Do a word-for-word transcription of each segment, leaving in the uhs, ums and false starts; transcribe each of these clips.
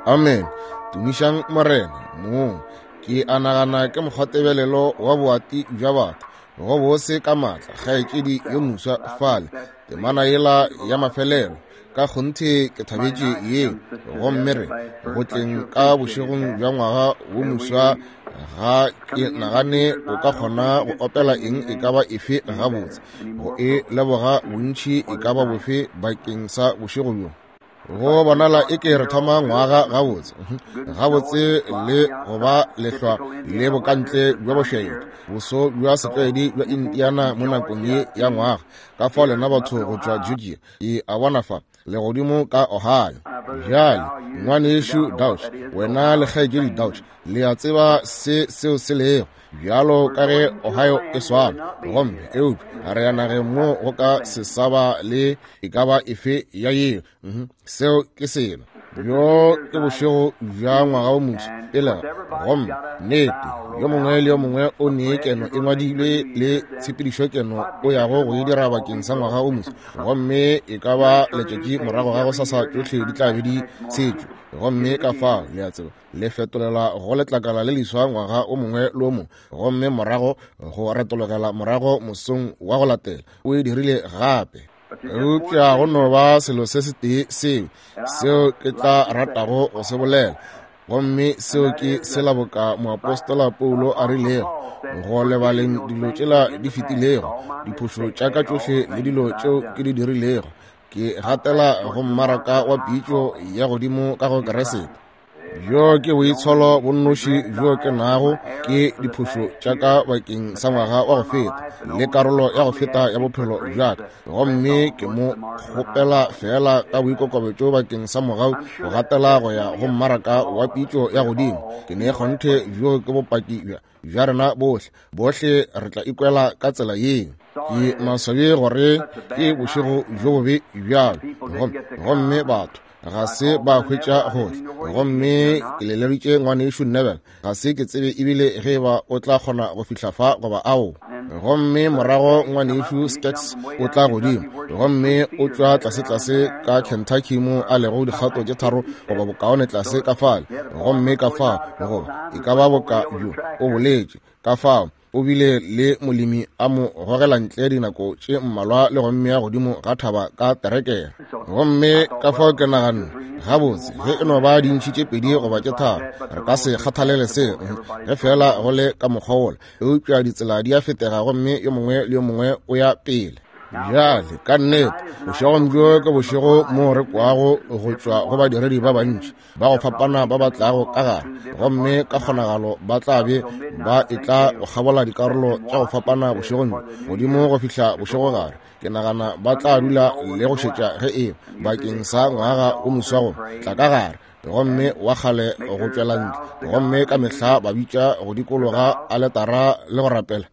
Amen. Tumišang Morena mong. Ke a nagana ke mokgwatebelelo wa boati bja batho go bose ka maatla kgaetšedi yo moswa fale temana yela ya mafelelo ka kgonthe ke thabetše yeo. Gomme re go tleng ka bošegong bja ngwaga wo moswa ga ke nagane o ka kgona go opela eng e ka ba efe gabotse go e leboga bontši e ka ba bofe bakeng sa bošego bjo. Go bonala e ke re thoma ngwaga gabotse gabotse le go ba lehlwa le bokantle bja bošaedi boso bja setlwaedi bja Indiana mo nakong ye ya ngwaga. Ka fao lena batho go tšwa Georgia e a bona fa legodimo ka Ohio. Bjale ngwanešu Dauch, wena le kgaetšedi Dauch, le a tseba se seo se lego bjalo ka ge Ohio e swana, gomme eupša re ya nageng mo go ka se sa ba le e ka ba efe ya yeo. Seo ke selo. Bjo ke bošego bja ngwaga wo moswa pele ga, gomme nnete yo mongwe le yo mongwe o nee keno e ngwadilwe le tshepedišokeno o yago go e dira bakeng sa ngwaga o moswa, gomme e ka ba letšatši morago ga gosasa tšohle di tla be di tshetšwe. Gomme ka fao le a tseba le fetolela go letlakala le leswa ngwaga o mongwe le o mongwe, gomme morago go retologela morago mosong wa go latela o e dirile gape. Eupša go no ba selo se setee seo seo ke tla ratago go se bolela, gomme seo ke sela boka moapostola Paulo a rilego go lebaleng dilo tšela di fetilego, diphošo tša ka tšohle le dilo tšeo ke di dirilego, ke gatela go mmaraka wa pitšo ya godimo ka go Keresete. Bjo ke boitsholo bo nnoši bjo ke nago ke diphošo tša ka bakeng sa ngwaga wa go feta le karolo ya go feta ya bophelo bja ka, gomme ke mo kgopela fela ka boikokobetšo bakeng sa mogau go gatela go ya go mmaraka wa pitšo ya godimo. Ke ne kgonthe bjo ke bopaki bja bja rena bohle, bohle re tla ikwela ka tsela yeo. Ke maswabi gore ke bošego bjo bobe bjalo, gomme batho ga se ba hwetša gohle. Gomme ke leleditše ngwanešu Neville, ga se ke tsebe ebile ge ba o tla kgona go fihla fa goba ao. Gomme morago ngwanešu Skeks o tla godimo, gomme o tšwa tlase-tlase ka Kentucky mo a lego dikgato tše tharo goba bokaone tlase ka fale, gomme ka fao goba e ka ba boka bjo o boletše ka fao o bile le molemi a mo gogela ntle dinako tše mmalwa le go mmea godimo ga thaba ka terekere. Gomme ka fao ke naganne gabotse ge e no ba dintšhi tše pedi goba tše tharo re ka se kgathalele seo ge fela go le ka mokgwa wola, eupša ditsela di a fetega gomme yo mongwe le yo mongwe o ya pele. Bjale ka nnete bošegong bjo ke bošego mo re kwago go tšwa go badiredi ba bantši ba go fapana ba ba tlago ka gare, gomme ka kgonagalo ba tla be ba etla go kgabola dikarolo tša go fapana bošegong bjo godimo go fihla bošegogare. Ke nagana ba tla dula le go šetša ge e bakeng sa ngwaga o moswa go tla ka gare, gomme wa kgale go tšwela ntle, gomme ka mehla ba bitša go dikologa aletara le go rapela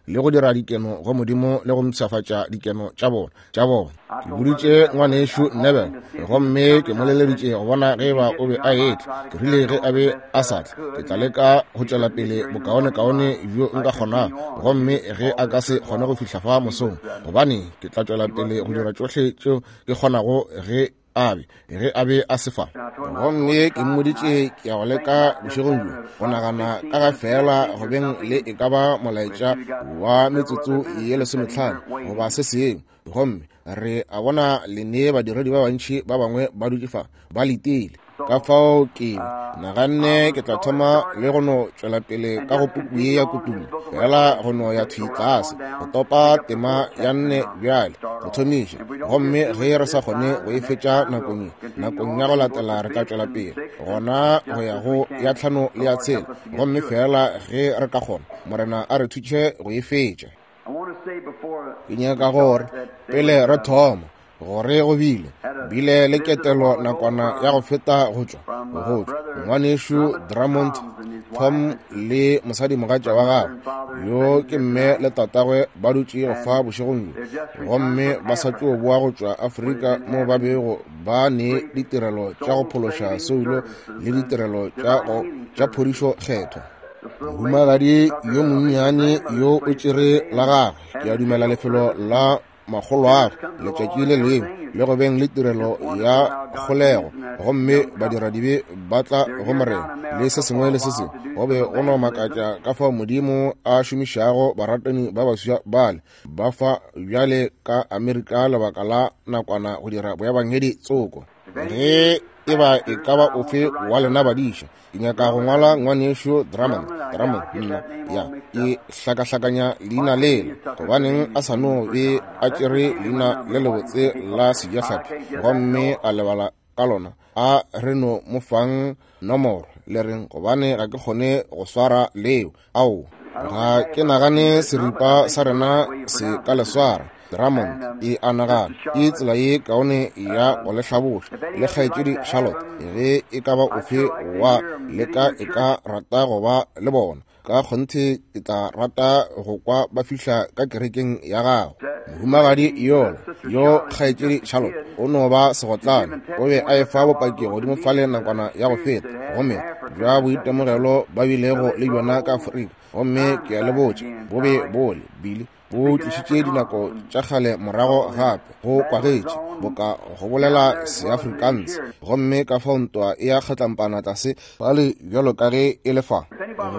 le go dira dikeno go Modimo le go mpshafatša dikeno tša bona tša bona. Ke boditše ngwanešu Neville, gomme ke mo leleditše go bona ge ba o be a etla. Ke rile ge a be a sa tle ke tla leka go tšwela pele bokaonekaone bjo nka kgonago, gomme ge a ka se kgone go fihla fa mosong, gobane ke tla tšwela pele go dira tšohle tšeo ke kgonago ge a be ge a be a se fa. Gomme ke mmoditše ke ya go leka bošegong bjo go nagana ka ga fela go beng le e ka ba molaetša wa metsotso ye lesometlhano goba se sengwe, gomme re a bona le nee badiredi ba bantši ba bangwe ba dutše fa ba letile. Ka fao ke naganne ke tla thoma le go no tšwela pele ka go puku ye ya Kutullo, fela go no ya thwi tlase go topa tema ya nne bjale go thomiša, gomme ge re sa kgone go e fetša nakong ye, nakong ya go latela re tla tšwela pele gona go ya go ya tlhano le ya tshela, gomme fela ge re ka kgona Morena a re thuše go e fetša. Ke nyaka gore pele re thoma gore go bile bile le ketelo nakwana ya go feta go tšwa go tšwa ngwanešu Drummond Tom le mosadimogatša wa gagwe yo ke mme le tatagwe ba dutše go fa bošegong bjo, gomme ba sa tšo boa go tšwa Afrika mo ba bego ba ne ditirelo tša go phološa soulo le ditirelo tša go tša phodišo kgethwa. Mohumagadi yo monnyane yo o tšere la gagwe, ke a dumela lefelo la makgoloago letšatši le lengwe le go beng le tirelo ya kgolego, gomme badiradibe ba tla go Morena le se sengwe le se sengwe. Go be go no makatša ka fao Modimo a šomišago baratani ba baswa bale ba fa bjale ka Amerika lebaka la nakwana go dira boebangedi tsoko. Ge e ba e ka ba ofe wa lena badiša, ke nyaka go ngwala ngwanešu Drummond, Drummond nna ya ke hlakahlakanya leina lela, gobaneng a sa no be a tšere leina le lebotse la sejahlapi gomme a lebala ka lona, a re no mo fang nomoro le reng, gobane ga ke kgone go swara leo. Ao, ga ke nagane seripa sa rena se ka le swara. Drummond e a nagana ke tsela ye kaone ya go le hlaboša. Le kgaetšedi Charlotte, ge e ka ba ofe wa leka e ka rata go ba le bona, ka kgonthe ke tla rata go kwa ba fihla ka kerekeng ya gago. Mohumagadi yola yo kgaetšedi Charlotte o no ba segotlane, o be a efa bopaki godimo fale nakwana ya go feta, gomme bja boitemogelo ba bilego le bjona ka Afrika, gomme ke a le botša bo be bole bile bo tlišitše dinako tša kgale morago gape, go kwagetše boka go bolela Seafrikanse, gomme ka fao ntwa e ya kgatlampana tlase fale bjalo ka ge e le fa.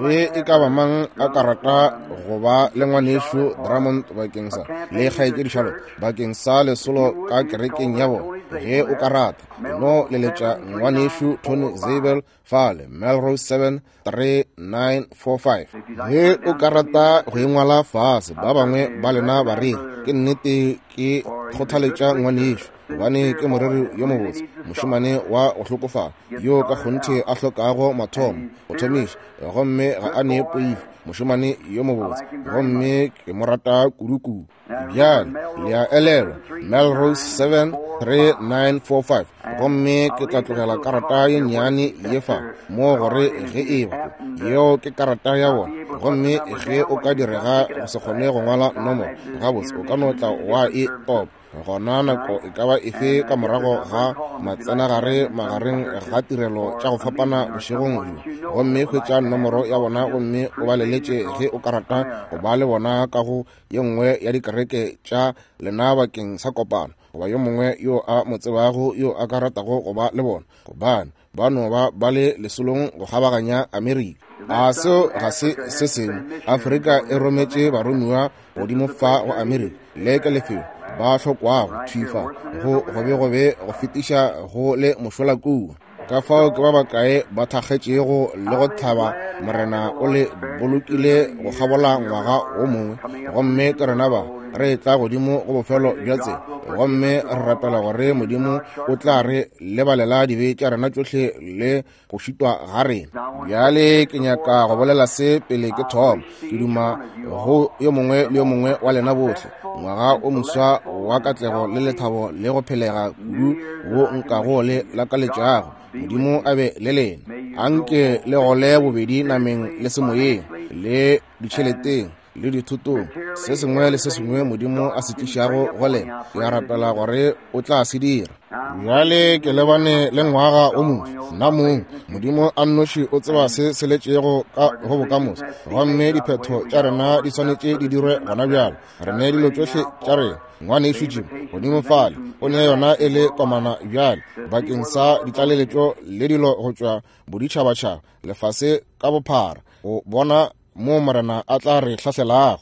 Ge e ka ba mang a ka rata go ba le ngwanešu Drummond bakeng sa le kgaetšedi Charlotte bakeng sa lesolo ka kerekeng ya bona, ge o ka rata no leletša ngwanešu Tony Zabel fale Melrose seven three nine four five. Ge o ka rata go engwala fase, ba bangwe ba lena ba re ke nnete ke kgothaletša ngwanešu, gobane ke moreri yo mobotse, mošemane wa go hlokofala yo ka kgonthe a hlokago mathomo go thomiša, gomme ga a ne poifo, mošemane yo mobotse, gomme ke mo rata kudu-kudu. Bjale le a elelwa Melrose seven three nine four five, gomme ke tla tlogela karata ye nnyane ye fa mo gore ge e ba yeo ke karata ya bona, gomme ge o ka direga go se kgone go ngwala nomoro gabotse, o ka no tla wa e topa gona nako e ka ba efe ka morago ga matsenagare magareng ga tirelo tša go fapana bošegong bjo, gomme hwetša nomoro ya bona gomme o ba leletše ge o ka rata go ba le bona ka go ye nngwe ya dikereke tša lena bakeng sa kopano, goba yo mongwe yo a mo tsebago yo a ka ratago go ba le bona, gobane ba no ba ba le lesolong go kgabaganya Amerika. A seo ga se se sengwe? Afrika e rometše baromiwa godimo fa go Amerika, le ke lefelo ba hlokwago thwi fa go gobe-gobe go fetiša go le mošola kua. Ka fao ke ba bakae ba thakgetšego le go thaba Morena o le bolokile go kgabola ngwaga o mongwe, gomme ke rena ba re tla godimo go bofelo bja tsela, gomme re rapela gore Modimo o tla re lebalela dibe tša rena tšohle le go šitwa ga rena. Bjale ke nyaka go bolela se pele ke thoma. Ke duma go yo mongwe le yo mongwe wa lena bohle ngwaga o moswa wa katlego le lethabo le go phelega kudu wo nkago le lakaletšago. Modimo a be le lena. Anke le gole bobedi nameng le semoyeng le ditšheleteng le dithutong, se sengwe le se sengwe Modimo a se tlišago go lena, ke a rapela gore o tla se dira. Bjale ke lebane le ngwaga o moswa, nna mong Modimo a nnoši o tseba se se letšego ka go bokamoso, gomme diphetho tša rena di swanetše di dirwe gona bjalo. Re ne dilo tšohle tša rena. Ngwanešu Jim godimo fale o ne yona e le komana bjale bakeng sa ditlaleletšo le dilo go tšwa boditšhabatšhaba lefase ka bophara, go bona mo Morena a tla re hlahlelago.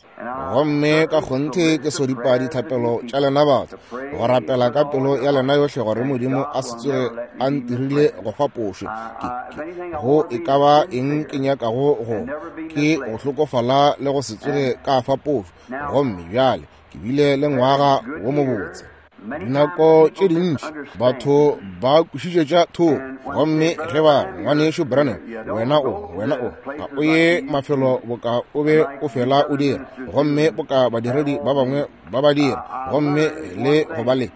Gomme ka kgonthe ke sodipa dithapelo tša lena batho, go rapela ka pelo ya lena yohle gore Modimo a se tsoge a ntirile go fapošwe. Ke, ke go e ka ba eng ke nyakago go ke go hlokofala le go se tsoge ka fapošwe. Gomme bjale ke bile le ngwaga wo mobotse. Dinako tše dintši batho ba kwešišetša thoko, gomme ge ba re ngwanešu Branham, wena o wena o ga o ye mafelo boka o be o fela o dira, gomme boka badiredi ba bangwe ba ba dira, gomme le go ba le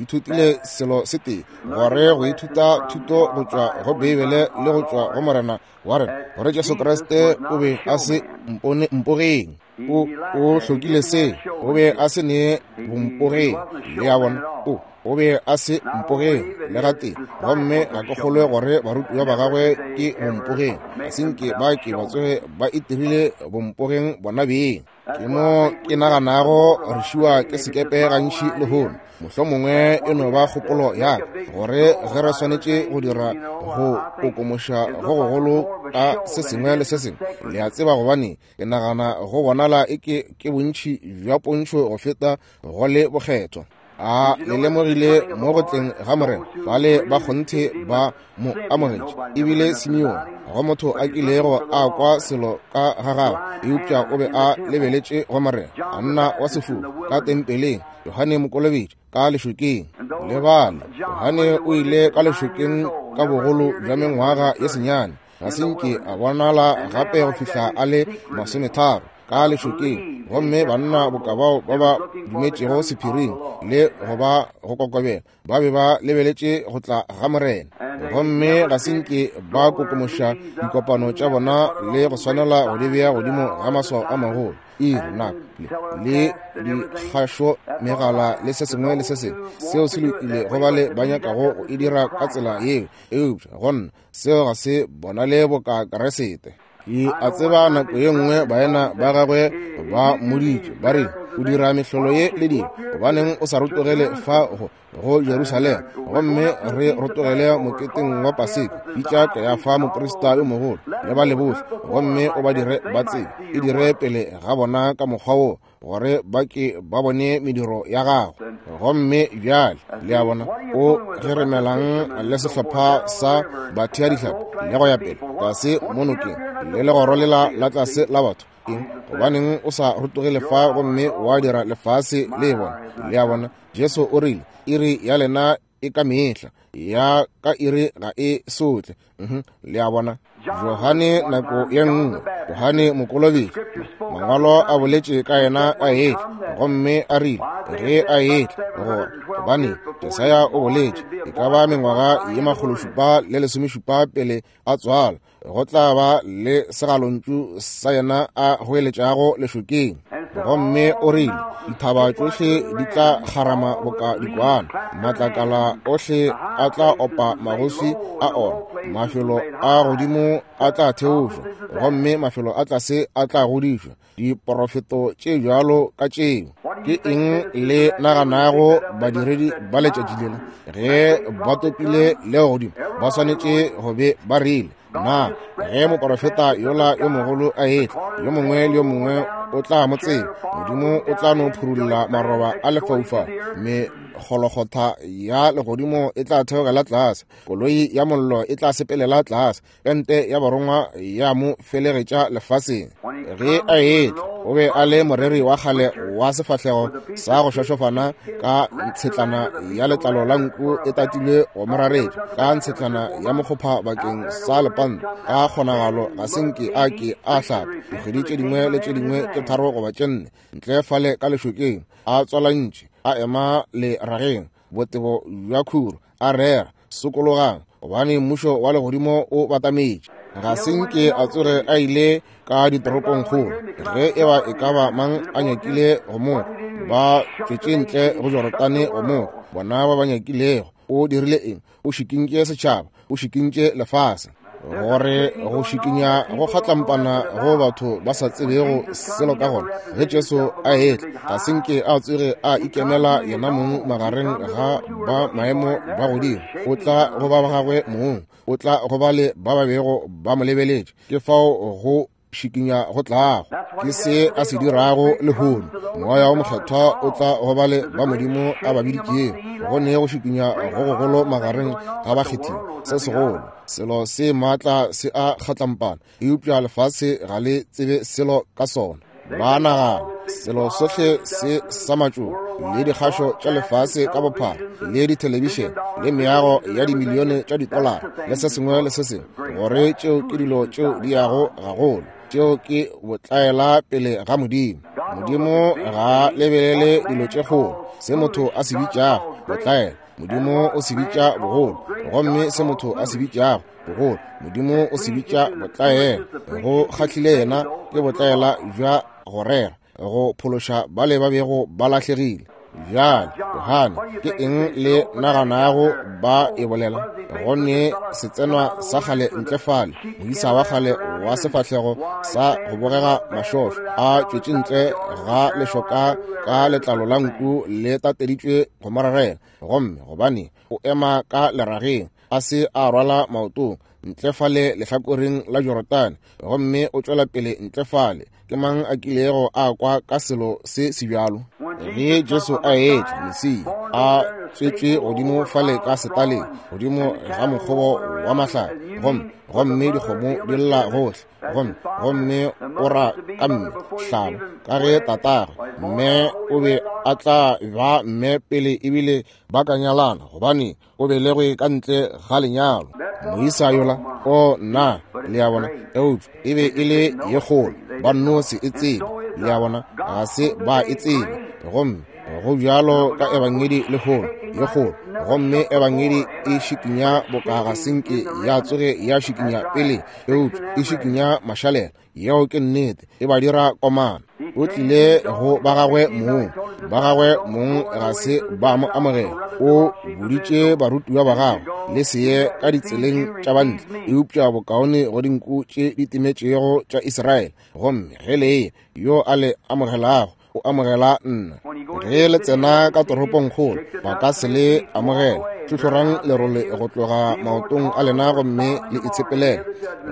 ithutile selo se tee, gore go ithuta thuto go tšwa go Beibele le go tšwa go Morena wa rena, gore Jesu Kriste o be a se mpone mpogeng. O o hlokile se, o be a se ne bompogeng. Le a bona, o O be a se mpogeng le gatee, gomme ga ke kgolwe gore barutiwa ba gagwe ke bompogeng. Ga se nke ba ke ba tsoge ba itirile bompogeng bona beng. Ke mo ke naganago re šiwa ke sekepe gantši lehono. Mohlomongwe e no ba kgopolo ya ka gore ge re swanetše go dira go kokomoša go gogolo ka se sengwe le se sengwe, le a tseba, gobane ke nagana go bonala e ke ke bontši bja pontšho go feta go le bokgethwa. A le lemogile mo go tleng ga Morena, bale ba kgonthe ba mo amogetše. Ebile Simeone, go motho a kilego a kwa selo ka ga gagwe, eupša o be a lebeletše go Morena, a nna wa sefofu ka tempeleng. Johane Mokolobetši ka lešokeng, le bale Johane o ile ka lešokeng ka bogolo bja mengwaga ye senyane, ga se nke a bonala gape go fihla a le masometharo ka lešokeng. Gomme banna boka bao ba ba dumetšego sephiring le go ba go kokobela ba be ba lebeletše go tla ga Morena, gomme ga se nke ba kokomoša dikopano tša bona le go swanela go di bea godimo ga maswao a magolo, iri nako le dikgašo megala le se sengwe le se sengwe. Seo se lokile go bale ba nyakago go e dira ka tsela yeo, eupša go nna seo ga se bonale boka Keresete. Ke a tseba nako ye nngwe baena ba gagwe ba mmoditše ba re, o dira mehlolo ye le dilo, gobaneng o sa rotogele fa go go Jerusalema gomme re rotogele moketeng wa Paseka? Bitša Kayafa moprista yo mogolo le ba le bohle, gomme o ba dire ba tsebe, e dire pele ga bona ka mokgwa wo, gore ba ke ba bone mediro ya gago. Gomme bjale le a bona o geremelang le sehlopha sa batheadihlapi le go ya pele tlase mo nokeng le legoro lela la tlase la batho. Eng? Gobaneng o sa rotogele fa gomme wa dira lefase le e bona? Le a bona, Jesu o rile, iri ya lena e ka mehla, ya ka iri ga e sotle. Le a bona, Johane nako ye nngwe, Johane Mokolobetši, mangwalo a boletše ka yena a etla, gomme a rile ge a etla gore gobane Jesaya o boletše e ka ba mengwaga ye makgološupa le lesomešupa pele a tswalwa, go tla ba le segalontšu sa yena a goeletšago lešokeng. Gomme o rile dithaba tšohle di tla kgarama boka dikwana, matlakala ohle a tla opa magoswi a ona, mafelo a godimo a tla theošwa, gomme mafelo a tlase a tla godišwa. Diporofeto tše bjalo ka tšeo. Ke eng le naganago badiredi ba letšatši lela ge ba topile leo godimo ba swanetše go be ba rile, na ge moporofeta yola yo mogolo a etla, yo mongwe le yo mongwe o tla mo tseba, Modimo o tla no phurulla maroba a lefaufau, mekgolokgotha ya legodimo e tla theogela tlase, koloi ya mollo e tla sepelela tlase, pente ya barongwa ya mo felegetša lefaseng. Ge a etla, o be a le moreri wa kgale wa sefahlego sa go šošofana ka ntshetlana ya letlalo la nku e tatilwe go moraretša, ka ntshetlana ya mokgopha bakeng sa lepanta, ka kgonagalo ga se nke a ke a hlapa dikgwedi tše dingwe le tše dingwe tše tharo goba tše nne ntle fale ka lešokeng, a tswalantše, a ema lerageng botebo bja khuro, a rera, sokologang, gobane mmušo wa legodimo o batametše. Ga se nke a tsoge a ile ka ditoropongkgolo. Ge e ba e ka ba mang a nyakile go mo, ba tšwetše ntle go Jorodane go mo, bona ba ba nyakilego. O dirile eng? O šikintše setšhaba, o šikintše lefase. Gore go šikinya go kgatlampana go batho ba sa tsebego selo ka gona. Ge Jesu a etla, ga se nke a tsoge a ikemela yena mong magareng ga ba maemo ba godimo. O tla go ba ba gagwe mong, o tla go ba le ba ba bego ba mo lebeletše. Ke fao go šikinya go tlago. Ke se a se dirago lehono. Moya wo Mokgethwa o tla go ba le ba Modimo a ba biditšego. Go ne go šikinya go gogolo magareng ga bakgethiwa, se segolo, selo se maatla se a kgatlampana, eupša lefase ga le tsebe selo ka sona. Ba nagana selo sohle se sa matšoba le dikgašo tša lefase ka bophara le dithelebišene le meago ya dimilione tša ditolara le se sengwe le se sengwe, gore tšeo ke dilo tšeo di yago gagolo, tšeo ke botlaela pele ga Modimo. Modimo ga lebelele dilo tše kgolo, se motho a se bitšago botlaela, Modimo o se bitša bogolo, gomme se motho a se bitšago bogolo, Modimo o se bitša botlaela. Go kgahlile yena ke botlaela bja go rera, go phološa bale ba bego ba lahlegile. Bjale, Johane, ke eng le naganago ba e bolela? Go ne setsenwa sa kgale ntle fale, moisa wa kgale wa sefahlego sa go bogega mašošo, a tšwetše ntle ga lešoka ka letlalo la nku le tateditšwe go mo rarela. Gomme gobane o ema ka lerageng, a se a rwala maotong, ntle fale lehlakoreng la Jorodane, gomme o tšwela pele ntle fale. Ke mang a kilego a kwa ka selo se sebjalo? Ge Jesu a etla, Mesia, a tswetšwe godimo fale ka setaleng, godimo ga mokgobo wa mahlare, gomme gomme dikgomo di lla gohle, gomme gomme o ra ka mme hlabo ka ge tatagwe mme o be a tla ba mme pele ebile ba ka nyalana, gobane o belegwe ka ntle ga lenyalo. Moisa yola, o nna, le a bona, eupša e be e le ye kgolo, ba nno se e tsebe, le a bona, ga se ba e tsebe. Gomme go bjalo ka ebangedi lehono, ye kgolo, gomme ebangedi e šikinya boka ga senke ya tsoge ya šikinya pele, eupša e šikinya mašalela. Yeo ke nnete, e ba dira komana. O tlile go ba gagwe mong, ba gagwe mong ga se ba mo amogela. O boditše barutiwa ba gagwe, le se ye ka ditseleng tša bantle, eupša bokaone go dinku tše di timetšego tša Israele. Gomme ge le ye, yo a le amogelago o amogela nna. Ge le tsena ka toropongkgolo, ba ka se le amogela. Hlohlorang lerole go tloga maotong a lena gomme le itshepelele.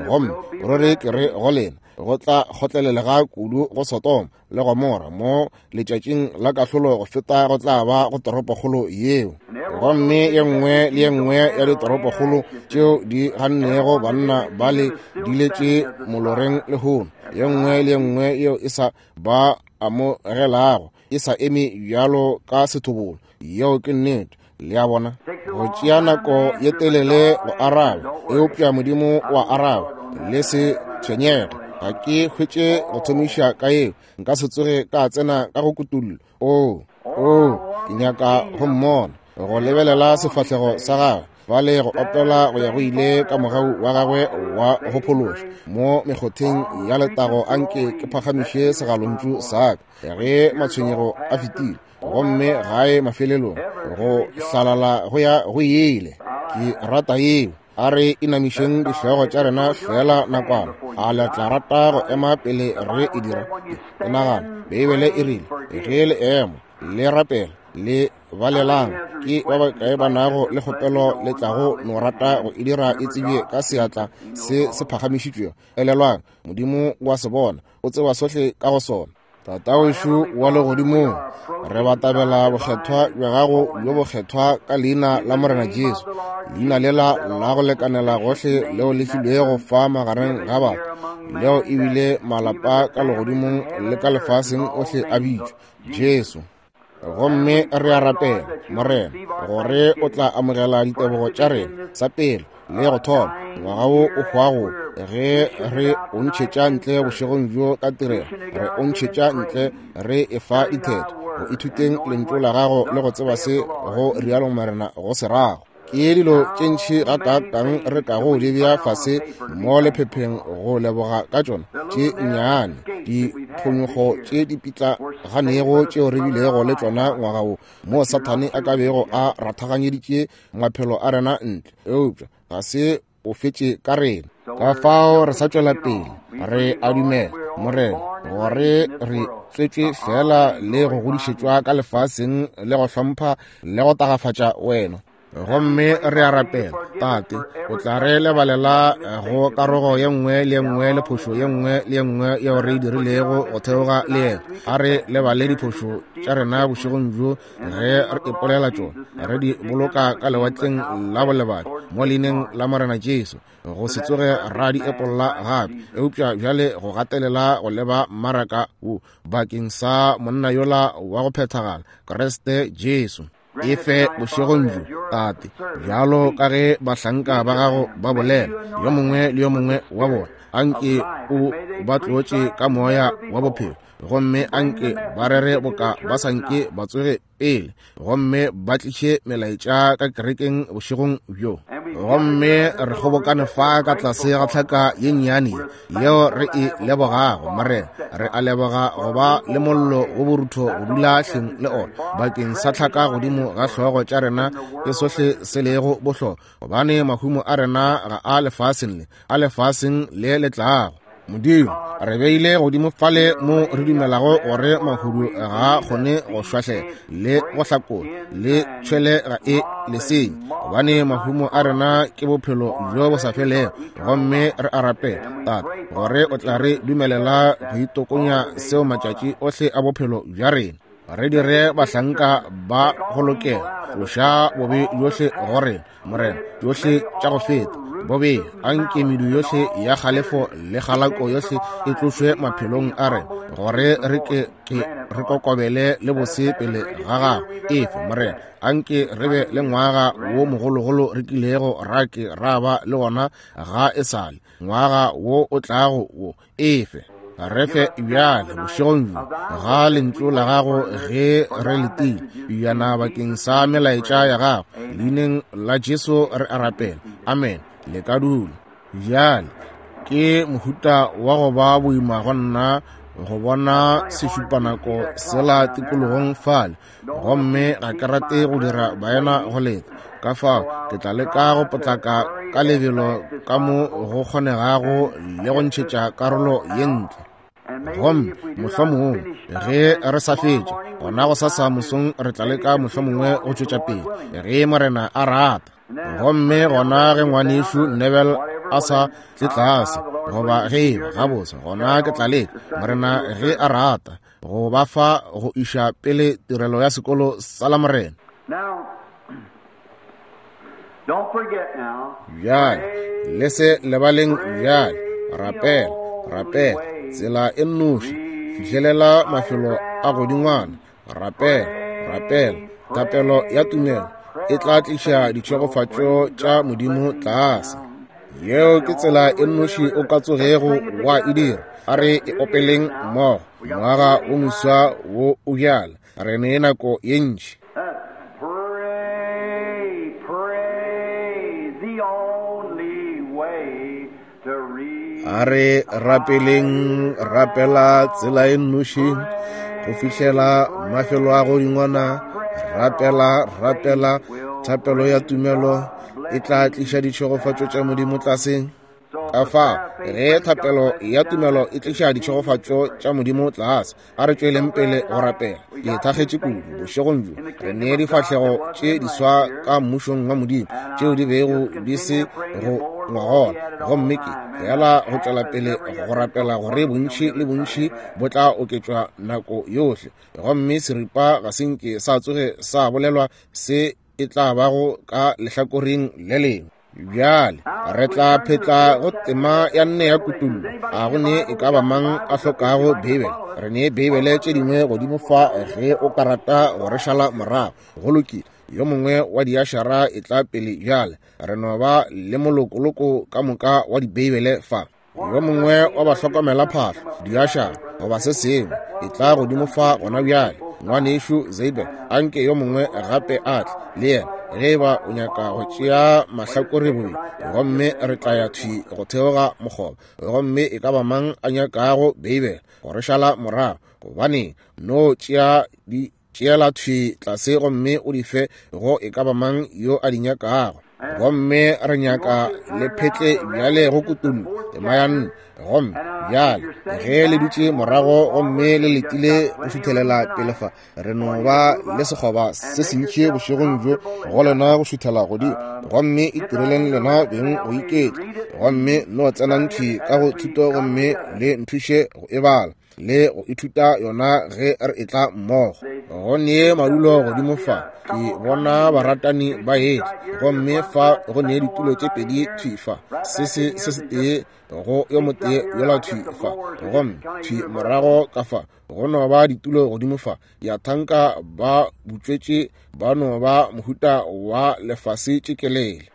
Gomme ruri ke re go lena, go tla kgotlelelega kudu go Sodoma le Gomora mo letšatšing la kahlolo go feta go tla ba go toropokgolo yeo. Gomme ye nngwe le ye nngwe ya ditoropokgolo tšeo di gannego banna ba le diletše moloreng lehono, ye nngwe le ye nngwe yeo e sa ba amogelago e sa eme bjalo ka sethobolo. Yeo ke nnete. Le a bona, go tšea nako ye telele go araba, eupša Modimo wa araba. Le se tshwenyege, ga ke hwetše go thomiša ka yeo, nka se tsoge ka tsena ka go kutullo. O, o, ke nyaka go mmona, go lebelela sefahlego sa gagwe, ba le go opela go ya go ile ka mogau wa gagwe wa go phološa. Mo mekgotheng ya letago anke ke phagamiše segalontšu sa ka ge matshwenyego a fetile, gomme gae mafelelong go hlalala go ya go ile. Ke rata yeo. A re inamišeng dihlogo tša rena fela nakwana. A le tla rata go ema pele re e dira? Ke nagana Beibele e rile, ge le ema le rapela le balelang, ke ba bakae ba nago le kgopelo le tlago no rata go e dira e tsebje ka seatla se se phagamišitšwego? Elelwang, Modimo wa se bona, o tseba sohle ka go sona. Tatawešu wa legodimong, re batamela bokgethwa bja gago bjo bokgethwa ka leina la Morena Jesu, leina lela la go lekanela gohle leo le filwego fa magareng ga batho, leo ebile malapa ka legodimong le ka lefaseng ohle a bitšwa Jesu. Gomme re a rapela, Morena, gore o tla amogela ditebogo tša rena sa pele le go thoma ngwaga wo o hwago, ge re o ntšhetša ntle bošegong bjo ka tirelo, re o ntšhetša ntle re efa ditheto go ithuteng lentšu la gago le go tseba se go rialo Morena go se rago. Ke dilo tše ntši gakaakang re kago di bea fase mo lephepheng go leboga ka tšona tše nnyane diphonyokgo tše di pitlaganego tšeo re bilego le tšona ngwaga wo, mo Sathane a ka bego a rathaganyeditše maphelo a rena ntle, eupša ga se o fetše ka rena. Ka fao re sa tšwela pele, re a dumela, Morena, gore re tswetšwe fela le go godišetšwa ka lefaseng le go hlompha le go tagafatša wena. Gomme re a rapela, Tate, o tla re lebalela go karogo ye nngwe le ye nngwe le phošo ye nngwe le ye nngwe yeo re e dirilego go theoga le yena. A re lebale diphošo tša rena bošegong bjo ge re ipolela tšona, re di boloka ka lewatleng la bolebadi mo leineng la Morena Jesu, go se tsoge ra di epolla gape, eupša bjale go gatelela go leba mmaraka wo bakeng sa monna yola wa go phethagala, Kriste Jesu. E fe bošegong bjo, Tate, bjalo ka ge bahlanka ba gago ba bolela, yo mongwe le yo mongwe wa bona, anke o ba tlotše ka moya wa bophelo, Gomme anke ba rere boka ba sa nke ba tsoge pele, gomme ba tliše melaetša ka kerekeng bošegong bjo. Gomme re kgobokane fa ka tlase ga tlhaka ye nnyane yeo re e lebogago, Morena. Re a leboga go ba le mollo wo borutho go dula hleng le ona bakeng sa tlhaka godimo ga hlogo tša rena ke sohle se lego bohlokwa, gobane mahumo a rena ga a lefaseng le, a lefaseng le le tlago. Modimo, re beile godimo fale mo re dumelago gore mahudu ga a kgone go šwahlela le go hlakola le tšhwele ga e lesenye, gobane mahumo a rena ke bophelo bjo bo sa felego. Gomme re a rapela, Tate, gore o tla re dumelela go itokonya seo matšatši ohle a bophelo bja rena. Re dire bahlanka ba go lokela, tloša bobe bjohle go rena, Morena, tšohle tša go feta bobe. Anke medu yohle ya kgalefo le kgalako yohle e tlošwe maphelong a rena, gore re ke ke re kokobele le bose pele ga gago. Efe, Morena, anke re be le ngwaga wo mogologolo re kilego ra ke ra ba le gona ga e sale, ngwaga wo o tlago wo. Efe, re fe bjale bošegong bjo ga lentšu la gago ge re letile bjana bakeng sa melaetša ya gago. Leineng la Jesu re a rapela, amen. Le ka dula. Bjale ke mohuta wa go ba boima go nna go bona sešupanako sela tikologong fale, gomme ga ke rate go dira baena go leta. Ka fao ke tla leka go potlaka ka lebelo ka mo go kgonegago le go ntšhetša karolo ye ntle. Gomme mohlomongwe ge re sa fetše gona go sasa mosong re tla leka mohlomongwe go tšwetša pele ge Morena a rata. Gomme gona ge ngwanešu Neville a sa tle tlase, goba ge eba gabotse, gona ke tla leka, Morena ge a rata, go ba fa go iša pele tirelo ya sekolo sa la Morena. Bjale le se lebaleng bjale, rapela, rapela tsela e nnoši, fihlelela mafelo a godingwana, rapela, rapela. Thapelo ya tumelo e tla tliša ditšhegofatšo tša Modimo tlase. Yeo ke tsela e nnoši o ka tsogego wa e dira. A re e opeleng mmogo. Ngwaga o moswa wo o bjala, re ne nako ye ntši. A re rapeleng, rapela tsela e nnoši go fihlela mafelo a godingwana. Rapela, rapela, thapelo ya tumelo e tla tliša ditšhegofatšo tša Modimo tlase. Ka fao ge thapelo ya tumelo e tliša ditšhegofatšo tša Modimo tlase, a re tšweleng pele go rapela. Ke thakgetše kudu bošegong bjo re ne difahlego tše diswa ka mmušong wa Modimo tšeo di bego di se go ngwagola, gomme ke fela go tšwela pele go rapela gore bontši le bontši bo tla oketšwa nako yohle. Gomme seripa ga se nke sa tsoge sa bolelwa se e tla bago ka lehlakoreng le lengwe. Bjale re tla phetla go tema ya nne ya Kutullo. A go ne e ka ba mang a hlokago Beibele? Re ne Beibele tše dingwe godimo fa ge o ka rata go re šala morago. Go lokile, yo mongwe wa diašara e tla pele bjale. Re no ba le molokoloko ka moka wa dibeibele fa. Yo mongwe wa bahlokomela phahlo, diašara goba se sengwe, e tla godimo fa gona bjale. Ngwanešu Zabel, anke yo mongwe gape a tle le yena ge eba o nyaka go tšea mahlakore bobedi, gomme re tla ya thwi go theoga mokgoba. Gomme e ka ba mang a nyakago Beibele go re šala morago, gobane no tšea di tšeela thwi tlase gomme o di fe go e ka ba mang yo a di nyakago. Gomme re nyaka le phetle bjale go Kutullo tema ya nne. Gomme bjale ge le dutše morago gomme le letile go šuthelela pele fa, re no ba le sekgoba se sentši bošegong bjo go lena go šuthela godimo. Gomme itireleng lena beng go iketla, gomme no tsenang thwi ka go thuto gomme le nthuše go e bala le go ithuta yona ge re etla mmogo. Go ne madulo godimo fa, ke bona baratani ba etla, gomme fa go ne ditulo tše pedi thwi fa, se se se setee go yo motee yola thwi fa, gomme thwi morago ka fa go no ba ditulo godimo fa. Ya thanka ba butšwetše ba no ba mohuta wa lefase tšekelele.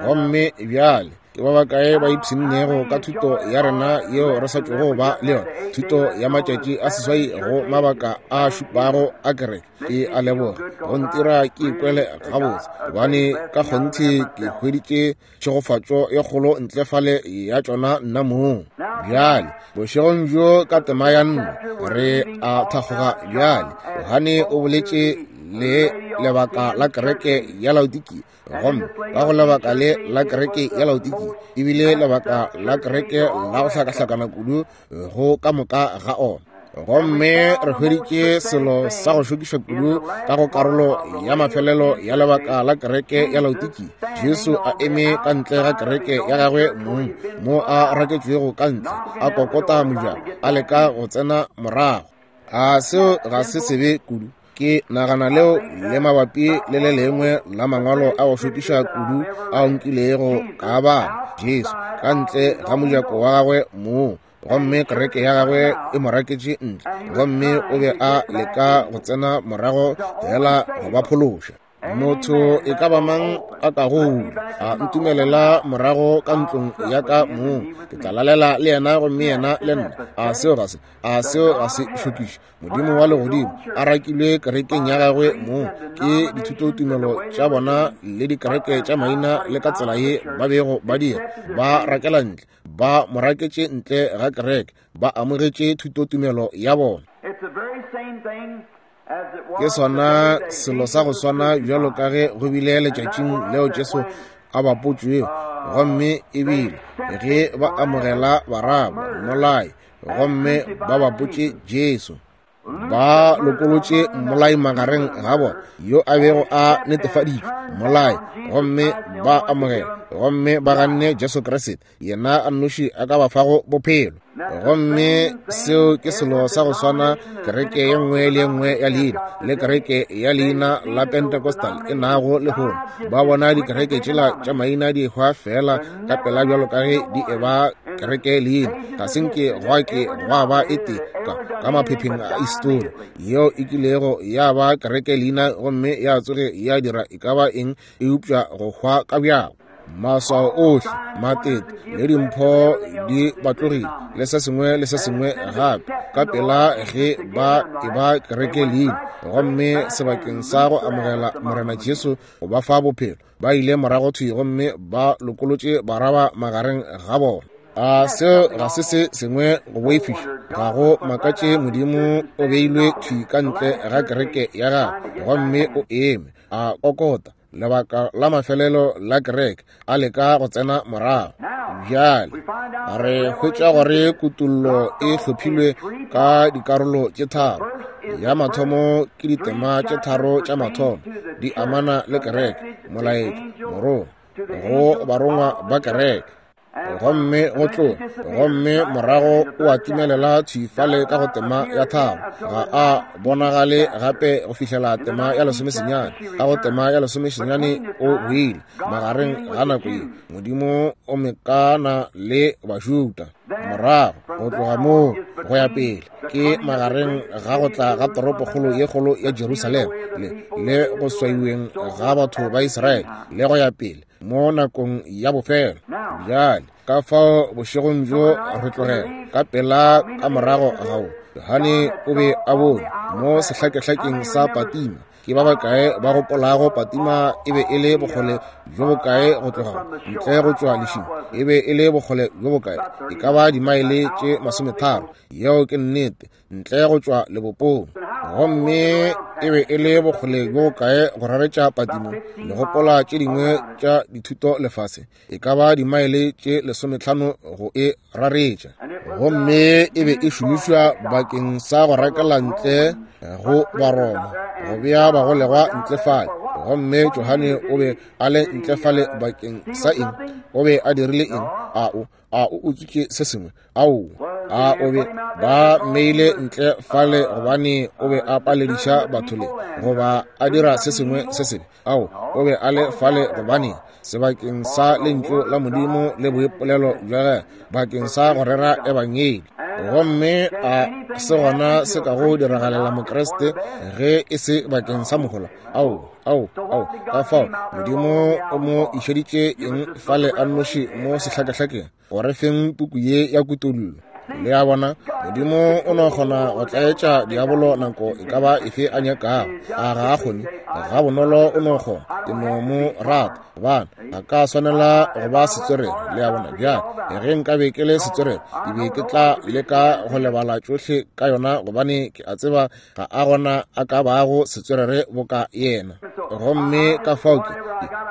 Gomme bjale Ke ba bakae ba ipshinnego ka thuto ya rena yeo re sa tšwago ba le yona, thuto ya matšatši a seswai go mabaka a šupago a kereke? Ke a leboga go ntira ke ikwele gabotse, gobane ka kgonthe ke hweditše tšhegofatšo ye kgolo ntle fale ya tšona nna mong. Bjale bošegong bjo ka tema ya nne re a thakgoga. Bjale Johane o boletše le lebaka la kereke ya Laodikia, gomme ka go lebaka le la kereke ya Laodikia ebile lebaka la kereke la go hlakahlakana kudu go ka moka ga ona. Gomme re hweditše selo sa go šokiša kudu ka go karolo ya mafelelo ya lebaka la kereke ya Laodikia, Jesu a eme ka ntle ga kereke ya gagwe mong, mo a raketšwego ka ntle, a kokota mojako, a leka go tsena morago. A seo ga se sebe kudu? Ke nagana leo le mabapi le le lengwe la mangwalo a go šokiša kudu a nkilego ka bala, Jesu ka ntle ga mojako wa gagwe mong, gomme kereke ya gagwe e mo raketše ntle, gomme o be a leka go tsena morago fela go ba phološa. Motho e ka ba mang a ka go a ntumelela morago ka ntlong ya ka mong, ke tla lalela le yena gomme yena le nna. A seo ga se a seo ga se šokiše? Modimo wa legodimo a rakilwe kerekeng ya gagwe mong ke dithutotumelo tša bona le dikereke tša maina le ka tsela ye ba bego ba dira, ba rakela ntle, ba mo raketše ntle ga kereke, ba amogetše thutotumelo ya bona. Ke sona selo sa go swana bjalo ka ge go bile letšatšing leo Jesu a bapotšwego, gomme ebile ge ba amogela Baraba mmolai, gomme ba bapotše Jesu, ba lokolotše mmolai magareng ga bona yo a bego a netefaditšwe mmolai, gomme ba amogela, gomme ba ganne Jesu Kriste, yena a nnoši a ka ba fago bophelo. Gomme seo ke selo sa go swana kereke ye nngwe le ye nngwe ya leina le kereke ya leina la Pentecostal e nago lehono. Ba bona dikereke tšela tša maina di ehwa fela ka pela bjalo ka ge di eba kereke leina. Ga se nke gwa ke gwa ba e tee ka, ka maphepheng a histori yeo e kilego ya ba kereke leina gomme ya tsoge ya dira e ka ba eng eupša go hwa ka bjako. Maswao ohle, matete le dimpho di batlogile le se sengwe le se sengwe gape ka pela ge ba e ba kereke leina, gomme sebakeng sa go amogela Morena Jesu go ba fa bophelo, ba ile morago thwi gomme ba lokolotše Baraba magareng ga bona. A seo ga se se sengwe go boifiša? Ga go makatše Modimo o beilwe thwi ka ntle ga kereke ya gagwe, gomme o eme a kokota lebaka la mafelelo la kereke a leka go tsena morago. Bjale re hwetša gore kutollo e hlophilwe ka dikarolo tše tharo. Ya mathomo ke ditema tše tharo tša mathomo di amana le kereke, molaetša, morongwa go barongwa ba kereke, gomme go tloga, gomme morago o a timelela thwi fale ka go tema ya tharo. Ga a bonagale gape go fihlela tema ya lesomesenyane. Ka go tema ya lesomesenyane o boile magareng ga nako ye Modimo o mekana le Bajuda. Morago go tloga moo go ya pele ke magareng ga go tla ga toropokgolo ye kgolo ya Jerusalema le le go swaiweng ga batho ba Israele le go ya pele mo nakong ya bofelo. Bjale ka fao bošegong bjo re tlogela ka pela ka morago ga wo, Johane o be a bone mo sehlakehlakeng sa Fatima. Ke ba bakae ba gopolago Fatima e be e le bokgole bjo bokae go tloga ntle go tšwa lešing? E be e le bokgole bjo bokae? E ka ba dimaele tše masometharo. Yeo ke nnete, ntle go tšwa lebopong. Gomme e be e le bokgole bjo bokae go raretša Fatima? Le gopola tše dingwe tša dithuto lefase? E ka ba dimaele tše lesometlhano go e raretša. Gomme e be e šomišwa bakeng sa go rakela ntle go Baroma, go bea bagolegwa ntle fale. Gomme Johane o be a le ntle fale bakeng sa eng? O be a dirile eng? A o a o utswitše se sengwe? Ao, a o be ba mmeile ntle fale gobane o be a palediša batho le goba a dira se sengwe se sebe? Ao, o be a le fale gobane sebakeng sa lentšu la Modimo le boipolelo bja gagwe, bakeng sa go rera ebangedi. Gomme a se gona se ka go diragalela Mokriste ge e se bakeng sa mohola. Ao, ao, ao, ka fao Modimo o mo išeditše eng fale a nnoši mo sehlakahlakeng, gore feng puku ye ya Kutollo. Le a bona, Modimo o no kgona go tlaetša diabolo nako e ka ba efe a nyakago. A ga a kgone? Ga bonolo o no kgona. Ke no mo rata, gobane ga ka swanela go ba setswerere. Le a bona? Bjale, ge nkabe ke le setswerere, ke be ke tla leka go lebala tšohle ka yona, gobane ke a tseba ga a gona a ka bago setswerere boka yena. Gomme ka fao ke,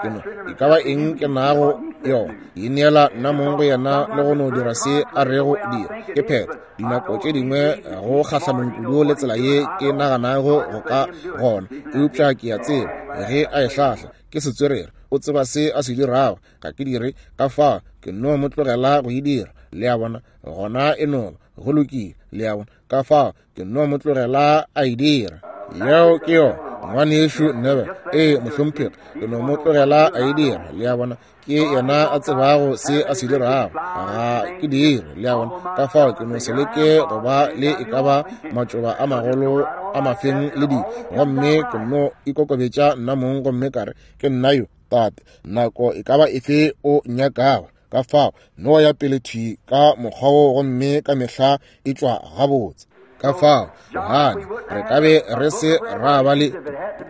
ke no, e ka ba eng ke nago yona, ke ineela nna mong go yena le go no dira se a rego dira. Ke phetho. Dinako tše dingwe go kgahlanong kudu le tsela ye ke naganago go ka gona, eupša ke a tseba ge a e hlahla ke setswerere, o tseba se a se dirago. Ga ke dire, ka fao ke no mo tlogela go e dira. Le a bona? Gona e no ba go lokile. Le a bona? Ka fao ke no mo tlogela a e dira. Yeo ke yona, ngwanešu Neville. Ee, mohlomphegi, ke no mo tlogela a e dira. Le a bona? Ke yena a tsebago se a se dirago, ga ke dire. Le a bona? Ka fao ke no se leke go ba le e ka ba matšoba a magolo a mafeng le dilo, gomme ke no ikokobetša nna mong gomme ka re, ke nna yo, Tate, nako e ka ba efe o nyakago. Ka fao no ya pele thwi ka mokgwa wo, gomme ka mehla e tšwa gabotse. Ka fao Johane, re ka be re se ra ba le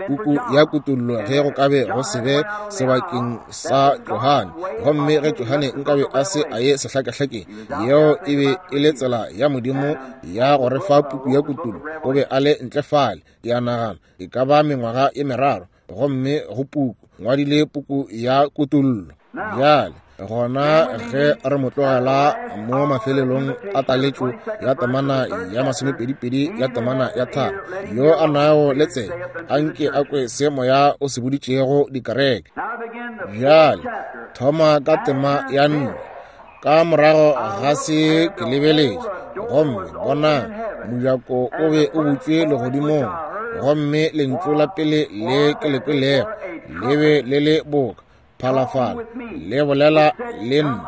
puku ya Kutollo ge go ka be go se be sebakeng sa Johane. Gomme ge Johane nkabe a se a ye sehlakahlakeng, yeo e be e le tsela ya Modimo ya go re fa puku ya Kutollo. O be a le ntle fale, ke a nagana, e ka ba mengwaga e meraro, gomme go puku ngwadile puku ya Kutollo. Bjale gona ge re mo tlogela mo mafelelong a taletšo ya temana ya masomepedipedi ya temana ya tharo, yo a nago le tsebe a nke a kwe se moya o se boditšego dikereke. Bjale thoma ka tema ya nne. Ka morago ga se ke lebeletše, gomme bonang, mojako o be o butšwe legodimong, gomme lentšu la pele le ke le kwelego le be le le boka phalafala, le bolela le nna,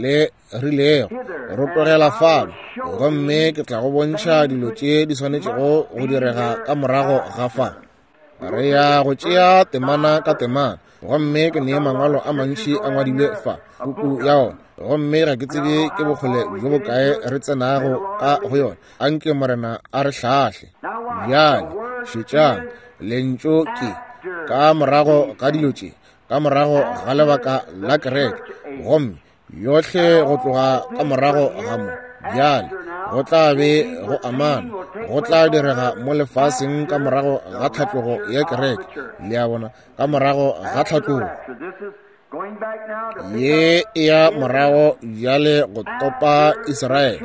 le rilego, rotogela fano, gomme ke tla go bontšha dilo tše di swanetšego go direga ka morago ga fa. Re ya go tšea temana ka temana, gomme ke nee mangwalo a mantši a ngwadilwe fa puku ya ona, gomme ga ke tsebe ke bokgole bjo bokae re tsenago ka go yona. Anke Morena a re hlahle. Bjale šetšang, lentšu ke ka morago ga dilo tše, ka morago ga lebaka la kereke, gomme yohle go tloga ka morago ga mo. Bjale go tla be go amana, go tla direga mo lefaseng ka morago ga tlhatlogo ya kereke. Le a bona? Ka morago ga tlhatlogo ye e ya morago bjale go topa Israele,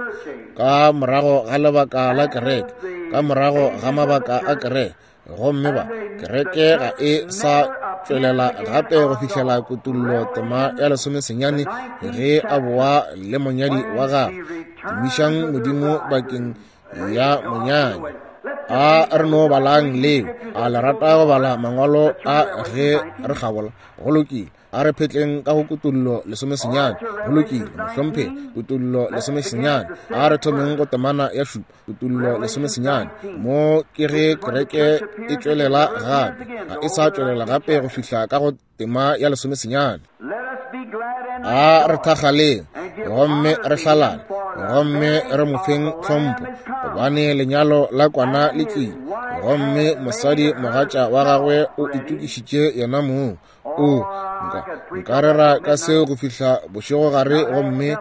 ka morago ga lebaka la kereke, ka morago ga mabaka a kereke. Gomme ba kereke ga e sa tšwelela gape go fihlela Kutollo tema ya lesomesenyane, ge a boa le monyadi wa gagwe. Tumišang Modimo bakeng ya monyanya. A re no balang leo. A le rata go bala mangwalo a ge re kgabola? Go lokile. A re phetleng ka go Kutollo lesomesenyane. Go lokile, mohlomphegi. Kutollo lesomesenyane. A re thomeng go temana ya šupa. Kutollo lesomesenyane. Mo ke ge kereke e tšwelela gape. Ga e sa tšwelela gape go fihla ka go tema ya lesomesenyane. A re thakgaleng, gomme re hlalale, gomme re mo feng tlhompho, gobane lenyalo la kwana le tlile, gomme mosadi mogatša wa gagwe o itokišitše yena mong. O nka nka rera ka seo go fihla bošegogare, gomme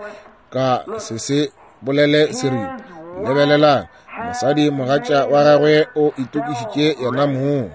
ka se se bolele seripa. Lebelelang, mosadi mogatša wa gagwe o itokišitše yena mong.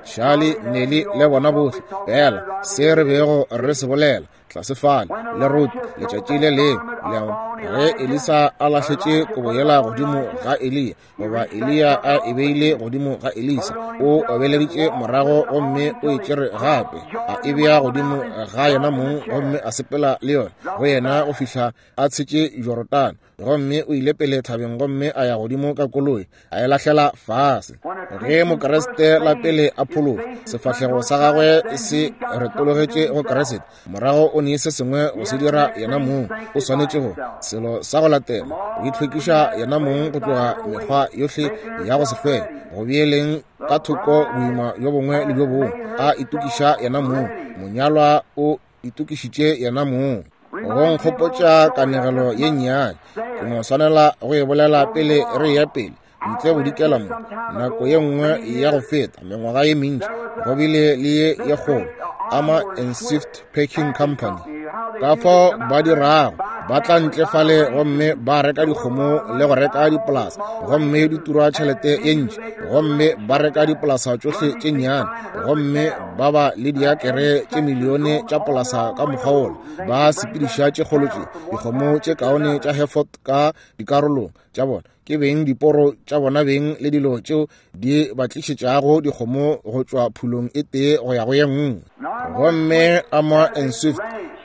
Charlie, Nelly le bona bohle, fela se re bego re se bolela tlase fale le Ruth letšatši le lengwe. Le a bona? Ge Elisa a lahletše kobo yela godimo ga Eliya, goba Eliya a e beile godimo ga Elisa, o obeleditše morago gomme o e tšere gape, a e bea godimo ga yena mong, gomme a sepela le yona go yena go fihla a tshetše Jorodane. Gomme o ile pele thabeng gomme a ya godimo ka koloi, a e lahlela fase. Ge Mokriste la pele a phologa, sefahlego sa gagwe se retologetše go Kriste, morago o ne se sengwe go se dira yena mong. O swanetše go se Selo sa go latela, o itlhwekiša yena mong go tloga mekgwa yohle ya go se hlweke, go beeleng ka thoko boima bjo bongwe le bjo bongwe, a itokiša yena mong. Monyalwa o itokišitše yena mong. Go nkgopotša kanegelo ye nnyane, ke no swanela go e bolela pele re ya pele ntle go dikela mo. Nako ye nngwe ya go feta, mengwaga ye mentši, go bile le ye ye kgolo Armour and Swift Packing Company. Ka fao ba dirago, ba tla ntle fale gomme ba reka dikgomo le go reka dipolasa, gomme di tura tšhelete ye ntši, gomme ba reka dipolasa tšohle tše nnyane, gomme ba ba le diakere tše milione tša polasa ka mokgwa wola. Ba sepediša tše kgolo tše, dikgomo tše kaone tša Hereford ka dikarolong tša bona, ke beng diporo tša bona beng le dilo tšeo di ba tlišetšago dikgomo go tšwa phulong e tee go ya go ye nngwe. Gomme Armour and Swift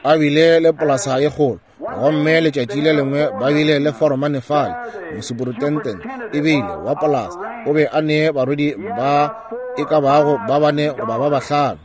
a bile le polasa ye kgolo, gomme letšatši le lengwe ba bile le foromane fale, mosuperintendent e bile wa polasa, o be a ne barwedi ba e ka bago ba bane goba ba bahlano.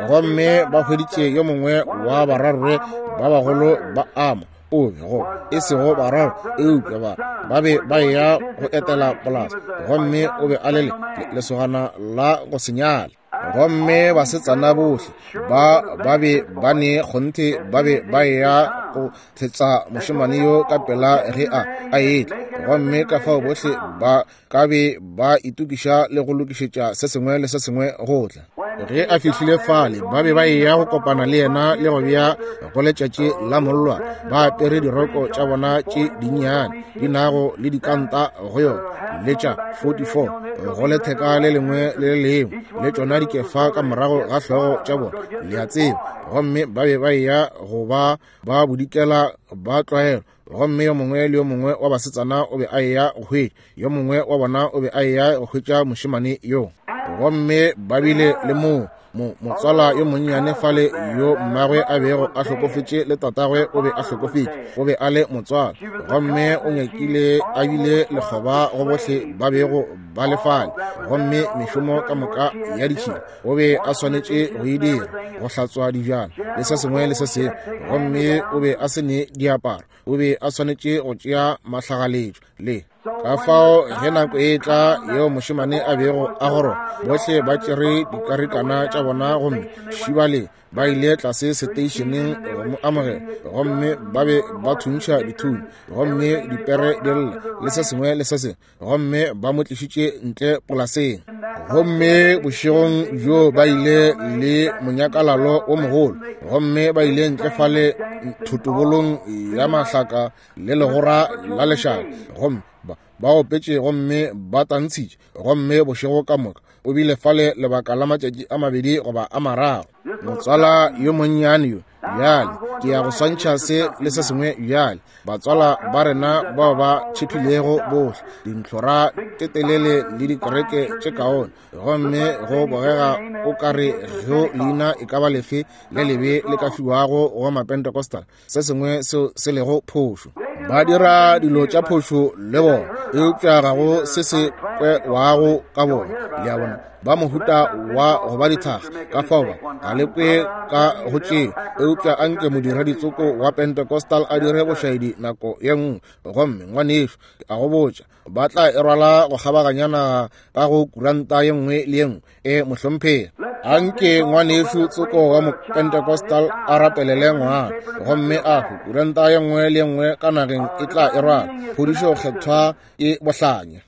Gomme ba hweditše yo mongwe wa bararre ba bagolo ba Armour, o be go e sego bararo eupša ba ba be ba eya go etela polasa, gomme o be a le lesogana la go senyale. Gomme basetsana bohle ba ba be ba ne kgonthe ba be ba eya go thetsa mošemane yo ka pela ge a a etla, gomme ka fao bohle ba ka be ba itokiša le go lokišetša se sengwe le se sengwe go tla. Ge a fihlile fale, ba be ba eya go kopana le yena le go bea go letšatši la mollwa, ba apere diroko tša bona tše dinnyane di nago le dikanta go yona, le tša forty-four go letheka le lengwe le le lengwe, le tšona dikefa ka morago ga hlogo tša bona, le a tseba. Gomme ba be ba eya go ba ba bodikela ba tlwaelo, gomme yo mongwe le yo mongwe wa basetsana o be a eya go hwetša, yo mongwe wa bona o be a eya go hwetša mošemane yo. Gomme ba bile le moo mo motswala yo monnyane fale yo mmagwe a bego a hlokofetše le tatagwe o be a hlokofetše, o be a le motswala, gomme o nyakile a bile lekgoba go bohle ba bego ba le fale. Gomme mešomo ka moka ya ditšhila o be a swanetše go e dira, go hlatswa dijana le se sengwe le se sengwe, gomme o be a se ne diaparo, o be a swanetše go tšea mahlagaletšo le. Ka fao ge nako e tla yeo mošemane a bego a goroga, bohle ba tšere dikarikana tša bona gomme šibale ba ile tlase seteišeneng go mo amogela, gomme ba be ba thuntšha dithunya, gomme dipere di lla le se sengwe le se sengwe, gomme ba mo tlišitše ntle polaseng. Gomme bošegong bjo ba ile le monyakalalo o mogolo, gomme ba ile ntle fale thotobolong ya mahlaka le legora la lešaka, gomme ba ba opetše gomme ba tantshitše, gomme bošego ka moka o bile fale lebaka la matšatši a mabedi goba a mararo. Motswala yo monnyane yo bjale, ke ya go swantšha se le se sengwe bjale. Batswala ba rena bao ba tšhephilego bohle dintlhora tše telele le dikereke tše kaone, gomme go bogega o ka re go leina e ka ba lefe le lebe le ka fiwago go Mapentecostal, se sengwe seo se lego phošo. Ba dira dilo tša phošo le bona, eupša ga go se se kwewago ka bona. Le a bona, ba mohuta wa go ba dithaga, ka fao ba ga le kwe ka go tšeo. Eupša anke modiraditsoko wa Pentecostal a dire bošaedi nako ye nngwe, gomme ngwanešu a go botša, ba tla e rwala go kgabaganya naga ka go kuranta ye nngwe le ye nngwe. E mohlomphegi, anke ngwanešu tsoko wa Mopentecostal a rapelele ngwana, gomme a hwe, kuranta ye nngwe le ye nngwe ka nageng e tla e rwala. Phodišo kgethwa e bohlanya.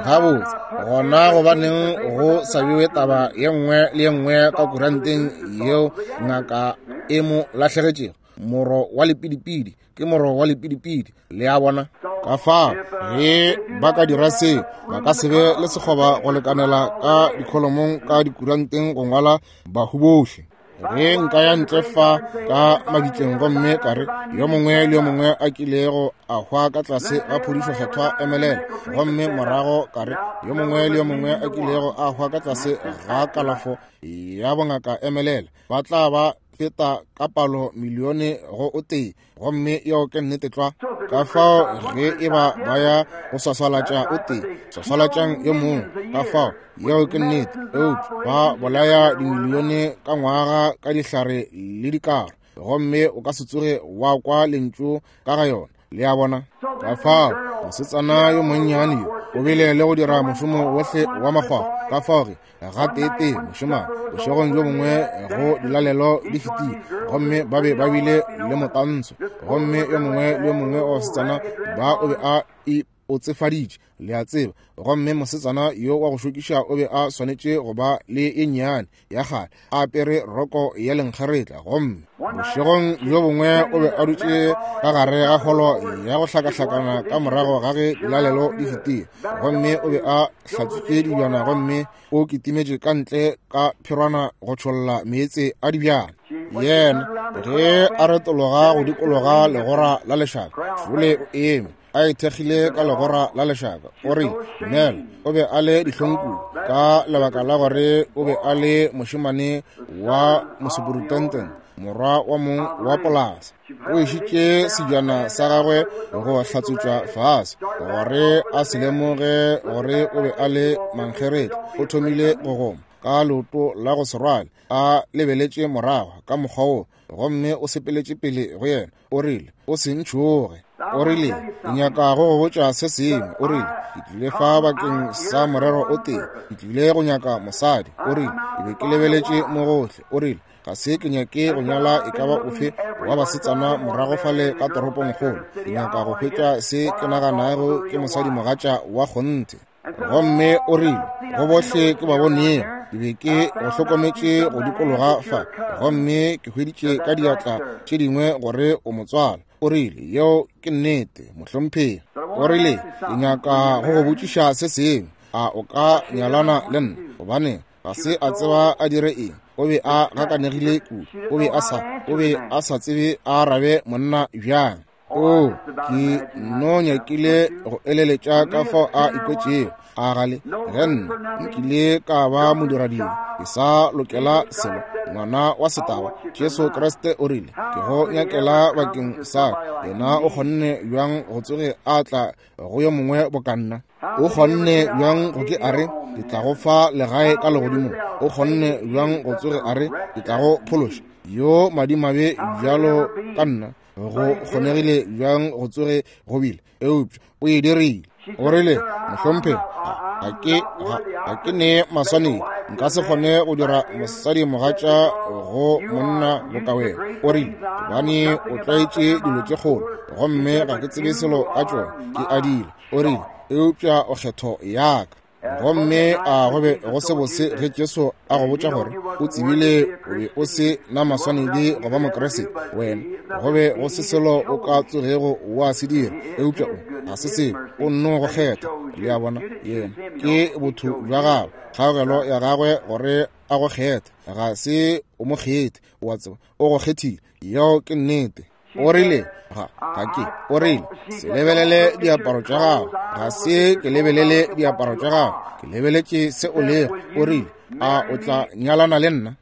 Gabotse, gona gobaneng go sa bewe taba ye nngwe le ye nngwe ka kuranteng yeo ngaka e mo lahlegetšego? Moro wa lepidipidi ke moro wa lepidipidi, le a bona. Ka fao ge ba ka dira seo, ba ka se be le sekgoba go lekanela ka dikholomong ka dikuranteng go ngwala bahu bohle. Ge nka ya ntle fa ka mabitleng gomme ka re yo mongwe le yo mongwe a kilego a hwa ka tlase ga phodišo kgethwa emelela, gomme morago ka re yo mongwe le yo mongwe a kilego a hwa ka tlase ga kalafo ya bongaka emelela, ba tla ba feta ka palo milione go o tee, gomme yeo ke nnete tlwa. Ka fao ge e ba ba ya go swaswalatša o tee, swaswalatšang yo mongwe, ka fao yeo ke nnete. Eupša ba bolaya dimilione ka ngwaga ka dihlare le dikaro, gomme o ka se tsoge wa kwa lentšu ka ga yona. Le a bona? Ka fao mosetsana yo monnyane yo o bile le go dira mošomo wohle wa makgwakgwa. Ka fao ge gateetee mošemane bošegong bjo bongwe go dilalelo di fetile, gomme ba be ba bile le motantsho, gomme yo mongwe le yo mongwe wa basetsana ba o be a ipotsefaditše, le a tseba, gomme mosetsana yo wa go šokiša o be a swanetše go ba le ye nnyane ya kgale a apere roko ya lenkgeretla. Gomme bošegong bjo bongwe o be a dutše ka gare ga holo ya go hlakahlakana ka morago ga ge dilalelo di fetile, gomme o be a hlatswitše dibjana gomme o kitimetše ka ntle ka pherwana go tšholla meetse a dibjana. Yena ge a retologa go dikologa legora la lešaka, šole o eme a ithekgile ka legora la lešaka. O rile, Nel o be a le dihlong kudu ka lebaka la gore o be a le mošemane wa mosuperintendent, morwa wa mong wa polasa. O išitše sejana sa gagwe go hlatswetšwa fase gore a se lemoge gore o be a le mankgeretla. O thomile go goma ka leoto la go se rwale a lebeletše morago ka mokgwa wo, gomme o sepeletše pele go yena. O rile, o se ntšhoge. O rile, ke nyaka go go botša se sengwe. O rile, ke tlile fa bakeng sa morero o tee, ke tlile go nyaka mosadi. O rile, ke be ke lebeletše mo gohle. O rile, ga se ke nyake go nyala e ka ba ofe wa basetsana morago fale ka toropongkgolo. Ke nyaka go hwetša se ke naganago ke mosadimogatša wa kgonthe. Gomme o rile, go bohle ke ba bonego, ke be ke go hlokometše go dikologa fa, gomme ke hweditše ka diatla tše dingwe gore o motswala. O rile, yeo ke nnete, mohlomphegi. O rile, ke nyaka go go botšiša se sengwe. A o ka nyalana le nna? Gobane ga se a tseba a dire eng. O be a gakanegile kudu. O be a sa, o be a sa tsebe a arabe monna bjang. O, ke no nyakile go eleletša ka fao a ikwetšego. A gale ge nna nkile ka ba modiradibe, ke sa lokela selo, ngwana wa setaba. Jesu Kriste o rile, ke go nyakela bakeng sa ka. Yena o kgonne bjang go tsoge a tla go yo mongwe boka nna? O kgonne bjang go ke a re, ke tla go fa legae ka legodimong? O kgonne bjang go tsoge a re, ke tla go phološa? Yo madimabe bjalo ka nna, go kgonegile bjang go tsoge go bile? Eupša o e dirile. O rile, mohlomphegi, ga ke ga ke ne maswanedi, nka se kgone go dira mosadimogatša go monna boka wena. O rile, gobane o tlwaetše dilo tše kgolo, gomme ga ke tsebe selo ka tšona, ke a dira. O rile, eupša o kgetho ya ka. Gomme a go be go se bose ge Jesu a go botša gore o tsebile o be o se na maswanedi go ba Mokriste wena, go be go se selo o ka tsogego wa se dira, eupša o ga se seo, o nno go kgetha. Le a bona? Yena ke botho bja gagwe, kgaogelo ya gagwe gore a go kgethe. Ga se o mo kgethe, wa tseba, o go kgethile. Yeo ke nnete. O rile, ga ga ke. O rile, se lebelele diaparo tša gago. Ga se ke lebelele diaparo tša gago, ke lebeletše se o lego. O rile, a o tla nyalana le nna?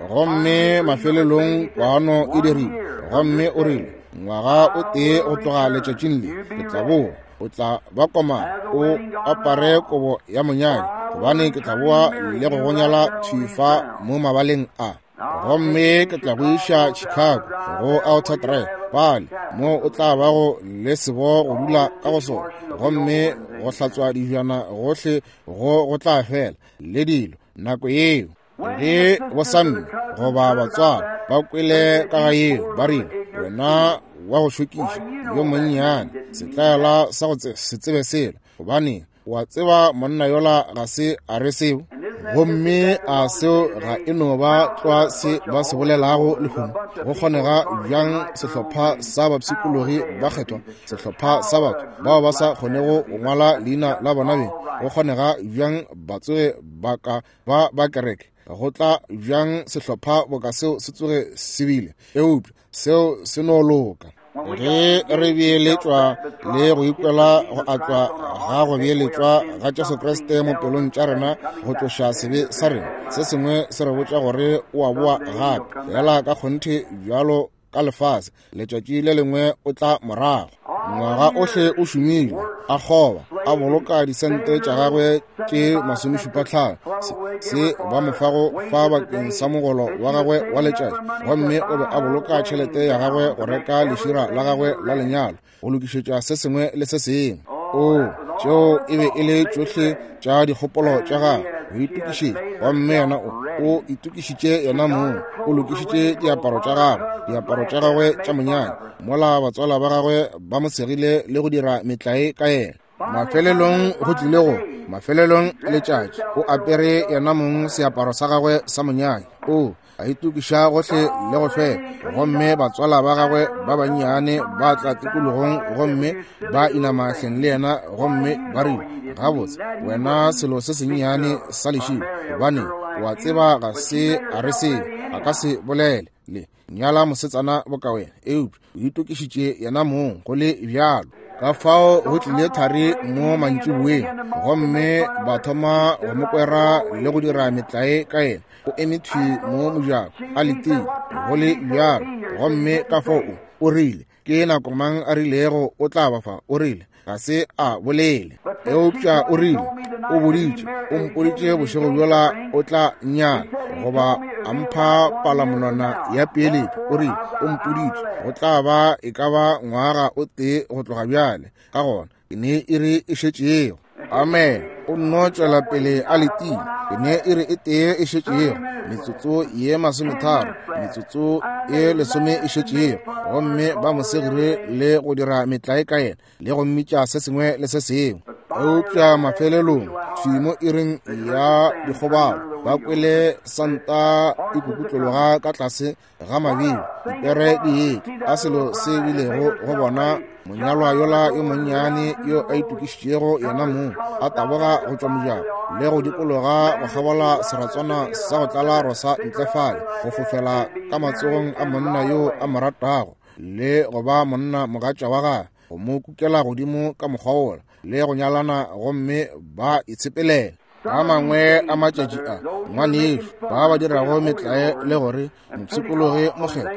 Gomme mafelelong kwano e dirile. Gomme o rile, ngwaga o tee go tloga letšatšing le, ke tla boa. O tla ba komana, o apare kobo ya monyadi, gobane ke tla boa le go go nyala thwi fa mo mabaleng a. Gomme ke tla go iša Chicago go Outer Drive pale mo o tla bago le sebo go dula ka go sona, gomme go hlatswa dijana gohle go go tla fela le dilo nako yeo. Ge bosamme goba batswala ba kwele ka ga yeo, ba rile, wena wa go šokiša yo monnyane, setlaela sa go se tsebe selo, gobane wa tseba monna yola ga se a re seo. Gomme a seo ga e no ba tlwa se ba se bolelago lehono? Go kgonega bjang sehlopha sa bapshikologi ba kgethwa, sehlopha sa batho bao ba sa kgonego go ngwala leina la bona beng, go kgonega bjang ba tsoge ba ka ba ba kereke? Go tla bjang sehlopha boka seo se tsoge se bile? Eupša seo se no loka. Ge re beeletšwa le go ikwela go atlwa ga go beeletšwa ga Jesu Kriste mo pelong tša rena go tloša sebe sa rena, se sengwe se re botša gore o a boa gape, fela ka kgonthe bjalo ka lefase, letšatši le lengwe o tla morago. Ngwaga ohle o šomile, a kgoba, a boloka disente tša gagwe tše masomešupatlhano se, se ba mo fago fa bakeng sa mogolo wa gagwe wa letšatši, gomme o be a boloka tšhelete ya gagwe go reka lešira la gagwe la lenyalo, go lokišetša se sengwe le se sengwe. O, tšeo e be e le tšohle tša dikgopolo tša gagwe, go itokišetša. Gomme yena o, o itokišitše yena mong, o lokišitše diaparo tša gagwe, diaparo tša gagwe tša monyanya, mola batswala ba gagwe ba mo segile le go dira metlae ka yena. Mafelelong go tlile go, mafelelong letšatši, o apere yena mong seaparo sa gagwe sa monyanya. O, a itokiša gohle le go hlweka, gomme batswala ba gagwe ba bannyane ba tla tikologong gomme ba inama hleng le yena, gomme ba rile, gabotse, wena selo se sennyane sa lešilo, gobane wa tseba ga se a re selo, a ka se bolele le nyala mosetsana boka wena, eupša o itokišitše yena mong go le bjalo. Ka fao go tlile thari mo mantšiboeng, gomme ba thoma go mo kwera le go dira metlae ka yena. O eme thwi mo mojako a letile go le bjalo, gomme ka fao o rile, ke nako mang a rilego o tla ba fa? O rile, ga se a bolele, eupša o rile, o boditše, o mpoditše bošego bjola o tla nyala, goba a mpha palamonwana ya peeletšo. O rile, o mpoditše go tla ba e ka ba ngwaga o tee go tloga bjale, ka gona ke ne iri e šetšego. Amen. O nno tšwela pele a letile, ke ne iri e tee e šetšego, metsotso ye masometharo, metsotso ye lesome e šetšego, gomme ba mo segile le go dira metlae ka yena le go mmitša se sengwe le se sengwe. Eupša mafelelong thwi mo iring ya dikgobalo, ba kwele santa e kukutlologa ka tlase ga mabilo, dipere di etla, a selo se bilego go bona monyalwa yola yo monnyane yo a itokišitšego yena mong a taboga go tšwa mojako le go dikologa go kgabola seratswana sa go tlala rosa ntle fale, go fofela ka matsogong a monna yo a mo ratago le go ba monna mogatša wa gagwe, go mo kukela godimo ka mokgwa wola le go nyalana, gomme ba itshepelela. A mangwe a matšatši a, ngwanešu, ba ba dirago metlae le gore mopshikologi mokgethwa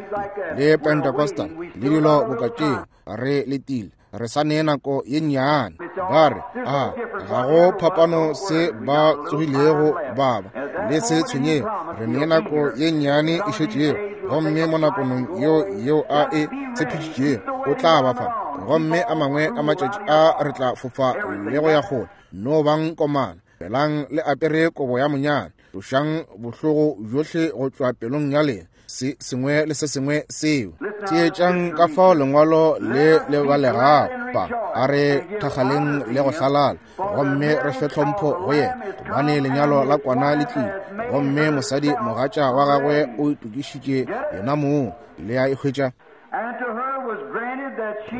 le Pentecostal le dilo boka tšeo, re letile, re sa ne nako ye nnyane. Ba re, a ga go phapano se ba tsogilego ba ba, le se tshwenyego, re ne nako ye nnyane e šetšego, gomme mo nakonong yeo yeo a e tshepišitšego o tla ba fa, gomme a mangwe a matšatši a re tla fofa le go ya kgole. No bang komana, felang le apere kobo ya monyana, tlošang bohlogo bjohle go tšwa pelong ya lena, se sengwe le se sengwe seo. Theetšang ka fao lengwalo le le balegago pa, a re thakgaleng le go hlalala, gomme re fe tlhompho go yena, gobane lenyalo la kwana le tlile, gomme mosadi mogatša wa gagwe o itokišitše yena mong. Le a e hwetša?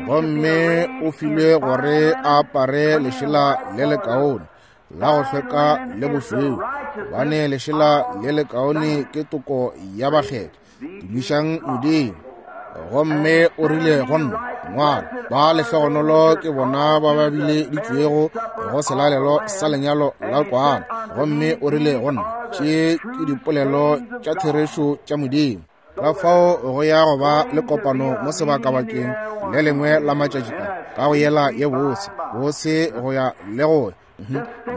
Gomme o filwe gore a apare lešela le lekaone la go hlweka le bošweu, gobane lešela le lekaone ke toko ya bakgethwa. Tumišang Modimo. Gomme o rile go nna, ngwala, ba lehlogonolo ke bona ba ba bileditšwego go selalelo sa lenyalo la kwana. Gomme o rile go nna, tše ke dipolelo tša therešo tša Modimo. Ka fao go ya go ba le kopano mo sebakabakeng le lengwe la matšatši a, ka go yela ye bose bose go ya le go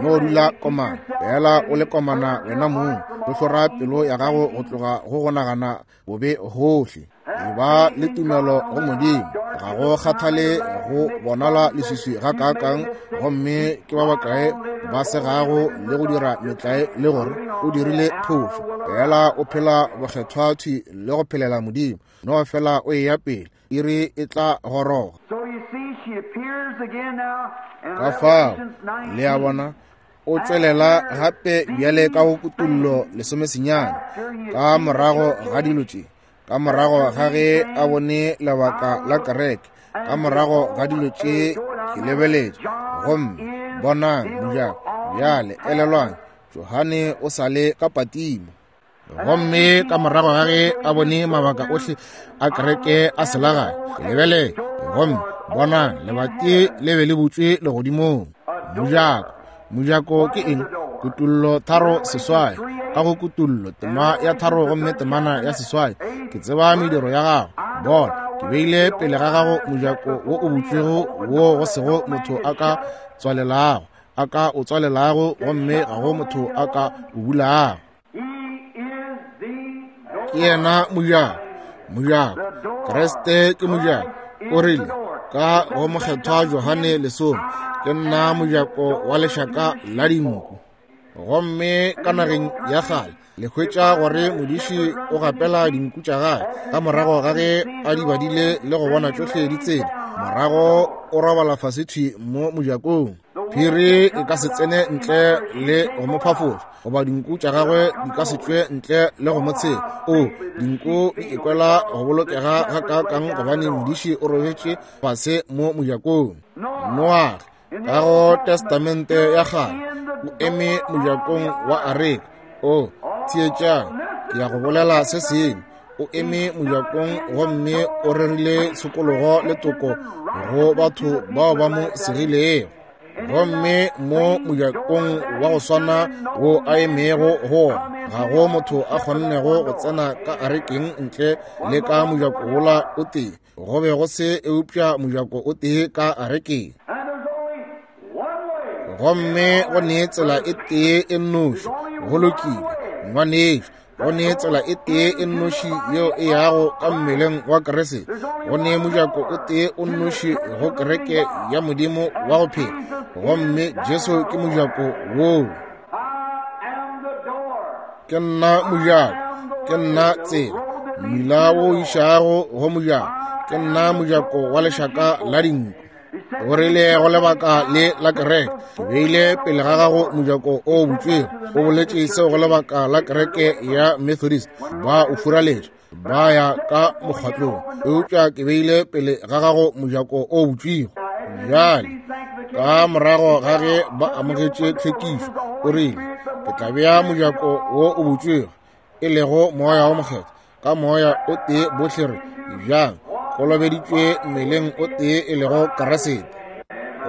no dula komana, fela o le komana wena mong, o hlora pelo ya gago go tloga go go nagana bobe gohle. E ba le tumelo go Modimo, ga go kgathale go bonala leswiswi ga kaakang, gomme ke ba bakae ba segago le go dira metlae le gore o dirile phošo, fela o phela bokgethwa thwi le go phelela Modimo, no fela o eya pele, iri e tla goroga. Ka fao le a bona, o tšwelela gape bjale ka go kutullo lesomesenyane, ka morago ga dilo tše, ka morago ga ge a bone lebaka la kereke, ka morago ga dilo tše ke lebeletše, gomme bonang mojako. Bjale elelwang, Johane o sa le ka Patimo. Gomme ka morago ga ge a bone mabaka ohle a kereke a selagae, ke lebeletše, gomme bonang lebati le be le butšwe legodimong. Mojako, mojako ke eng? Kutullo tharo seswai, ka go kutullo tema ya tharo gomme temana ya seswai, ke tseba mediro ya gago, bona Ke beile pele ga gago mojako wo o butšwego wo go sego motho a ka tswalelago, a ka o tswalelago, gomme ga go motho a ka o bulago. Ke yena mojako, mojako. Kriste ke mojako. O rile ka go mokgethwa Johane lesome, ke nna mojako wa lešaka la dinku. Gomme ka nageng ya kgale le hwetša gore modiši o gapela dinku tša gagwe ka morago ga ge a di badile le go bona tšohle di tsene, morago o robala fase thwi mo mojakong. Phiri e ka se tsene ntle le go mo phafoša, goba dinku tša gagwe di ka se tšwe ntle le go mo tshela. O dinku di ikwela go bolokega gakaakang gobane modiši o robetše fase mo mojakong. Noage ka go Testamente ya kgale o eme mojakong wa areka. O theetšang, ke ya go bolela se sengwe. O eme mojakong gomme o rerile tshokologo le toko go batho bao ba mo segilego. Gomme mo mojakong wa go swana wo a emego go ona, ga go motho a kgonnego go tsena ka arekeng ntle le ka mojako wola o tee. Go be go se eupša mojako o tee ka arekeng. Gomme go ne tsela e tee e nnoši. Go lokile, ngwanešo, go ne tsela e tee e nnoši yeo e yago ka mmeleng wa Kriste. Go ne mojako o tee o nnoši go kereke ya Modimo wa go phela, gomme Jesu ke mojako woo. Ke nna mojako, ke nna tsela, mmila wo išago go mojako, ke nna mojako wa lešaka la dinku. O rile go lebaka le la kereke, ke beile pele ga gago mojako o butšwego. O boletše seo go lebaka la kereke ya Methodist, ba o furaletše, ba ya ka mokgatlong, eupša ke beile pele ga gago mojako o butšwego. Bjale ka morago ga ge ba amogetše tlhwekišo, o rile, ke tla bea mojako wo o butšwego, e lego moya wo mokgethwa. Ka moya o tee bohle re bjang kolobeditšwe mmeleng o tee e lego Kriste.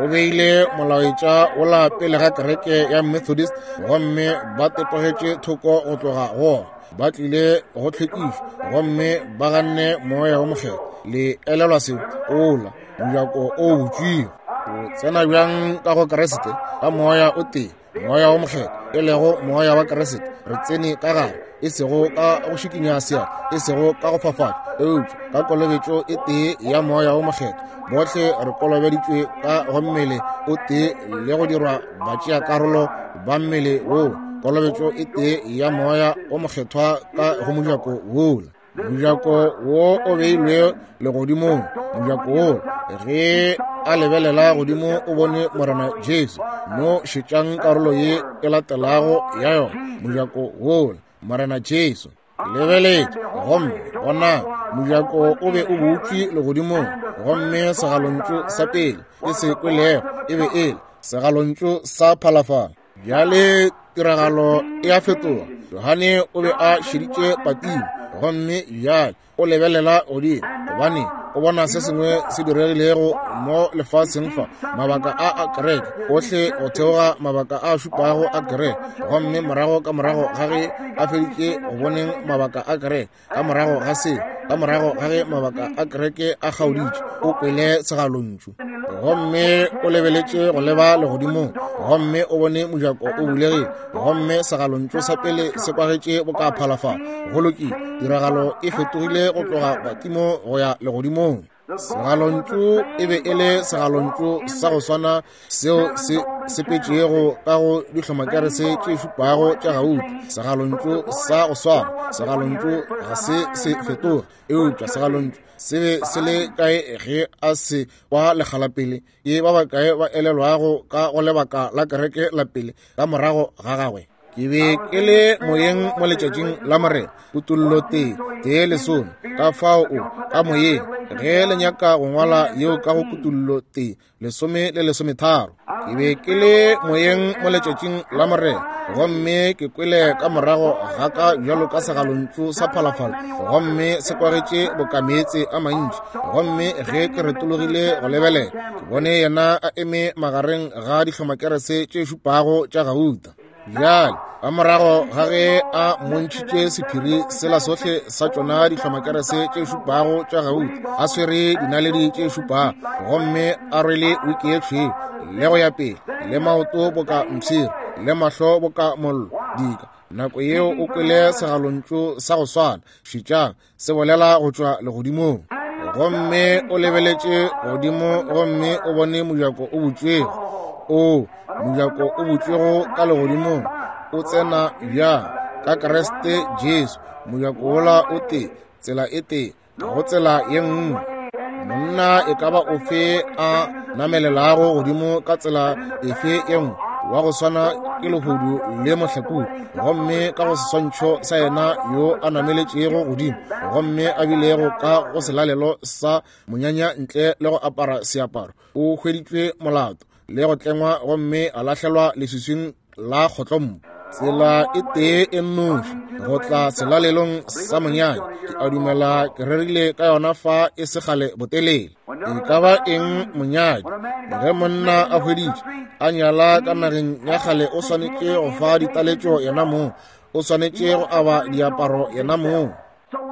O beile molaetša wola pele ga kereke ya Methodist, gomme ba tetogetše thoko go tloga go ona. Ba tlile go tlhwekišo gomme ba ganne moya wo mokgethwa. Le elelwa seo? Ola mojako o butšwego. O tsena bjang ka go Kriste? Ka moya o tee, moya wo mokgethwa, e lego moya wa Kriste. Re tsene ka gare, e sego ka go šikinya seatla, e sego ka go fafatša, eupša ka kolobetšo e tee ya moya wo mokgethwa. Bohle re kolobeditšwe ka go mmele o tee le go dirwa batšeakarolo ba mmele woo. Kolobetšo e tee ya moya wo mokgethwa ka go mojako wola. Mojako wo o beilwe legodimong. Mojako wo, ge a lebelela godimo o bone Morena Jesu. No šetšang karolo ye e latelago ya yona. Mojako wola, Morena Jesu. Lebeletše, gomme bona mojako o be o butšwe legodimong, gomme segalontšu sa pele ke se kwelego e be e le segalontšu sa phalafala. Bjale tiragalo e a fetoga. Johane o be a šeditše Patimo, gomme bjale o lebelela godimo, gobane o bona se sengwe se diregilego mo lefaseng fa, mabaka a a kereke ohle go theoga mabaka a šupago a kereke. Gomme morago ka morago ga ge a feditše go boneng mabaka a kereke, ka morago ga se, ka morago ga ge mabaka a kereke a kgaoditše, o kwele segalontšu. Gomme o lebeletše go leba legodimong, gomme o bone mojako o bulegile, gomme segalontšu sa pele se kwagetše boka phalafala. Go lokile, tiragalo e fetogile go tloga Patimo go ya legodimong. Segalontšu e be e le segalontšu sa go swana seo se sepetšego ka go dihlomakerese tše šupago tša gauta. Segalontšu sa go swana, segalontšu ga se se fetoge, eupša segalontšu se be se le kae ge a se kwa lekgala pele? Ke ba bakae ba elelwago ka go lebaka la kereke la pele ka morago ga gagwe? Ke be ke le moyeng mo letšatšing la Morena, kutollo tee, tee lesome. Ka fao o ka moyeng, ge le nyaka go ngwala yeo ka go kutollo tee, lesome le lesometharo. Ke be ke le moyeng mo letšatšing la Morena, gomme ke kwele ka morago ga ka bjalo ka segalontšu sa phalafala, gomme se kwagetše boka meetse a mantši. Gomme ge ke retologile go lebelela, ke bone yena a eme magareng ga dihlomakerese tše šupago tša gauta. Bjale Ka morago ga ge a mmontšhitše sephiri sela sohle sa tšona dihlomakerese tše šupago tša gauta, a swere dinaledi tše šupago, gomme a rwele wiki ye tšhweu, le go ya pele, le maoto boka mpshiri, le mahlo boka mollo, dika. Nako yeo o kwele segalontšu sa go swana, šetšang, se bolela go tšwa legodimong. Gomme o lebeletše godimo gomme o bone mojako o butšwego. O, mojako o butšwego ka legodimong, o tsena bjang? Ka Kriste Jesu. Mojako wola o tee, tsela e tee, ga go tsela ye nngwe. Monna e ka ba ofe a namelelago godimo ka tsela efe ye nngwe, wa go swana ke lehodu le mohlakodi, gomme ka go seswantšho sa yena yo a nameletšego godimo, gomme a bilego ka go selalelo sa monyanya ntle le go apara seaparo, o hweditšwe molato le go tlengwa gomme a lahlelwa leswiswing la kgotlompo. Tsela e tee e nnoši go tla selalelong sa monyanya, ke a dumela ke rerile ka yona fa e se kgale botelele. E ka ba eng monyadi? Ge monna a hweditše a nyala ka nageng ya kgale, o swanetše go fa ditaletšo yena mong, o swanetše go aba diaparo yena mong.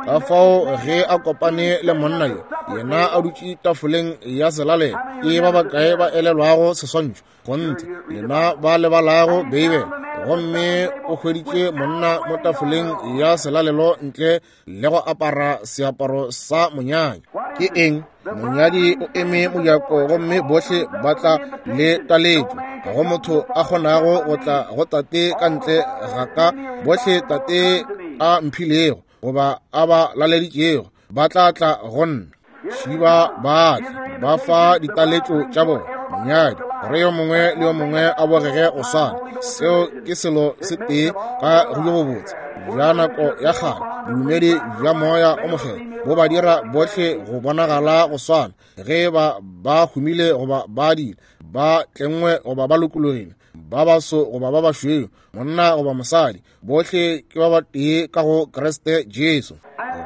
Ka fao ge a kopane le monna yo, yena a dutše tafoleng ya selalelo, ke ba bakae ba elelwago seswantšho? Kgonthe, lena ba lebalago Beibele. Gomme o hweditše monna mo tafoleng ya selalelo ntle le go apara seaparo sa monyanya. Ke eng? Monyadi o eme mojako gomme bohle ba tla le taletšo. Ga go motho a kgonago go tla go tate ka ntle ga ka. Bohle tate a mphilego goba a ba laleditšego ba tla tla go nna. Šiba ba tla ba fa ditaletšo tša bona monyadi, gore yo mongwe le yo mongwe a bogege go swana. Seo ke selo se tee ka go bjo bobotse bja nako ya kgale, bodumedi bja moya o mokgethwa bo ba dira bohle go bonagala go swana, ge ba ba humile goba ba diile, ba tlengwe goba ba lokologile, ba baso goba ba bašweu, monna goba mosadi, bohle ke ba batee ka go Kriste Jesu.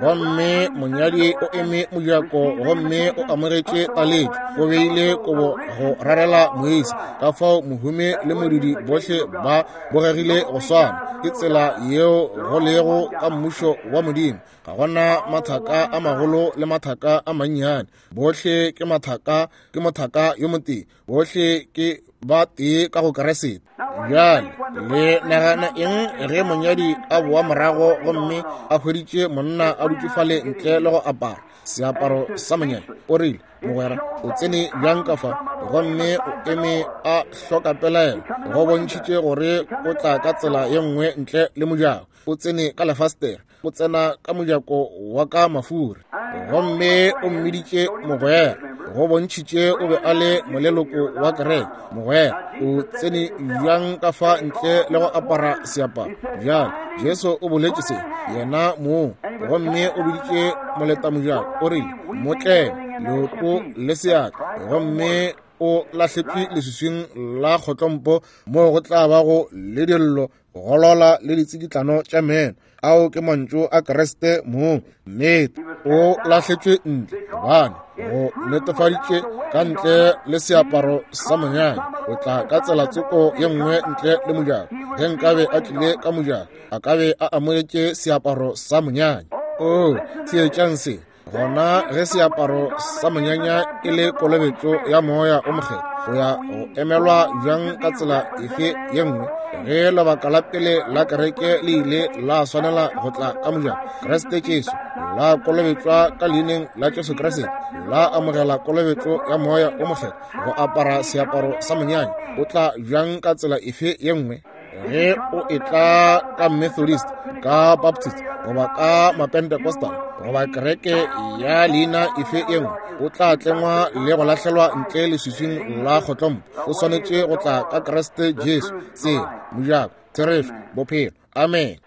Gomme monyadi o eme mojako gomme o amogetše taletšo, o beile kobo go rarela moisa. Ka fao mohumi le modudi bohle ba bogegile go swana. Ke tsela yeo go lego ka mmušo wa Modimo. Ga gona mathaka a magolo le mathaka a mannyane, bohle ke mathaka, ke mothaka yo motee, bohle ke ba tee ka go Kriste. Bjale le nagana eng ge monyadi a boa morago gomme a hweditše monna a dutše fale ntle le go apara seaparo sa monyadi? O rile, mogwera, o tsene bjang ka fa? Gomme o eme a hloka pelaelo, go bontšhitše gore o tla ka tsela ye nngwe ntle le mojako. O tsene ka lefastere, o tsena ka mojako wa ka mafuri, gomme o mmiditše mogwera, go bontšhitše o be a le moleloko wa kereke. Mogwera, o tsene bjang ka fa ntle le go apara seaparo? Bjale Jesu o boletše se yena mong, gomme o biditše moletamojako, o rile, mo tleme leoto le seatla, gomme o lahletšwe leswiswing la kgotlompo, moo go tla bago le dillo, golola le ditsikitlano tša meno. Ao ke mantšu a Kriste mong. Nnete, o lahletšwe ntle gobane go netefaditše ka ntle le seaparo sa monyanya. O tla ka tsela tsoko ye nngwe ntle le mojako. Ge nkabe a tlile ka mojako, a ka be a amogetše seaparo sa monyanya. O, theetšang se. Gona ge seaparo sa monyanya e le kolobetšo ya moya o mokgethwa, go ya go emelwa bjang ka tsela efe ye nngwe? Ge lebaka la pele la kereke le ile la swanela go tla ka mojako, Kriste Jesu la kolobetšwa ka leineng la Jesu Kriste, la amogela kolobetšo ya moya o mokgethwa, go apara seaparo sa monyanya, o tla bjang ka tsela efe ye nngwe? Ge o etla ka Methodist, ka Baptist, goba ka Mapentecostal, goba kereke ya leina efe ye nngwe, o tla tlengwa le go lahlelwa ntle leswiswing la kgotlompo. O swanetše go tla ka Kriste Jesu, tsela, mojako, therešo, bophelo. Amen.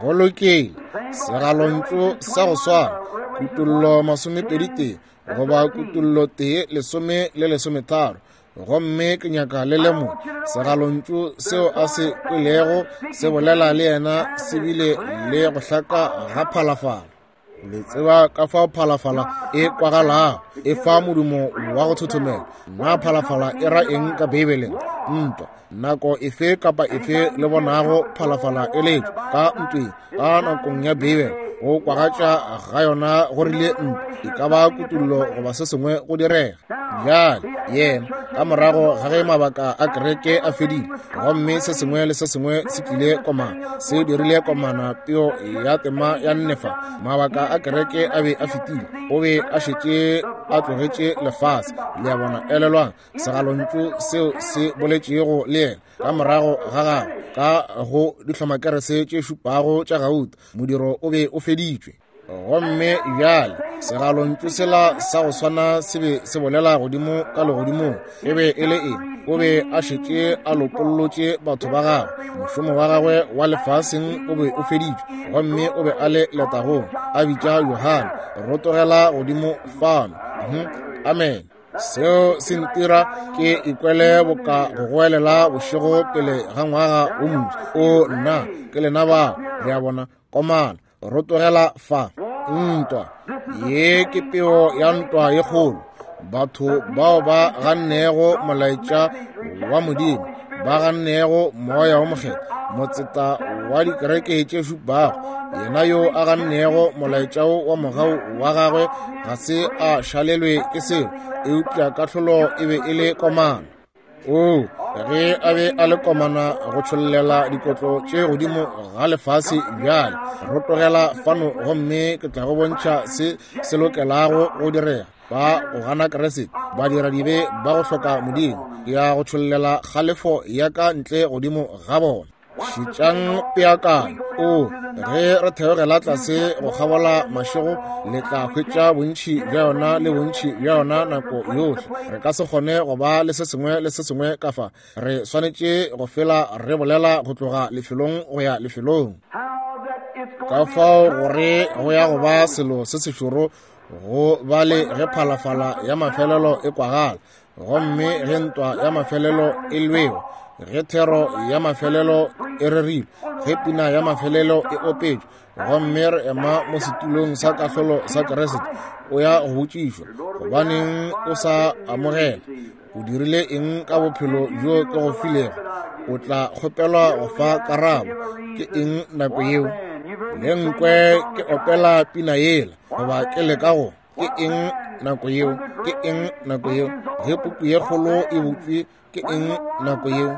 Go lokile. Segalontšu sa go swana, Kutollo masomepedi tee goba Kutollo tee lesome le lesometharo. Gomme ke nyaka le lemoge segalontšu seo a se kwelego se bolela le yena se bile le go hlaka ga phalafala. Le tseba ka fao phalafala e kwagalago, e fa modumo wa go thothomela. Na phalafala e ra eng ka Beibeleng? Ntwa. Nako efe kapa efe le bonago phalafala e letšwa ka ntweng ka nakong ya Beibele, go kwagatša ga yona go rile ntwa, e ka ba kutullo goba se sengwe go direga. Bjale yena ka morago ga ge mabaka a kereke a fedile, gomme se sengwe le se sengwe se tlile komana, se dirile komana peo ya tema ya nnefa, mabaka a kereke a be a fetile, o be a šetše a tlogetše lefase. Le a bona? Elelwang segalontšu seo se boletšego le yena ka morago ga gagwe ka go dihlomakerese tše šupago tša gauta, modiro o be o feditšwe. Gomme bjale segalontšu sela sa go swana se be se bolela godimo ka legodimong. E be e le eng? O be a šetše a lopollotše batho ba gagwe, mošomo wa gagwe wa lefaseng o be o feditšwe, gomme o be a le letagong, a bitša Johane, rotogela godimo fano. Amen. Seo se ntira ke ikwele boka go goelela bošego pele ga ngwaga o moswa. O nna, ke lena bao. Le a bona? Komana, rotogela fa. Ntwa ye ke peo ya ntwa ye kgolo. Batho bao ba gannego molaetša wa Modimo, ba gannego Moya wo Mokgethwa, motseta wa dikereke tše šupago, yena yo a gannego molaetša wa mogau wa gagwe ga se a šalelwe ke selo, eupša kahlolo e be e le komana. O ge a be a le komana go tšhollela dikotlo tše godimo ga lefase, bjale rotogela fano gomme ke tla go bontšha se se lokelago go direga. Ba go gana Kriste, ba dira dibe, ba go hloka Modimo, ke ya go tšhollela kgalefo ya ka ntle godimo ga bona. Šetšang peakanyo. O ge re theogela tlase go kgabola mašego, le tla hwetša bontši bja yona le bontši bja yona nako yohle. Re ka se kgone go ba le se sengwe le se sengwe ka fa. Re swanetše go fela re bolela go tloga lefelong go ya lefelong. Ka fao gore go ya go ba selo se sešoro go ba le ge phalafala ya mafelelo e kwagala, gomme ge ntwa ya mafelelo e lwewa, ge thero ya mafelelo e rerilwe, ge pina ya mafelelo e opetšwe, gomme re ema mo setulong sa kahlolo sa Kriste, o ya go botšišwa, gobaneng o sa amogela? O dirile eng ka bophelo bjo ke go filego? O tla kgopelwa go fa karabo. Ke eng nako yeo? Le nkwe ke opela pina yela, goba ke leka go. Ke eng nako yeo? Ke eng nako yeo? Ge puku ye kgolo e butšwe, ke eng nako yeo?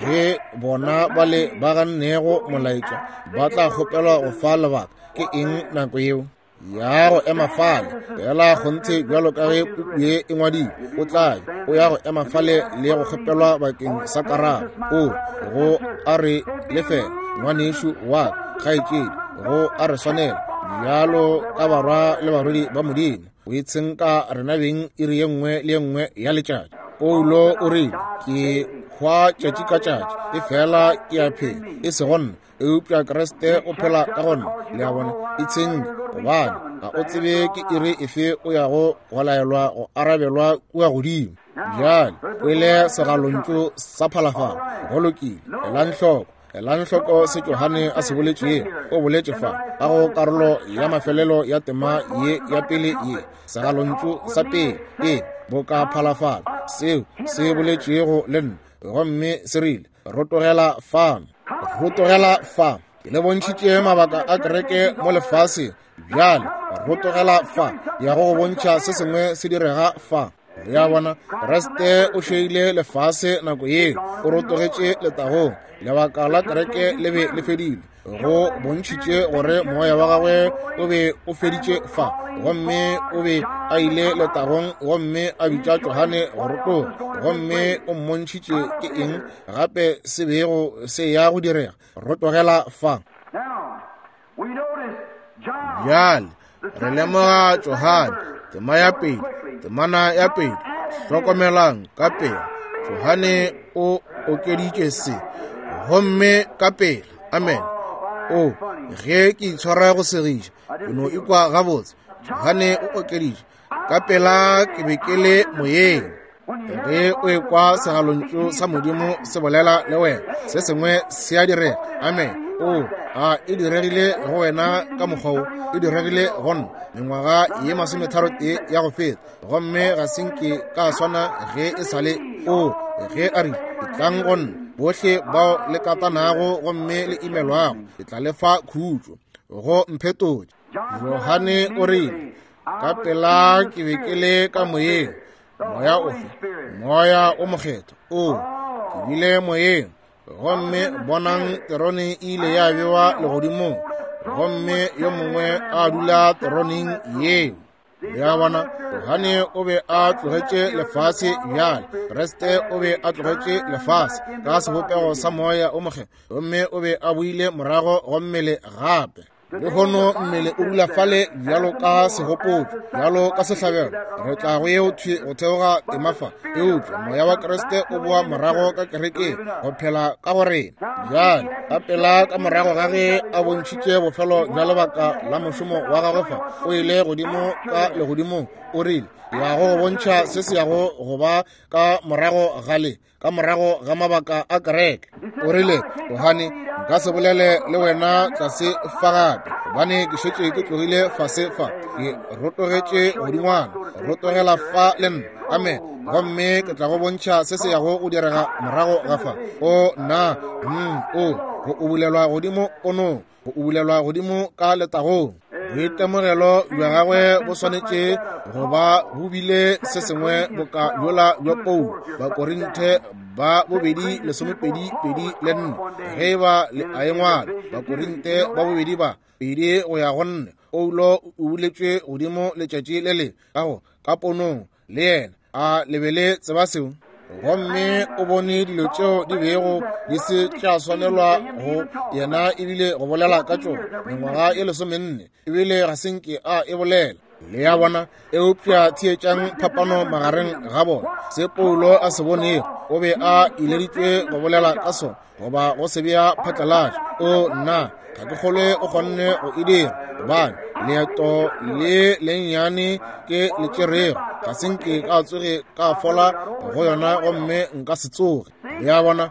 Ge bona ba le ba gannego molaetša ba tla kgopelwa go fa lebaka. Ke eng nako yeo? Ya go ema fale fela kgonthe bjalo ka ge puku ye e ngwadilwe, o tla o ya go ema fale le go kgopelwa bakeng sa karabo. O go a re lefela, ngwanešu wa kgaetšedi, go a re swanela bjalo ka barwa le barwedi ba Modimo o itshenka rena beng iri ye nngwe le ye nngwe ya letšatši. Paulo o rile, ke hwa tšatši ka tšatši, e fela ke a phela, e sego nna, eupša Kriste o phela ka go nna. Le a bona? Itshenke, gobane ga o tsebe ke iri efe o yago go laelwa go arabelwa kua godimo. Bjale kwele segalontšu sa phalafala. Go lokile, elang hloko. Elang hloko se Johane a se boletšego. O boletše fa ka go karolo ya mafelelo ya tema ye ya pele ye, segalontšu sa pele e boka phalafala, seo se boletšego le nna, gomme se rile, rotogela fano, rotogela fa. Ke le bontšhitše mabaka a kereke mo lefaseng. Bjale rotogela fa, ya go go bontšha se sengwe se direga fa. Le a bona? Kriste o šeile lefase nako yeo, o rotogetše letagong. Lebaka la kereke le be le fedile. Go bontšhitše gore moya wa gagwe o be o feditše fa, gomme o be a ile letagong, gomme a bitša Johane go rotoga, gomme o mmontšhitše ke eng gape se bego se ya go direga. Rotogela fa. Bjale re lemoga Johane, tema ya pele, temana ya pele. Hlokomelang ka pele, Johane o okeditše se, gomme ka pele. Amen. O ge ke itshwara go segiša, ke no ikwa gabotse. Johane o okeditše ka pela, ke be ke le moyeng. Ge o ekwa segalontšu sa Modimo se bolela le wena, se sengwe se a direga. Amen. O, a e diregile go wena ka mokgwa wo? E diregile go nna mengwaga ye masometharo tee ya go feta, gomme ga se nke ka swana ge e sa le. O, ge a rile, etlang go nna bohle bao le katanago gomme le imelwago, ke tla le fa khutšo. Go mphetotše. Johane o rile, ka pela ke be ke le ka moyeng. Moya ofe? Moya o mokgethwa. O, ke bile moyeng, gomme bonang terone e ile ya bewa legodimong, gomme yo mongwe a dula teroneng yeo. Le a bona, Johane o be a tlogetše lefase bjale. Kriste o be a tlogetše lefase ka sebopego sa moya o mokgethwa, gomme o be a boile morago go mmele gape. Lehono mmele o dula fale bjalo ka segopotšo, bjalo ka sehlabelo. Re tla go yeo thwi go theoga tema fa, eupša moya wa Kriste o boa morago ka kerekeng go phela ka go rena. Bjale ka pela ka morago ga ge a bontšhitše bofelo bja lebaka la mošomo wa gagwe fa, o ile godimo ka legodimong. O rile, ya go bontšha se se yago go ba ka morago ga le, ka morago ga mabaka a kereke. O rile, Johane, nka se bolele le wena tlase fa gape, gobane ke šetše ke tlogile fase fa, ke rotogetše godingwana, rotogela fa le nna. Amen. Gomme ke tla go bontšha se se yago go direga morago ga fa. O nna, mm, o, go ubulelwa godimo ponong, go ubulelwa godimo ka letagong. Boitemogelo bja gagwe bo swanetše go ba bo bile se sengwe boka bjola bja Paulo. Bakorinthe ba bobedi lesomepedi pedi le nne, ge ba le a e ngwala, Bakorinthe ba bobedi ba pedi go ya go nne, Paulo o buletšwe godimo letšatši le le ka go ka ponong le yena. A le be le tseba seo? Gomme o bone dilo tšeo di bego di se tša swanelwa go yena ebile go bolela ka tšona mengwaga e lesomenne, ebile ga se nke a e bolela. Le a bona? Eupša theetšang phapano magareng ga bona. Se Paulo a se bonego, o be a ileditšwe go bolela ka sona goba go se bea phatlalatša. O nna, ga ke kgolwe o kgonne go e dira, gobane leeto le lennyane ke le tšerego ga se nke ka tsoge ka fola go yona, gomme nka se tsoge. Le a bona?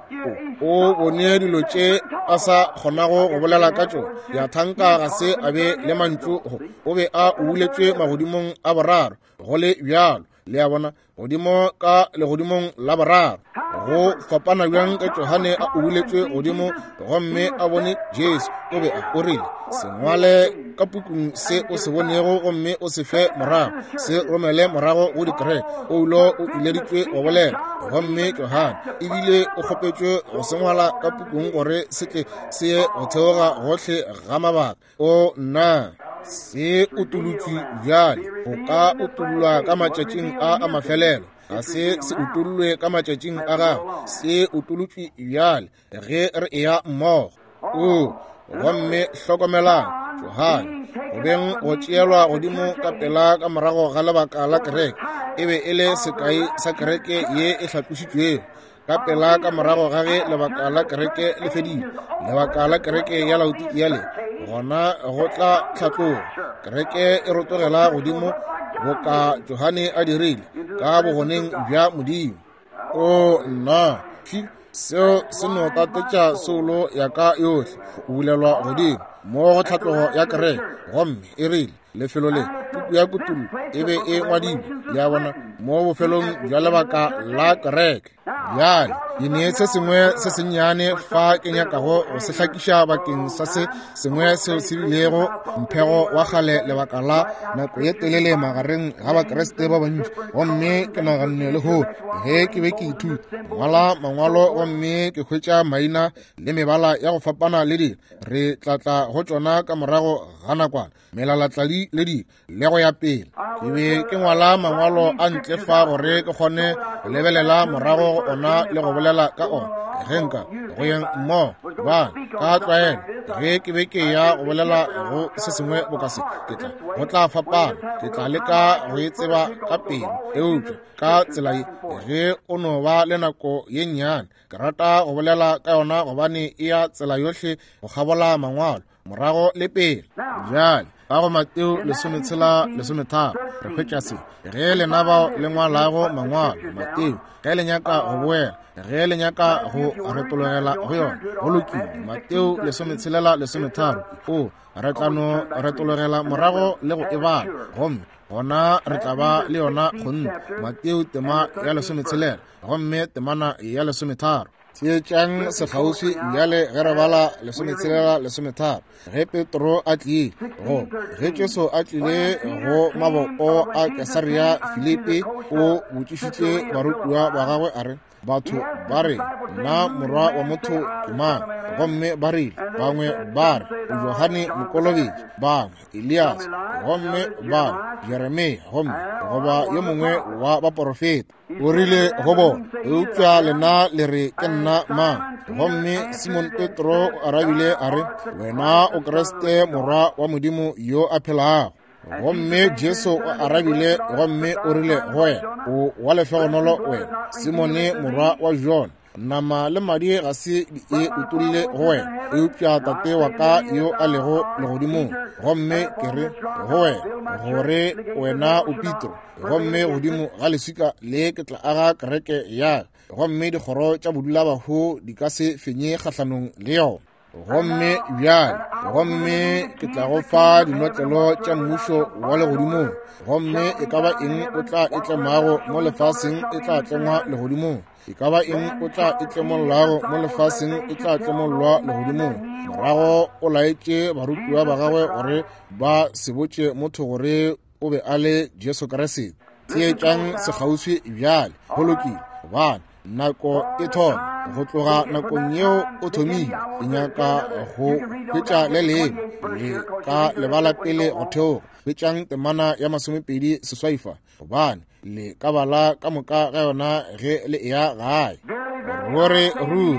O, o bone dilo tše a sa kgonago go bolela ka tšona. Ya thanka ga se a be le mantšu go, o be a ubuletšwe magodimong a boraro, go le bjalo. Le a bona? Godimo ka legodimong la boraro. Go fapana bjang ka Johane a ubuletšwe godimo gomme a bone Jesu. O be a o rile, se ngwale ka pukung se o se bonego gomme o se fe morago, se romele morago go dikereke. Paulo o ileditšwe go bolela, gomme Johane ebile o kgopetšwe go se ngwala ka pukung gore se tle se ye go theoga gohle ga mabaka. O nna, se utolotšwe bjale, go ka utollwa ka matšatšing a a mafelelo. Ga se se utollwe ka matšatšing a gago, se utolotšwe bjale ge re eya mmogo. O, gomme hlokomelang, Johane go beng go tšeelwa godimo ka pela ka morago ga lebaka la kereke, e be e le sekai sa kereke ye e hlatlošitšwego. Ka pela ka morago ga ge lebaka la kereke le fedile, lebaka la kereke ya Laodikia le gona go tla tlhatloga. Kereke e rotogela godimo boka Johane a dirile ka bogoneng bja Modimo. O nna, seo se no tatetša soulo ya ka yohle, go bulelwa godimo mo go tlhatlogo ya kereke. Gomme e rile, lefelo le puku ya Kutullo e be e ngwadilwe, le a bona, mo bofelong bja lebaka la kereke. Bjale ke ne se sengwe se sennyane fa ke nyakago go se hlakiša bakeng sa se sengwe seo se bilego mphego wa kgale lebaka la nako ye telele magareng ga Bakriste ba bantši. Gomme ke naganne lehono ge ke be ke ithuta ngwala mangwalo gomme ke hwetša maina le mebala ya go fapana le dilo, re tla tla go tšona ka morago ga nakwana, melalatladi le dilo le go ya pele. Ke be ke ngwala mangwalo a ntle fa gore ke kgone go lebelela morago go ona le go bolela ka ona ge nka go yeng mmogo, gobane ka tlwaelo ge ke be ke ya go bolela go se sengwe boka se, ke tla go tla fapana, ke tla leka go e tseba ka pelo. Eupša ka tsela ye, ge o no ba le nako ye nnyane, ke rata go bolela ka yona gobane e ya tsela yohle go kgabola mangwalo morago le pele. Bjale Ka go Mateo lesometshela lesometharo re hwetša se. Ge lena bao le ngwalago mangwalo, Mateo, ge le nyaka go boela, ge le nyaka go retologela go yona, go lokile. Mateo lesometshelela lesometharo, o re tla no retologela morago le go e bala, gomme gona re tla ba le yona kgonthe. Mateo tema ya lesometshelela gomme temana ya lesometharo. Theetšang sekgauswi bjale ge re bala lesometshelela lesometharo. Ge Petro a tlile go ge Jesu a tlile go mabopo a Kesaria Filipi, o botšišitše barutiwa ba gagwe a re, batho ba re nna morwa wa motho ke mang? Gomme ba rile, bangwe ba re o Johane Mokolobetši, bangwe Elias, gomme bangwe Jeremia, gomme goba yo mongwe wa baporofeta. O rile go bona, eupša lena le re ke nna mang? Gomme Simon Petro o arabile a re, wena o Kriste morwa wa Modimo yo a phelago. Gomme Jesu o arabile gomme o rile go wena, o wa lehlogonolo wena, Simone morwa wa Jona, nama le madi ga se di e utolle go wena, eupša Tate wa ka yo a lego legodimong. Gomme ke re go wena gore wena o Petro, gomme godimo ga leswika le ke tla aga kereke ya ka, gomme dikgoro tša bodulabahu di ka se fenye kgahlanong le yona. Gomme bjale, gomme ke tla go fa dinotlelo tša mmušo wa legodimong, gomme e ka ba eng o tla e tlemago mo lefaseng e tla tlengwa legodimong, e ka ba eng o tla e tlemollago mo lefaseng e tla tlemollwa legodimong. Morago o laetše barutiwa ba gagwe gore ba se botše motho gore o be a le Jesu Kriste. Theetšang sekgauswi bjale, go lokile, gobane nako e thoma. Go tloga nakong yeo o thomile, ke nyaka go hwetša le lengwe le ka lebala pele go theoga. Hwetšang temana ya masomepedi seswai fa, gobane le ka bala ka moka ga yona ge le eya gae. Ruri ruri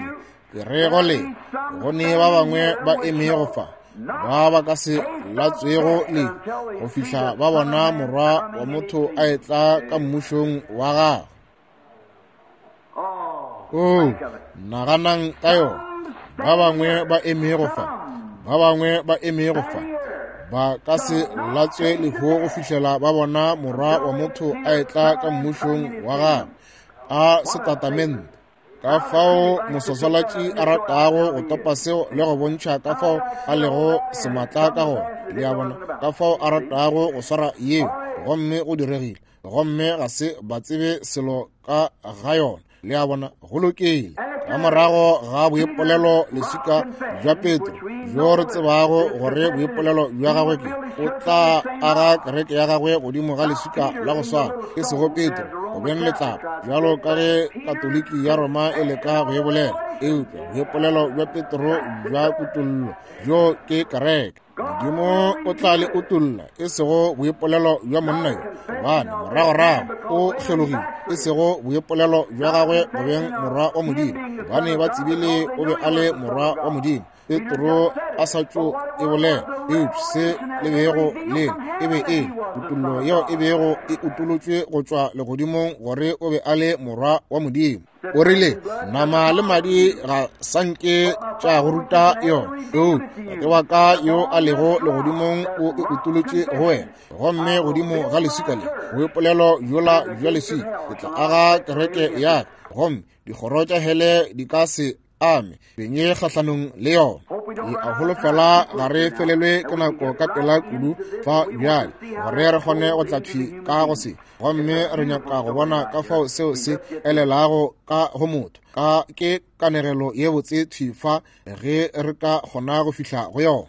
ke re go le go ne ba bangwe ba emego fa ba ba ka se latswego le go fihla ba bona morwa wa motho a etla ka mmušong wa gagwe. Oh, naganang ka yona. Ba bangwe ba emego fa, ba bangwe ba emego fa, ba ka se latswe lehu go fihlela ba bona morwa wa motho a etla ka mmušong wa gagwe. A setatamente. Ka fao moswaswalatši a ratago go topa seo le go bontšha ka fao a lego sematla ka gona. Le a bona, ka fao a ratago go swara yeo, gomme go diregile, gomme ga se ba tsebe selo ka ga yona. Le a bona, go lokile. Ka morago ga boipolelo leswika bja Petro, bjo re tsebago gore boipolelo bja gagwe ke, o tla aga kereke ya gagwe godimo ga leswika la go swana, e sego Petro go beng letlapa, bjalo ka ge Katoliki ya Roma e leka go e bolela, eupša boipolelo bja Petro bja kutollo, bjo ke kereke. Modimo o tla le utolla, e sego boipolelo bja monna yo, gobane moragorago o kgelogile, e sego boipolelo bja gagwe go beng morwa wa Modimo, gobane ba tsebile o be a le morwa wa Modimo. Petro a sa tšo e bolela, eupša se le bego le e be e kutollo yeo e bego e utolotšwe go tšwa legodimong gore o be a le morwa wa Modimo. O rile, nama le madi ga sanke tša go ruta yona, eupša Tate wa ka yo a lego legodimong o e utolotše go wena. Gomme godimo ga leswika le, boipolelo bjola bja leswika, ke tla aga kereke ya ka, gomme dikgoro tša hele di ka se ame fenye kgahlanong le yona. Ke a holofela ga re felelwe ke nako ka pela kudu fa bjale, gore re kgone go tla thwi ka go se. Gomme re nyaka go bona ka fao seo se elelago ka go motho. Ka ke kanegelo ye botse thwi fa ge re ka kgona go fihla go yona.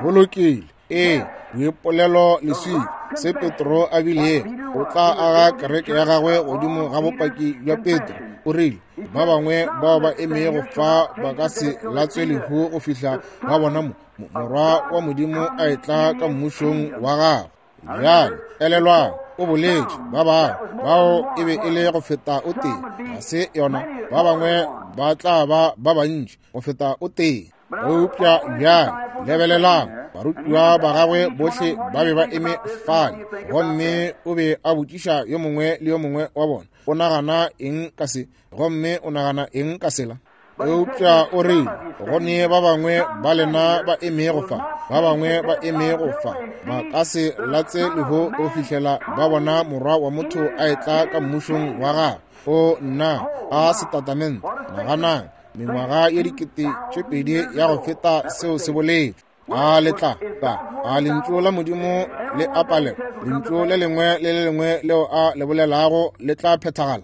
Go lokile. Ee, boipolelo leswika se Petro a bilego, o tla aga kereke ya gagwe godimo ga bopaki bja Petro. O rile, ba bangwe bao ba emego fa ba ka se latswe lehu go fihla ba bona mo morwa wa Modimo a etla ka mmušong wa gagwe. Bjale elelwang, o boletše ba bangwe bao e be e le go feta o tee, ga se yona, ba bangwe ba tla ba ba bantši go feta o tee. Eupša bjale lebelelang, barutiwa ba gagwe bohle ba be ba eme fale, gomme o be a botšiša yo mongwe le yo mongwe wa bona, o nagana eng ka se, gomme o nagana eng ka sela. Eupša o rile, go ne ba bangwe ba lena ba emego fa, ba bangwe ba emego fa, ba ka se latse lehu go fihlela ba bona Morwa wa motho a etla ka mmušong wa gagwe. O nna, a setatamente, naganang, mengwaga ye dikete tše pedi ya go feta seo se boletšwe. A le tla ka a lentšu la Modimo le a palelwa, lentšu le lengwe le le lengwe leo a le bolelago le tla phethagala.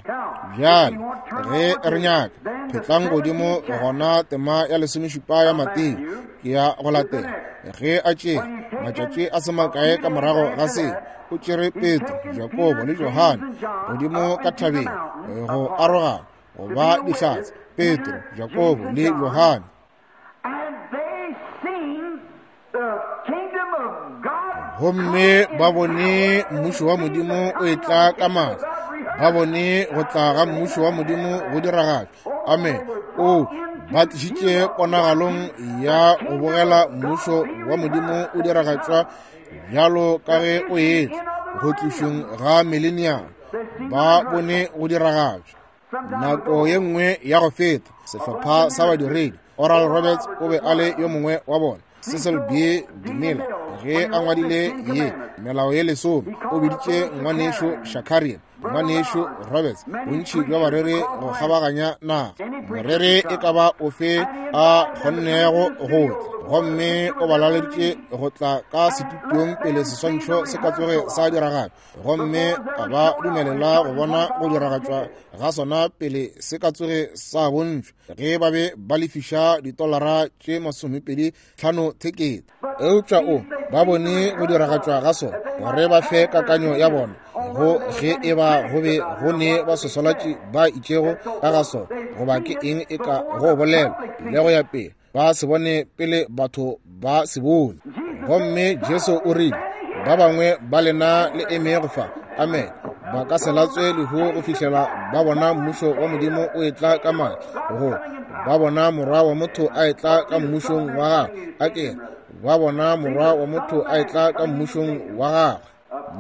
Bjale ge re nyaka phetlang godimo gona tema ya lesomešupa ya Mateo ke ya go latela. Ge a tšere matšatši a se makae ka morago ga se, o tšere Petro, Jakobo le Johane godimo ka thabeng go arogana go ba dihlatse. Petro, Jakobo le Johane. Gomme ba bone mmušo wa Modimo o etla ka maatla, ba bone go tla ga mmušo wa Modimo go diragatšwa. Amen. O ba tlišitše ponagalong ya go bogela mmušo wa Modimo o diragatšwa bjalo ka ge o etla go tlišweng ga millennium. Ba bone go diragatšwa. Nako ye nngwe ya go feta, sehlopha sa badiredi, Oral Roberts o be a le yo mongwe wa bona. Cecil B. DeMille, ge a ngwadile ye melao ye lesome, o biditše ngwanešo Shakarian, ngwanešo Roberts, bontši bja bareri go kgabaganya naga. Moreri e ka ba ofe a kgonnego go tla, gomme o ba laleditše go tla ka setutong pele seswantšho se ka tsoge sa diragatšwa, gomme a ba dumelela go bona go diragatšwa ga sona pele se ka tsoge sa bontšhwa, ge ba be ba lefiša ditolara tše masomepedi tlhano thekete. Eupša o ba bone go diragatšwa ga sona gore ba fe kakanyo ya bona go ge e ba go be go ne ba sosolatši ba itšego ka ga sona, goba ke eng e ka go bolela le go ya pele, ba se bone pele batho ba se bone. Gomme Jesu o rile, ba bangwe ba lena le emego fa, amen, ba ka se latswe lehu go fihlela ba bona mmušo wa Modimo o etla ka maatla, go ba bona Morwa wa motho a etla ka mmušong wa gagwe. A ke ba bona Morwa wa motho a etla ka mmušong wa gagwe.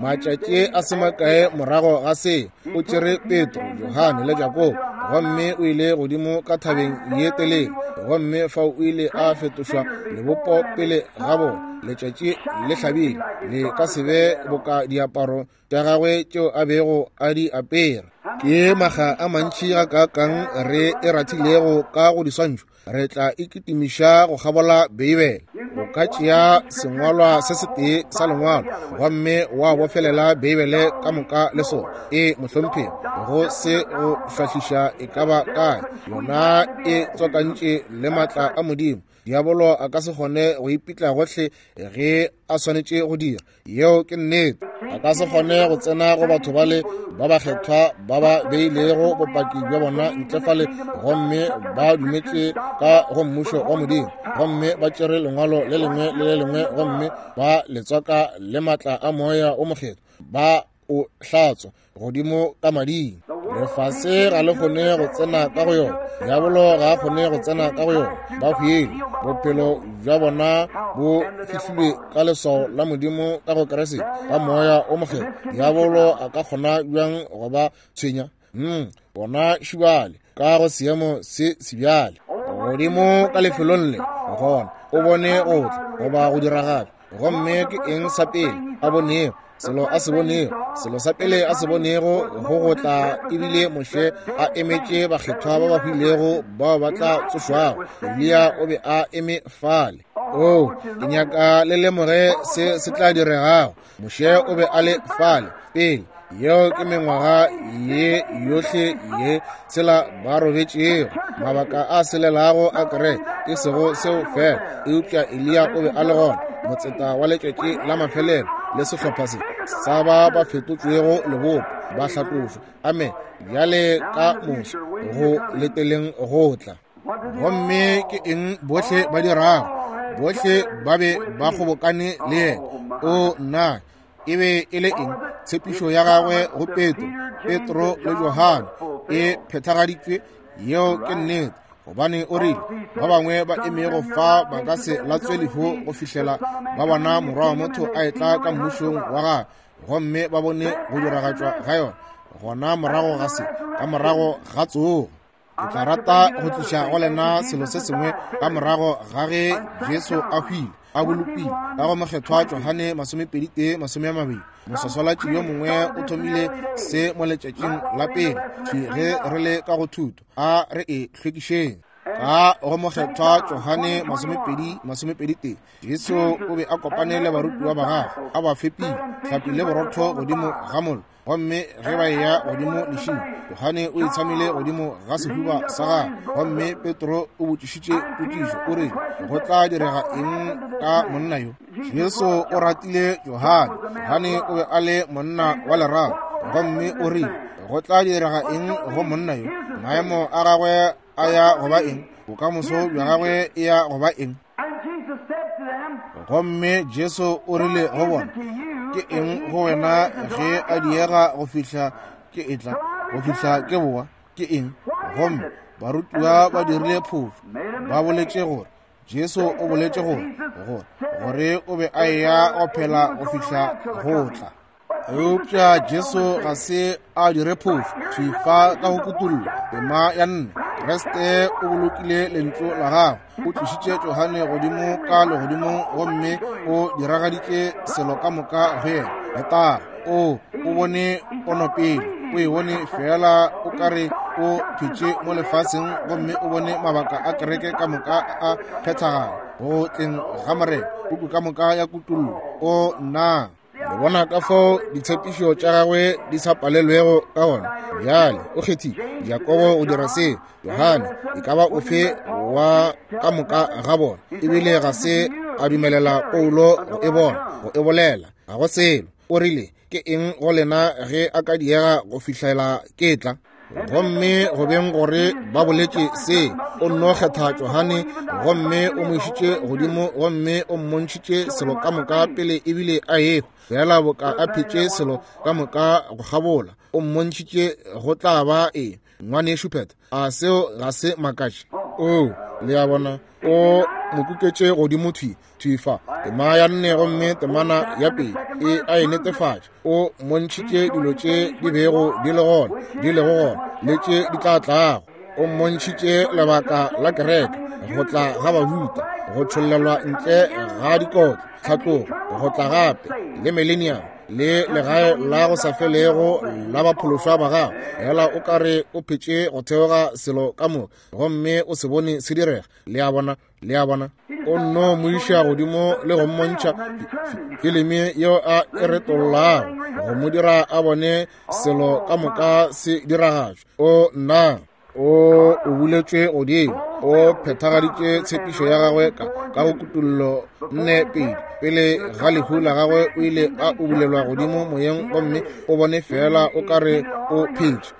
Matšatši a se makae morago ga se, o tšere Petro, Johane le Jakobo, gomme o ile godimo ka thabeng ye telele, gomme fao o ile a fetošwa lebopo pele ga bona. Letšatši le hlabile, le ka se be boka diaparo tša gagwe tšeo a bego a di apere. Ke makga a mantši gakaakang re e rathilego ka go diswantšho, re tla ikitimiša go kgabola Beibele. O ka tšea sengwalwa se setee sa lengwalo gomme wa bofelela Beibele ka moka le sona. E mohlomphegi, go se go šwahliša e ka ba kae, yona e tswakantše le maatla a Modimo. Diabolo a ka se kgone go ipitla gohle ge a swanetše go dira. Yeo ke nnete. A ka se kgone go tsena go batho bale ba bakgethwa ba ba beilego bopaki bja bona ntle fale, gomme ba dumetše ka go mmušo wa Modimo, gomme ba tšere lengwalo le lengwe le le lengwe gomme ba le tswaka le maatla a Moya o Mokgethwa, ba o hlatswa godimo ka mading. Lefase ga le kgone go tsena ka go yona, diabolo ga a kgone go tsena ka go yona. Ba hwile, bophelo bja bona bo fihlilwe ka leswao la Modimo ka go Kriste ka Moya o Mokgethwa. Diabolo a ka kgona bjang go ba tshwenya? Mm, bona šibale ka go seemo se sebjale godimo ka lefelong le, gona o bone go tla goba go diragatšwa. Gomme ke eng sa pele a bonego? Selo a se bonego, selo sa pele a se bonego go go tla ebile Moshe a emetše bakgethwa ba ba hwilego bao ba tla tsošwago. Eliya o be a eme fale. O, ke nyaka le lemoge se se tla diregago. Moshe o be a le fale pele. Yeo ke mengwaga ye yohle ye tshela ba robetšego, mabaka a selelago a kereke, e sego seo fela, eupša Eliya o be a le gona, motseta wa letšatši la mafelelo le sehlopha se sa ba ba fetotšwego lebopo, ba hlatlošwa, amen, bjale ka moso go leteleng go tla. Gomme ke eng bohle ba dirago? Bohle ba be ba kgobokane le yena. O nna, e be e le eng? Tshepišo ya gagwe go Petro, Petro le Johane e phethagaditšwe. Yeo ke nnete, gobane o rile ba bangwe ba emego fa ba ka se latswe lehu go fihlela ba bona Morwa wa motho a etla ka mmušong wa gagwe, gomme ba bone go diragatšwa ga yona gona morago ga se, ka morago ga tsogo. Ke tla rata go tliša go lena selo se sengwe ka morago ga ge Jesu a hwile, a bolokile ka go mokgethwa Johane masomepedi tee masome a mabedi. Moswaswalatši yo mongwe o thomile se mo letšatšing la pele thwi ge re le ka go thuto. A re e hlwekišeng. Ka go mokgethwa Johane masomepedi masomepedi tee, Jesu o be a kopane le barutiwa ba gagwe, a ba fepile hlapi le borotho godimo ga mollo. Gomme ge ba eya godimo lešing, Johane o itshamile godimo ga sehuba sa gagwe. Gomme Petro o botšišitše potšišo, o rile, go tla direga eng ka monna yo? Jesu o ratile Johane. Johane o be a le monna wa lerato. Gomme o rile, go tla direga eng go monna yo? Maemo a gagwe a ya go ba eng? Bokamoso bja gagwe e ya go ba eng? Gomme Jesu o rile go bona, ke eng go wena ge a diega go fihla ke etla, go fihla ke boa? Ke eng? Gomme barutiwa ba dirile phošo. Ba boletše gore Jesu o boletše gore gore gore o be a eya go phela go fihla go tla. Eupša Jesu ga se a dire phošo. Thwi fa ka go kutullo tema ya nne, Kriste o bolokile lentšu la gagwe. O tlišitše Johane godimo ka legodimong gomme o diragaditše selo ka moka go yena. Letago. O o bone ponopele, o e bone fela o ka re o phetše mo lefaseng, gomme o bone mabaka a kereke ka moka a phethagala go tleng ga Morena. Puku ka moka ya kutullo. O nna le bona ka fao ditshepišo tša gagwe di sa palelwego ka gona. Bjale o kgethile Jakobo go dira se, Johane e ka ba ofe wa ka moka ga bona, ebile ga se a dumelela Paulo go e bona, go e bolela. Ga go selo. O rile, ke eng go lena ge a ka diega go fihlela ke tla? Gomme go beng gore ba boletše se, o nno kgetha Johane gomme o mo išitše godimo gomme o mmontšhitše selo ka moka pele ebile a ehwa. Fela boka a phetše selo ka moka go kgabola, o mmontšhitše go tla ba eng. Ngwanešu Pet, a seo ga se makatše? O, le a bona, o mo kuketše godimo thwi thwi fa tema ya nne gomme temana ya pedi e a e netefatša. O mmontšhitše dilo tše di bego di le gona, di lego gona, le tše di tla tlago. O mmontšhitše lebaka la kereke, go tla ga bahuta, go tšhollelwa ntle ga dikotlo, tlhatlogo, go tla gape le millennium, le legae la go sa felego la baphološwa ba gago. Fela o ka re o phetše go theoga selo ka moka gomme o se bone se direga. Le a bona, le a bona. O nno mo iša godimo le go mmontšha filimi yeo a e retollago, go mo dira a bone selo ka moka se diragatšwa. O nna o o buletšwe godimo, o phethagaditše tshepišo ya gagwe ka ka go kutullo nne pedi. Pele ga lehu la gagwe o ile a ubulelwa godimo moyeng gomme o bone fela o ka re o phetše.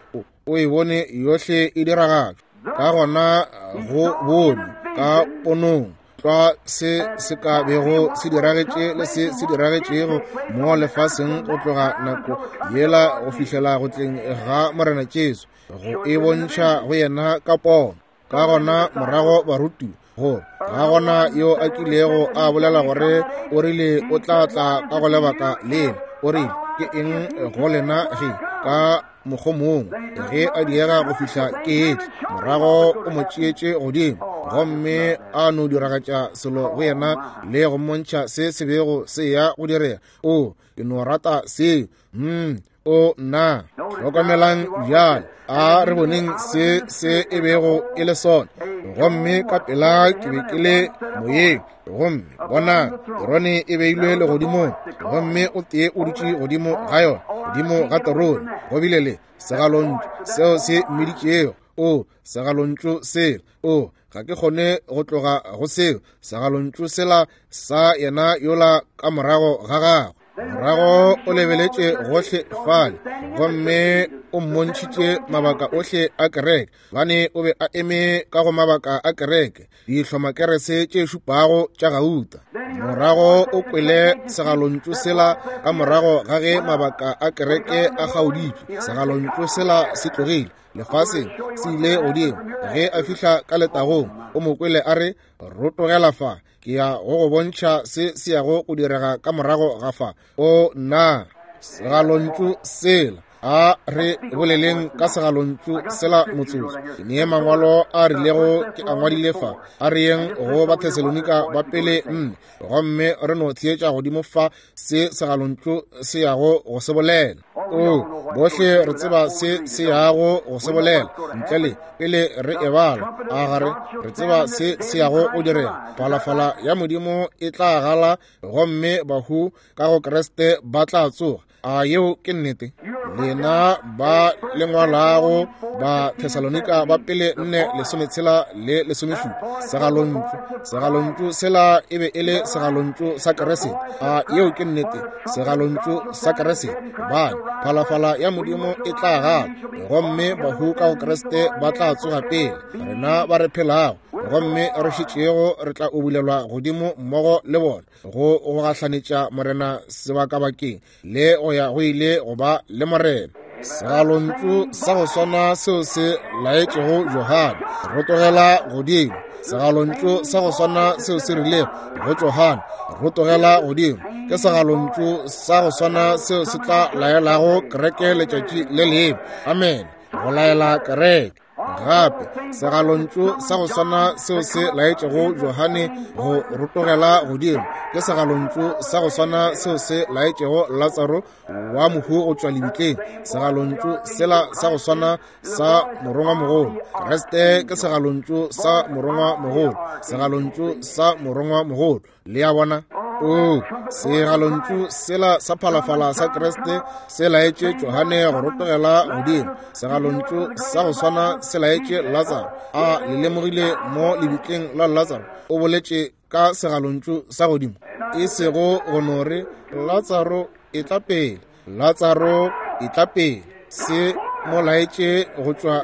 O e bone yohle e diragatšwa. Ka gona go bone ka ponong tlwa se se ka bego se diragetše le se se diragetšego mo lefaseng go tloga nako yela go fihlela go tleng ga Morena Jesu, go e bontšha go yena ka pono. Ka gona morago barutiwa gore ga gona yo a kilego a bolela gore o rile o tla tla ka go lebaka lela. O rile, ke eng go lena ge ka mokgwa mongwe ge a diega go fihla ke etle? Morago o mo tšeetše godimo gomme a no diragatša selo go yena le go mmontšha se se bego se ya go direga. O, ke no rata seo. Mm, o nna. Hlokomelang bjale, a re boneng se se e bego e le sona. Gomme ka pela ke be ke le moyeng, gomme bona terone e beilwe legodimong, gomme o tee o dutše godimo ga yona, godimo ga terone go bile le segalontšu seo se mmiditšego. O, segalontšu sela. O, ga ke kgone go tloga go seo. Segalontšu sela sa yena yola ka morago ga gagwe. Morago o lebeletše gohle fale gomme o mmontšhitše mabaka ohle a kereke, bane o be a eme ka go mabaka a kereke, dihlomakerese tše šupago tša gauta. Morago o kwele segalontšu sela ka morago ga ge mabaka a kereke a kgaoditšwe. Segalontšu sela se tlogile lefaseng, se ile godimo. Ge a fihla ka letagong, o mo kwele a re, rotogela fa, ke ya go go bontšha se se yago go direga ka morago ga fa. O nna, segalontšu sela A re boleleng ka segalontšu sela motsotso. Ke nee mangwalo a rilego ke a ngwadile fa. A re yeng go Bathesalonika ba pele nne, gomme re no theetša godimo fa se segalontšu se yago go se bolela. O, bohle re tseba se se yago go se bolela ntle le pele re e bala. A gare re tseba se se yago go direga. Phalafala ya Modimo e tla gala, gomme bahu ka go Kriste ba tla tsoga. A yeo ke nnete? Lena ba lengwalago ba Thesalonika ba pele nne lesometshela le lesomešupa. Segalontšu, segalontšu sela e be e le segalontšu sa Kriste. A yeo ke nnete? Segalontšu sa Kriste. Bane phalafala ya Modimo e tla gala, gomme bahu ka go Kriste ba tla tsoga pele. Rena ba re phelago gomme re šetšego re tla ubulelwa godimo mmogo le bona go go gahlanetša Morena sebakabakeng le go ya go ile go ba le Morena. Segalontšu sa go swana seo se laetšego Johane rotogela godimo. Segalontšu sa go swana seo se rilego go Johane rotogela godimo ke segalontšu sa go swana seo se tla laelago kereke letšatši le lengwe. Amen. Go laela kereke. Gape segalontšu sa go swana seo se laetšego Johane go rotogela godimo ke segalontšu sa go swana seo se laetšego Latsaro wa mohu go tšwa lebitleng. Segalontšu sela sa go swana sa morongwamogolo. Kriste ke segalontšu sa morongwamogolo, segalontšu sa morongwamogolo. Le a bona? O, segalontšu sela sa phalafala sa Kriste se laetše Johane go rotogela godimo. Segalontšu sa go swana se laetše Latsaro. A le lemogile mo lebitleng la Latsaro o boletše ka segalontšu sa godimo, e sego go no re Latsaro e tla pele, Latsaro e tla pele. Se mo laetše go tšwa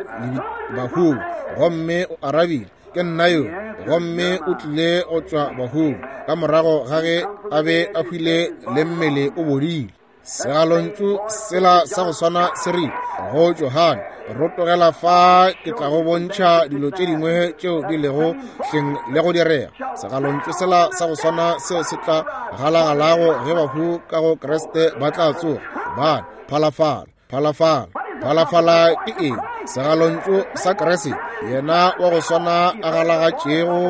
bahung, gomme o arabile, ke nna yo. Gomme o tlile go tšwa bahung ka morago ga ge a be a hwile le mmele o bodile. Segalontšu sela sa go swana se rile go Johane, rotogela fa, ke tla go bontšha dilo tše dingwe tšeo di lego hleng le go direga. Segalontšu sela sa go swana seo se tla galagalago ge bahu ka go Kriste ba tla tsoga. Bane phalafala, phalafala, phalafala ke eng? Segalontšu sa Kriste, yena wa go swana a galagatšego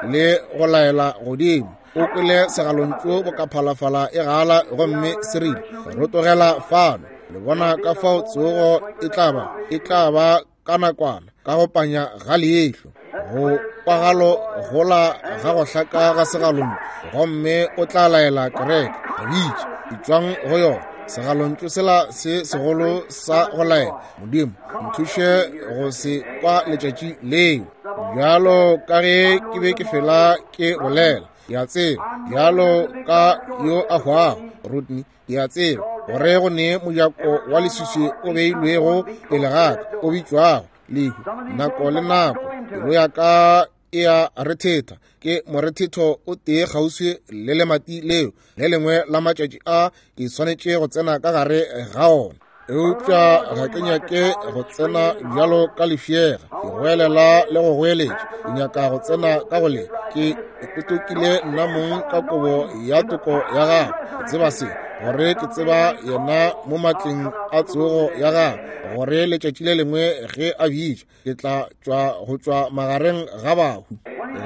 le go laela godimo. O kwele segalontšu boka phalafala e gala, gomme se rile rotogela fano. Le bona ka fao tsogo e tla ba, e tla ba ka nakwana, ka go panya ga leihlo, go kwagalo gola ga go hlaka ga segalontšu, gomme o tla laela kereke, bitše, etšwang go yona. Segalontšu sela se segolo sa go laela. Modimo nthuše go se kwa letšatši leo. Bjalo ka ge ke be ke fela ke bolela, ke a tseba, bjalo ka yo a hwago Rodney, ke a tseba gore go ne mojako wa leswiswi o beilwego pele ga ka, o bitšwago lehu. Nako le nako pelo ya ka e a rethetha, ke morethetho o tee kgauswi le lemati leo. Le lengwe la matšatši a ke swanetše go tsena ka gare ga ona, eupša ga ke nyake go tsena bjalo ka lefšega, ke goelela le go goeletša. Ke nyaka go tsena ka go le ke ipotokile nna mong ka kobo ya toko ya gagwe. Ke tseba se, gore ke tseba yena mo matleng a tsogo ya gagwe, gore letšatši le lengwe ge a bitša ke tla tšwa go tšwa magareng ga bahu.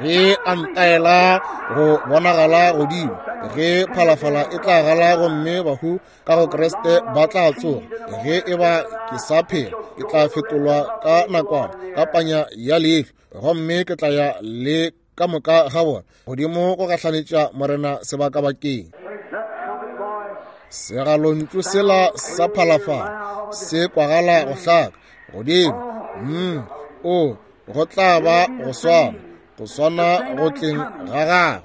Ge a ntaela go bonagala godimo, ge phalafala e tla gala gomme bahu ka go Kriste ba tla tsoga, ge e ba ke sa phela ke tla fetolwa ka nakwana ka panya ya leihlo, gomme ke tla ya le ka moka ga bona godimo go gahlanetša Morena sebakabakeng. Segalontšu sela sa phalafala se kwagala go hlaka godimo. Mm, o go tla ba go swana, go swana go tleng ga gagwe.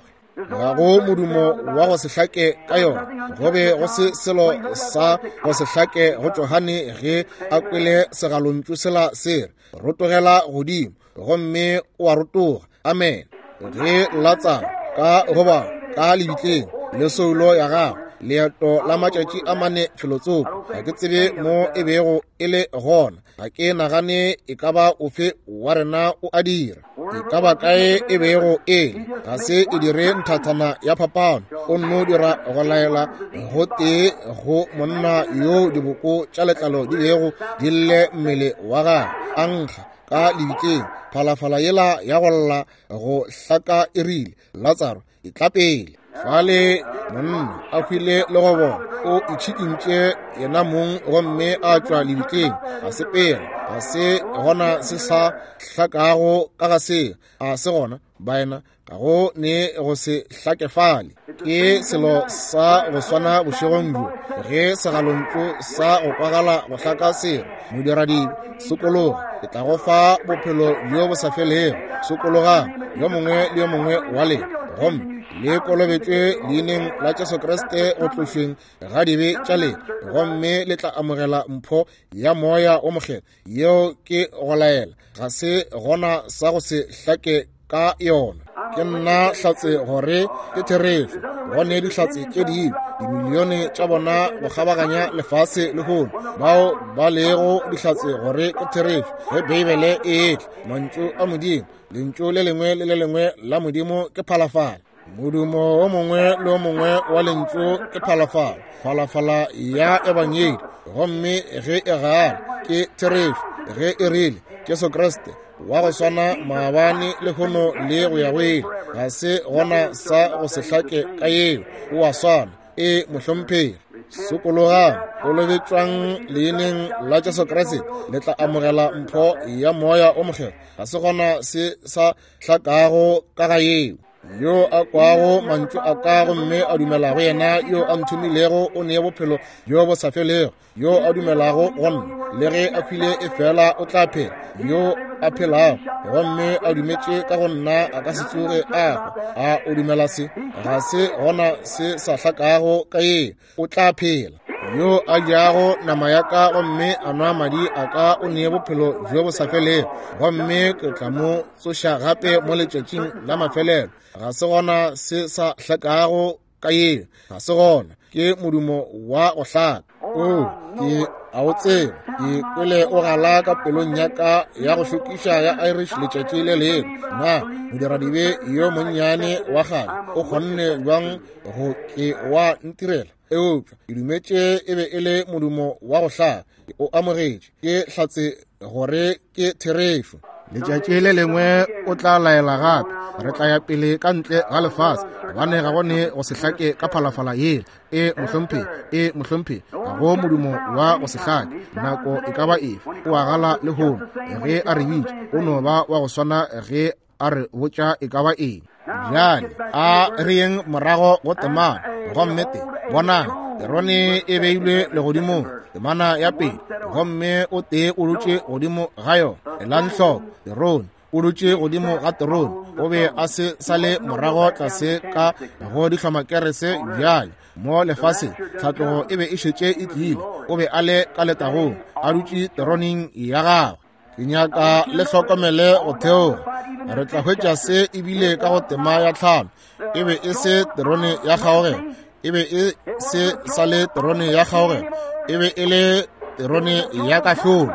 Ga go modumo wa go se hlake ka yona. Go be go se selo sa go se hlake go Johane ge a kwele segalontšu sela se re rotogela godimo, gomme o a rotoga. Amen. Ge Latsaro ka goba ka lebitleng le soulo ya gagwe Leeto la matšatši a mane felotsoko. Ga ke tsebe mo e bego e le gona. Ga ke nagane e ka ba ofe wa rena o a dira. E ka ba kae e bego e le, ga se e dire nthathana ya phapano. O nno dira go laela go tee go monna yo diboko tša letlalo di bego di lle mmele wa gagwe, a nkga ka lebitleng. Phalafala yela ya go lla go hlaka e rile, Latsaro, e tla pele. Fale monna a hwile le go bona, o itšhikintše yena mong gomme a tšwa lebitleng, a sepela. Ga se gona se sa hlakago ka ga se, a se gona baena, ga go ne go se hlake fale. Ke selo sa go swana bošegong bjo, ge segalontšu sa go kwagala go hlaka sere, modiradibe, sokologa, ke tla go fa bophelo bjo bo sa felego. Sokologang yo mongwe le yo mongwe wa lena, gomme le kolobetšwe leineng la Jesu Kriste go tlošweng ga dibe tša lena, gomme le tla amogela mpho ya Moya o Mokgethwa. Yeo ke go laela, ga se gona sa go se hlake ka yona. Ke nna hlatse gore ke therešo. Go ne dihlatse tše dingwe, dimilione tša bona go kgabaganya lefase lehono, bao ba lego dihlatse gore ke therešo. Ge Beibele e etla, mantšu a Modimo, lentšu le lengwe le le lengwe la Modimo ke phalafala. Modumo o mongwe le o mongwe wa lentšu ke phalafala, phalafala ya ebangedi. Gomme ge e gala, ke therešo. Ge e rile, Jesu Kriste wa go swana maabane lehono le go ya go ile, ga se gona sa go se hlake ka yeo. O a swana. E mohlomphegi. Sokologang, kolobetšwang leineng la Jesu Kriste, le tla amogela mpho ya Moya o Mokgethwa. Ga se gona se sa hlakago ka ga yeo. Yo a kwago mantšu a ka gomme a dumelago yena yo a nthomilego o nee bophelo bjo bo sa felego. Yo a dumelago go nna, le ge a hwile e fela o tla phela. Yo a phelago gomme a dumetše ka go nna a ka se tsoge a hwa. A o dumela se? Ga se gona se sa hlakago ka yeo. O tla phela. Yo a jago nama ya ka gomme a nwa madi a ka o nee bophelo bjo bo sa felego, gomme ke tla mo tsoša gape mo letšatšing la mafelelo. Ga se gona se sa hlakago ka yeo. Ga se gona. Ke modumo wa go hlaka. O, ke a o tseba. Ke kwele o gala ka pelong ya ka ya go šokiša ya Irish letšatši le lengwe. Na modiradibe yo monnyane wa kgale o kgonne bjang go ke wa ntirela? Eupša ke dumetše e be e le modumo wa go hlaka. Ke o amogetše. Ke hlatse gore ke therešo. Letšatši le lengwe o tla laela gape. Re tla ya pele ka ntle ga lefase, gobane ga go ne go se hlake ka phalafala yela. E mohlomphegi, e mohlomphegi, ga go modumo wa go se hlake. Nako e ka ba efe, o a gala lehono. Ge a re bitša, o no ba wa go swana ge a re botša e ka ba eng. Bjale a re yeng morago go temana. Gomme te, bonang, terone e beilwe legodimong, temana ya pele, gomme o tee o dutše godimo ga yona. Elang hloko, terone, o dutše godimo ga terone. O be a se sa le morago tlase ka go dihlomakerese bjale mo lefaseng. Tlhatlogo e be e šetše e tlile. O be a le ka letagong, a dutše teroneng ya gagwe. Ke nyaka le hlokomele go theoga. Re tla hwetša se ebile ka go tema ya tlhano. E be e se terone ya kgaogelo. E be e se sa le terone ya kgaogelo. E be e le terone ya kahlolo.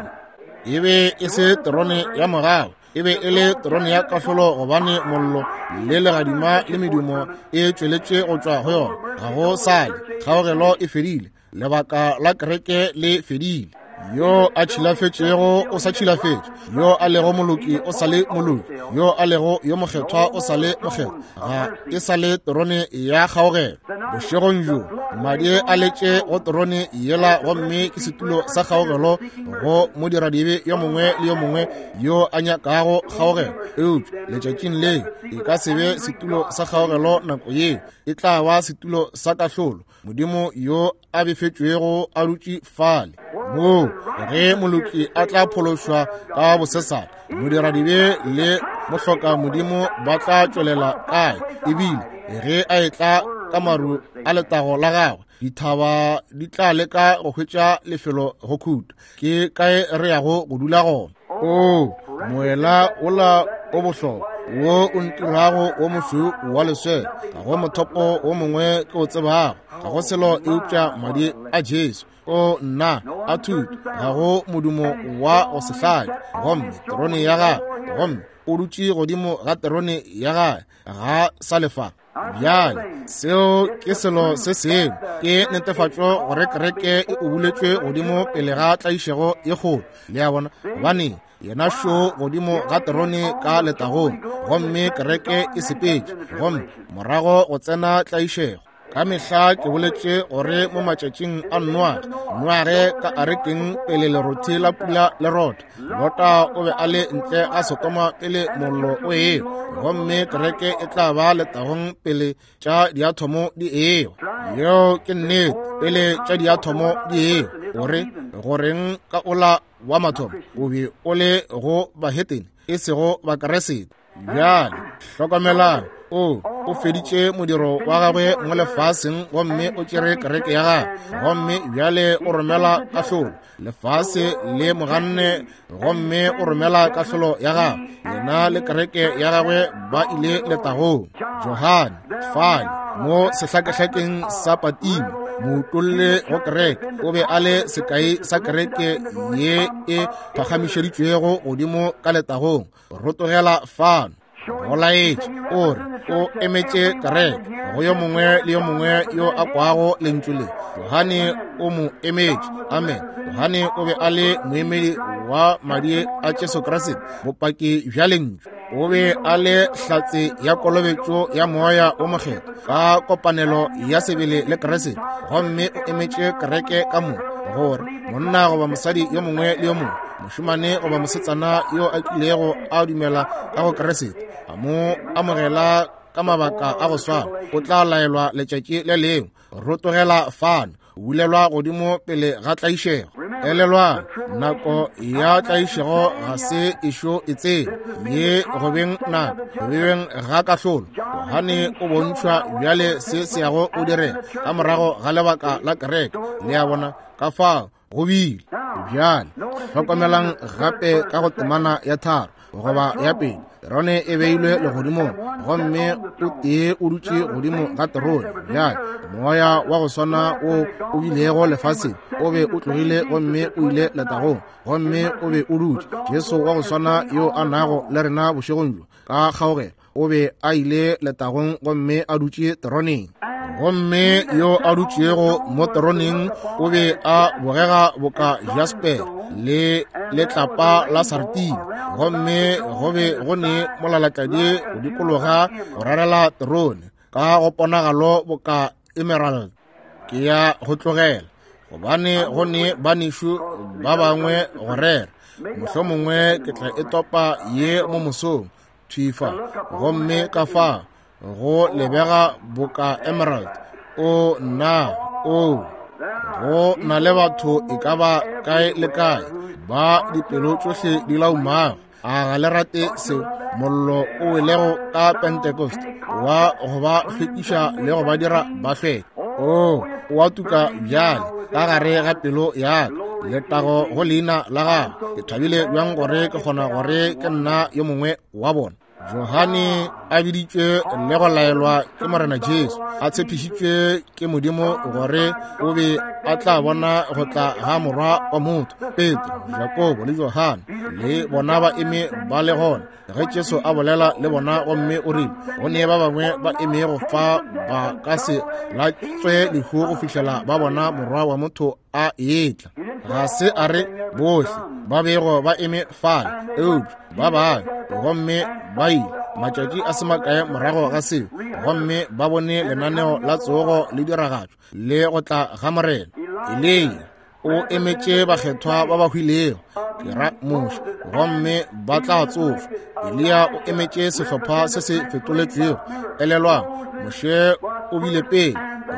E be e se terone ya mogau. E be e le terone ya kahlolo, gobane mollo le legadima le medumo e tšweletše go tšwa go yona. Ga go sale, kgaogelo e fedile. Lebaka la kereke le fedile. Yo a tšhilafetšego o sa tšhilafetše, yo a lego moloki o sa le moloki, yo a lego yo mokgethwa o sa le mokgethwa. Ga e sa le terone ya kgaogelo. Bošegong bjo madi a letše go terone yela, gomme ke setulo sa kgaogelo go modiradibe yo mongwe le yo mongwe yo a nyakago kgaogelo. Eupša letšatšing le e ka se be setulo sa kgaogelo nako yeo, e tla ba setulo sa kahlolo. Modimo yo a befetšwego a dutše fale, moo ge moloki a tla phološwa ka bosesane, modiradibe le mohloka Modimo ba tla tšwelela kae? Ebile ge a etla ka maru a letago la gagwe, dithaba di tla leka go hwetša lefelo go khuta. Ke kae re yago go dula gona? O moela ola o bohlokwa, wo o ntirago wo mošweu wa leswele. Ga go mothopo wo mongwe ke o tsebago, ga go selo eupša madi a Jesu. O nna a thuto, ga go modumo wa go se hlake. Gomme terone ya gagwe, gomme o dutše godimo ga terone ya gagwe, ga sa lefa. Bjale seo ke selo se sengwe, ke netefatšo gore kereke e ubuletšwe godimo pele ga tlaišego ye kgolo. Le a bona, gobane yena šo godimo ga terone ka letagong, gomme kereke e sepetše, gomme morago go tsena tlaišego. Ka mehla ke boletše gore mo matšatšing a Noage, Noage ka arekeng pele lerothi la pula le rotha, Lota o be a le ntle ga Sodoma pele mollo o ewa, gomme kereke e tla ba letagong pele tša diathomo di ewa. Yeo ke nnete, pele tša diathomo di ewa. Gore goreng ka ola wa mathomo o be o le go bahetene e sego Bakeresete. Bjale hlokomelang, o o feditše modiro wa gagwe mo lefaseng, gomme o tšere kereke ya gagwe, gomme bjale o romela kahlolo. Lefase le moganne, gomme o romela kahlolo ya gagwe. Yena le kereke ya gagwe ba ile letagong. Johane fale mo sehlakehlakeng sa Patimo, moutolle go kereke, o be a le sekai sa kereke ye e phagamišeditšwego godimo ka letagong. Rotogela fano go laetše o re o emetše kereke go yo mongwe le yo mongwe yo a kwago lentšu le. Johane o mo emetše. Amen. Johane o be a le moemedi wa madi a Jesu Kriste, bopaki bja lentšu. O be a le hlatse ya kolobetšo ya moya o mokgethwa ka kopanelo ya sebele le Kriste, gomme o emetše kereke ka moka, gore monna goba mosadi yo mongwe le yo mongwe, mošemane goba mosetsana yo a kilego a dumela ka go Kriste, a mo amogela ka mabaka a go swana, o tla laelwa letšatši le lengwe. Rotogela fano, bulelwa godimo pele ga tlaišego. Elelwang, nako ya tlaišego ga se ešo e tsene, ye go beng nako go beng ga kahlolo. Johane o bontšhwa bjale se se yago o direga ka morago ga lebaka la kereke. Le a bona ka fao go bile. Bjale hlokomelang gape ka go temana ya tharo goba ya pedi, terone e beilwe legodimong, gomme o tee o dutše godimo ga terone. Bjale moya wa go swana wo o bilego lefaseng o be o tlogile gomme o ile letagong, gomme o be o dutše. Jesu wa go swana yo a nago le rena bošegong bjo ka kgaogelo o be a ile letagong gomme a dutše teroneng. Gomme yo a dutšego mo teroneng o be a bogega boka jasper le letlapa la sartine, gomme go be go ne molalatladi go dikologa go rarela terone ka go ponagalo boka emerald. Ke ya go tlogela, gobane go ne banešu ba bangwe go rera. Mohlomongwe ke tla e topa ye mo mosong thwi fa, gomme ka fa go lebega boka emerald. O nna, o go na le batho e ka ba kae le kae ba dipelo tšohle di laumago. A ga le rate seo? Mollo o welego ka Pentecost wa go ba hlwekiša le go ba dira ba hlweke. O o a tuka bjale ka gare ga pelo ya ka. Letago go leina la gago. Ke thabile bjang gore ke kgona gore ke nna yo mongwe wa bona. Johane a biditšwe le go laelwa ke Morena Jesu, a tshepišitšwe ke Modimo gore o be a tla bona go tla ga morwa wa motho. Petro, Jakobo le Johane le bona ba eme ba le gona ge Jesu a bolela le bona, gomme o rile go ne ba bangwe ba emego fa ba ka se latswe lehu go fihlela ba bona morwa wa motho a etla. Ga se a re bohle ba bego ba eme fale, eupša ba bangwe, gomme ba ile matšatši a se makae morago ga seo, gomme ba bone lenaneo la tsogo le diragatšo le go tla ga Morena. Eliya o emetše bakgethwa ba ba hwilego, ke ra Moshe, gomme ba tla tsošwa. Eliya o emetše sehlopha se se fetoletšwego. Elelwang, Moshe o bile pele,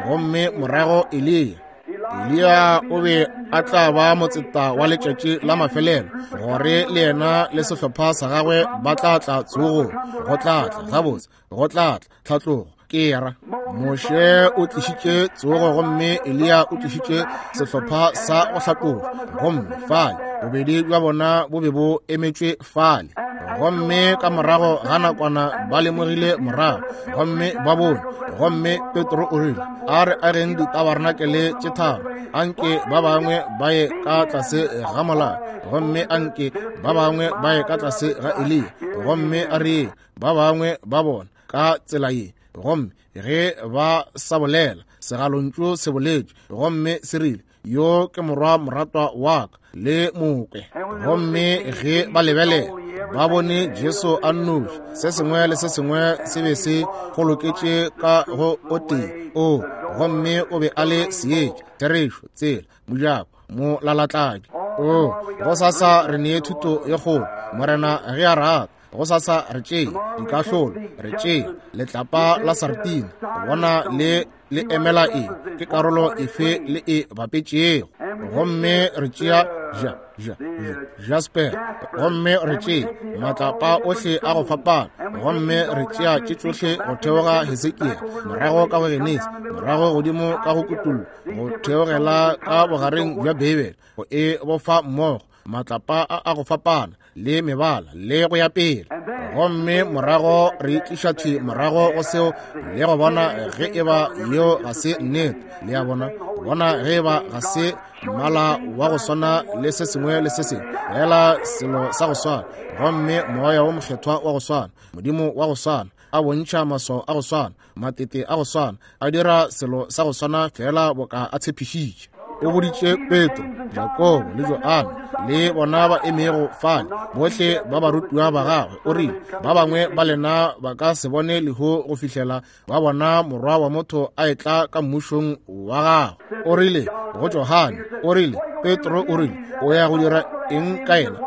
gomme morago Eliya. Eliya o be a tla ba motseta wa letšatši la mafelelo, gore le yena le sehlopha sa gagwe ba tla tla tsogong. Go tla tla gabotse, go tla tla tlhatlogo. Ke ra Moshe o tlišitše tsogo gomme Eliya o tlišitše sehlopha sa go hlatloga, gomme fale bobedi bja bona bo be bo emetšwe fale. Gomme ka morago ga nakwana ba lemogile morago gomme ba bone. Gomme Petro o rile, a re ageng ditabarenakele tše tharo, anke ba bangwe ba ye ka tlase ga molao, gomme anke ba bangwe ba ye ka tlase ga Eliya, gomme a re ba bangwe ba bona ka tsela ye. Gomme ge ba sa bolela, segalontšu se boletše gomme se rile, yo ke morwa moratwa wa ka, le mokwe. Gomme ge ba lebelela, ba bone Jesu a nnoši. Se sengwe le se sengwe se be se goloketše ka go o tee o, gomme o be a le seetša, therešo, tsela, mojako, molalatladi. O, gosasa re nee thuto ye kgolo, Morena ge a rata. Gosasa re tšee dikahlolo, re tšee letlapa la sartine, bona le le emela eng, ke karolo efe le e bapetšego. Gomme re tšea ja ja ja jasper, gomme re tšea matlapa ohle a go fapana, gomme re tšea tše tšohle go theoga Hesekiel, morago ka go Genesi, morago godimo ka go Kutullo, go theogela ka bogareng bja Beibele, go e bofa mmogo matlapa a a go fapana le mebala le go ya pele. Gomme morago re tliša thwi morago go seo le go bona ge e ba yeo ga se nnete. Le a bona, bona ge e ba ga se mmala wa go swana le se sengwe le se sengwe, fela selo sa go swana, gomme moya wo mokgethwa wa go swana, Modimo wa go swana, a bontšha maswao a go swana, matete a go swana, a dira selo sa go swana fela boka a tshepišitše. O boditše Petro, Jakobo le Johane le bona ba emego fale, bohle ba barutiwa ba gagwe, o rile, ba bangwe ba lena ba ka se bone lehu go fihlela ba bona morwa wa motho a etla ka mmušong wa gagwe. O rile go Johane, o rile, Petro o rile, o ya go dira eng ka yena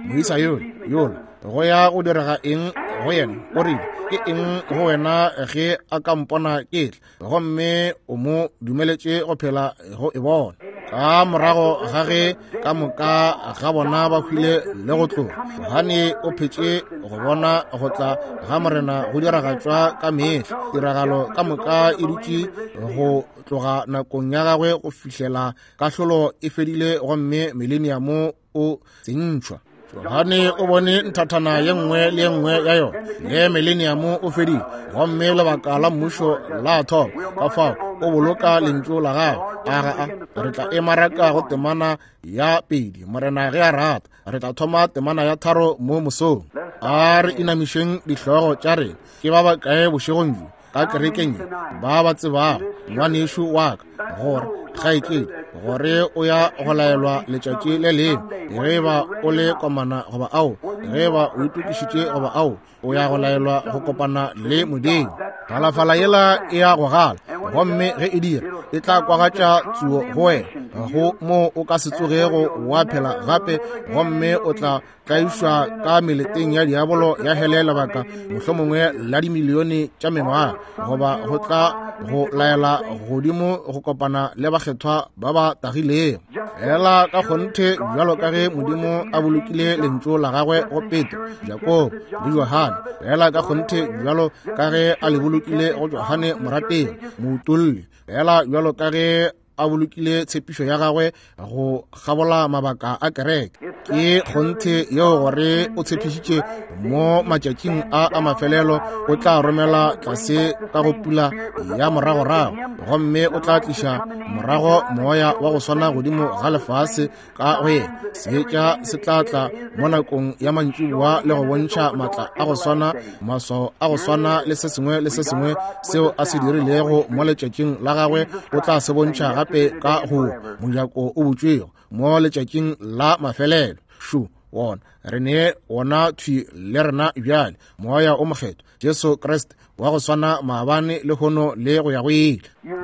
moisa yola yola, go ya go direga eng go yena? O rile, ke eng go wena ge a ka mpona ke tla? Gomme o mo dumeletše go phela go e bona. Ka morago ga ge ka moka ga bona ba hwile le go tloga, Johane o phetše go bona go tla ga Morena go diragatšwa ka mehla. Tiragalo ka moka e dutše go tloga nakong ya gagwe go fihlela kahlolo e fedile gomme mileniamo o tsentšhwa. Johane o bone nthathana ye nngwe le ye nngwe ya yona, ge mileniamo o fedile gomme lebaka la mmušo la thoma. Ka fao o boloka lentšu la gagwe. A ga a re tla e maraka go temana ya pedi, Morena ge a rata. Re tla thoma temana ya tharo mo mosong. A re inamišeng dihlogo tša rena. Ke ba bakae bošegong bjo ka kerekeng ba ba tsebago ngwanešu wa ka, gore kgaetšedi, gore o ya go laelwa letšatši le lengwe, ge e ba o le komana goba ao, ge e ba o itokišitše goba ao, o ya go laelwa go kopana le Modimo. Phalafala yela e ya go gala, gomme ge e dira, e tla kwagatša tsuo go wena, go mo o ka se tsogego wa phela gape, gomme o tla tlaišwa ka meleteng ya diabolo ya hele lebaka mohlomongwe la dimilione tša mengwaga, goba go tla go laela godimo go kopana le bakgethwa ba ba tagilego. Fela ka kgonthe bjalo ka ge Modimo a bolokile lentšu la gagwe go Petro, Jakobo le Johane, fela ka kgonthe bjalo ka ge a le bolokile go Johane morategi moutolli, fela bjalo ka ge a bolokile tshepišo ya gagwe go kgabola mabaka a kereke. Ke kgonthe yeo gore o tshepišitše mo matšatšing a a mafelelo o tla romela tlase ka go pula ya moragorago, gomme o tla tliša morago moya wa go swana godimo ga lefase ka go yena. Seetša se tla tla mo nakong ya mantšiboa le go bontšha matla a go swana, maswao a go swana le se sengwe le se sengwe seo a se dirilego mo letšatšing la gagwe, o tla se bontšha gape ka go mojako o butšwego mo letšatšing la mafelelo. Šo wona re ne wona thwi le rena bjale, moya o mokgethwa, Jesu Kriste wa go swana maabane le hono le go ya go ile.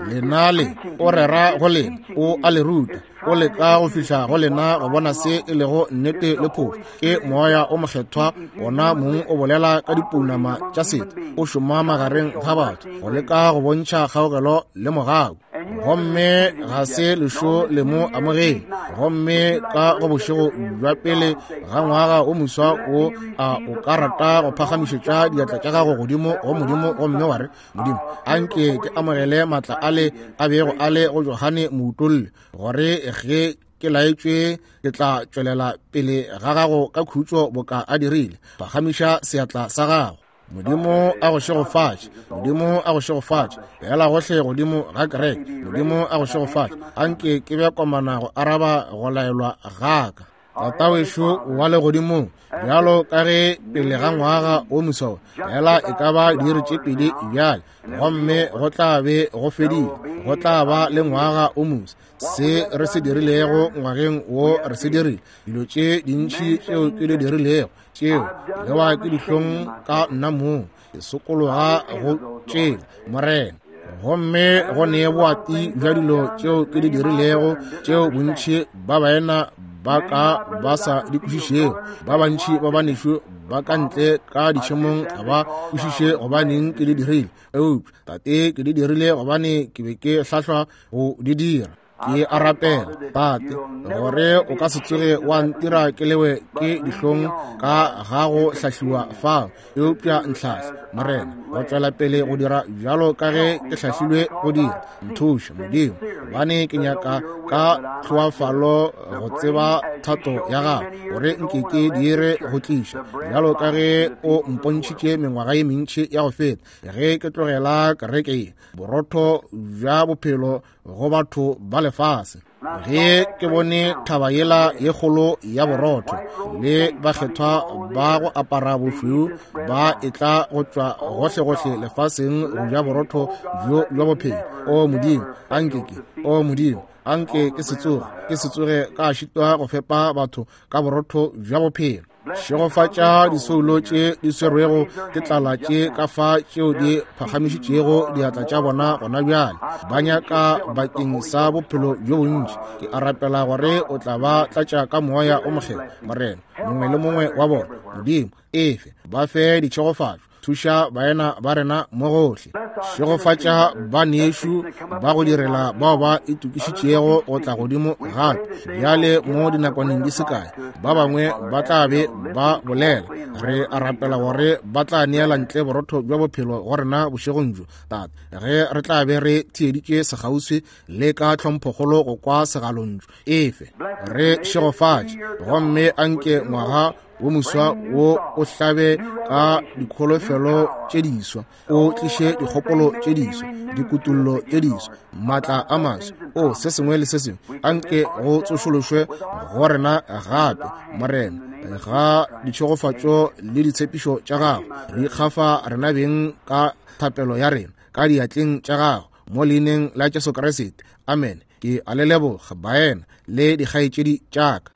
Lena le o rera go lena, o a le ruta, o leka go fihla go lena go bona se e lego nnete le phošo. Ke moya o mokgethwa wona mong o bolela ka dipounama tša setho, o šoma magareng ga batho go leka go bontšha kgaogelo le mogau. Gomme ga se lešo le mo amogele. Gomme ka go bošego bja pele ga ngwaga o moswa o a o ka rata go phagamišetša diatla tša gago godimo go Modimo gomme wa re, Modimo, anke ke amogele maatla ale a bego a le go Johane Moutolli, gore ge ke laetšwe ke tla tšwelela pele ga gago ka khutšo boka a dirile. Phagamiša seatla sa gago. Modimo a go šegofatše. Modimo a go šegofatše. Beela gohle godimo ga kereke. Modimo a go šegofatše. Anke ke be komana go araba go laelwa ga ka. Tata wešo wa legodimong, bjalo ka ge pele ga ngwaga o moswa fela e ka ba diiri tše pedi bjale, gomme go tla be go fedile, go tla ba le ngwaga o moswa. Se re se dirilego ngwageng wo re se dirile, dilo tše dintši tšeo ke di dirilego tšeo lewa ke dihlong ka nna mong, ke sokologa go tšela Morena. Gomme go nee boati bja dilo tšeo ke di dirilego tšeo bontši ba baena ba ka ba sa di kwešišego, ba bantši ba banešu ba ka ntle ka ditšhemong ga ba kwešiše gobaneng ke di dirile, eupša Tate ke di dirile gobane ke be ke hlahlwa go di dira. Ke a rapela Tate gore o ka se tsoge wa ntira ke lewe ke dihlong ka ga go hlahliwa fao, eupša ntlhahla Morena go tšwela pele go dira bjalo ka ge ke hlahlilwe go dira. Nthuše Modimo, gobane ke nyaka ka tlhoafalo go tseba thato ya gago, gore nke ke dire go tliša bjalo ka ge o mpontšhitše mengwaga ye mentši ya go feta ge ke tlogela kereke ye, borotho bja bophelo go batho ba lefase. Ge ke bone thaba yela ye kgolo ya borotho le bakgethwa ba go apara bošweu ba etla go tšwa gohlegohle lefaseng go ja borotho bjo bja bophelo, o Modimo, anke ke, o Modimo, anke ke se tsoge, ke se tsoge ka šitwa go fepa batho ka borotho bja bophelo. Šegofatša disoulo tše di swerwego ke tlala tše ka fa tšeo di phagamišitšego diatla tša bona gona bjale, ba nyaka bakeng sa bophelo bjo bontši. Ke a rapela gore o tla ba tlatša ka moya o mokgethwa, Morena, mongwe le mongwe wa bona. Modimo, efe ba fe ditšhegofatšo. Thuša baena ba rena mo gohle. Šegofatša banešu ba go direla bao ba itokišitšego go tla godimo gape bjale mo dinakwaneng di se kae. Ba bangwe ba tla be ba bolela. Re a rapela gore ba tla neela ntle borotho bja bophelo go rena bošegong bjo, Tate, ge re tla be re theeditše sekgauswi le ka tlhomphokgolo go kwa segalontšu. Efe re šegofatše, gomme anke ngwaga wo moswa wo o hlabe ka dikholofelo tše diswa, o tliše dikgopolo tše diswa, dikutullo tše diswa, maatla a maswa, o se sengwe le se sengwe. Anke go tsošološwe go rena gape, Morena, ga ditšhegofatšo le ditshepišo tša gago. Re ikgafa rena beng ka thapelo ya rena ka diatleng tša gago, mo leineng la Jesu Kriste. Amen. Ke a le leboga baena le dikgaetšedi tša ka.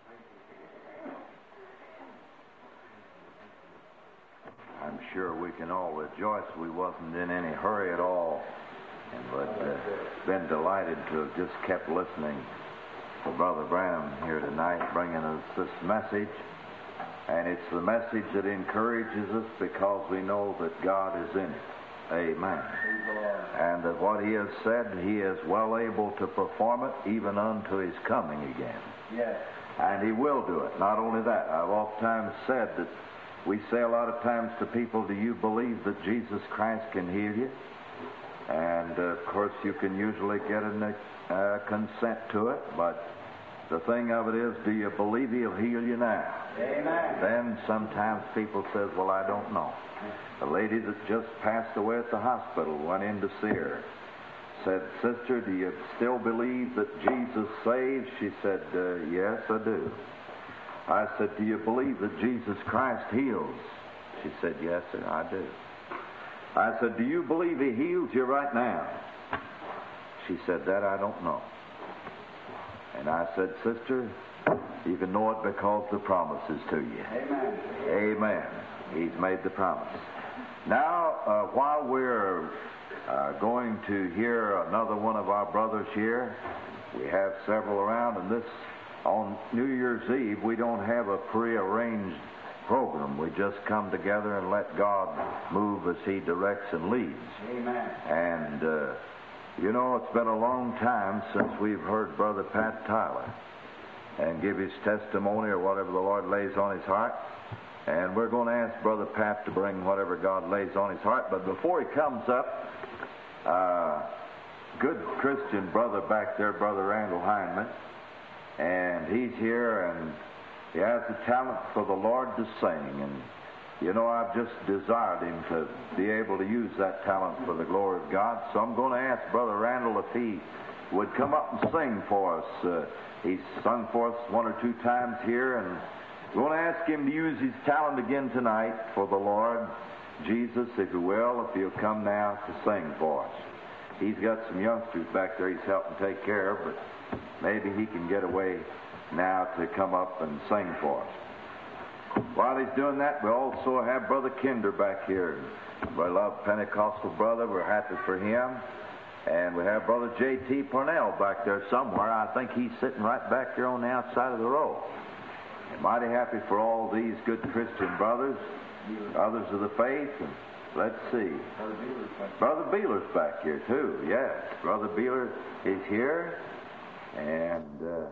Sure we can all rejoice we wasn't in any hurry at all, and but uh, been delighted to have just kept listening to Brother Branham here tonight, bringing us this message. And it's the message that encourages us because we know that God is in it. Amen. And that what he has said, he is well able to perform it even unto his coming again. Yes. And he will do it. Not only that, I've oftentimes said that we say a lot of times to people, do you believe that Jesus Christ can heal you? And, uh, of course, you can usually get a uh, consent to it, but the thing of it is, do you believe he'll heal you now? Amen. Then sometimes people says, well, I don't know. The lady that just passed away at the hospital went in to see her. Said, sister, do you still believe that Jesus saves? She said, uh, yes, I do. I said, do you believe that Jesus Christ heals? She said, yes, sir, I do. I said, do you believe he heals you right now? She said, that I don't know. And I said, sister, you can know it because the promise is to you. Amen. Amen. He's made the promise. Now, uh, while we're uh, going to hear another one of our brothers here, we have several around, and this, on New Year's Eve, we don't have a prearranged program. We just come together and let God move as he directs and leads. Amen. And uh, You know, it's been a long time since we've heard Brother Pat Tyler and give his testimony or whatever the Lord lays on his heart. And we're going to ask Brother Pat to bring whatever God lays on his heart. But before he comes up, uh, good Christian brother back there, Brother Randall Hindman, and he's here, and he has the talent for the Lord to sing. And, you know, I've just desired him to be able to use that talent for the glory of God. So I'm going to ask Brother Randall if he would come up and sing for us. Uh, he's sung for us one or two times here, and we're going to ask him to use his talent again tonight for the Lord Jesus, if he will, if he'll come now to sing for us. He's got some youngsters back there he's helping take care of, but maybe he can get away now to come up and sing for us. While he's doing that, we also have Brother Kinder back here. We love Pentecostal brother. We're happy for him. And we have Brother J T. Parnell back there somewhere. I think he's sitting right back here on the outside of the row. And mighty happy for all these good Christian brothers, others of the faith. And let's see. Brother Beeler's back here, too. Yes, Brother Beeler is here. And... Uh,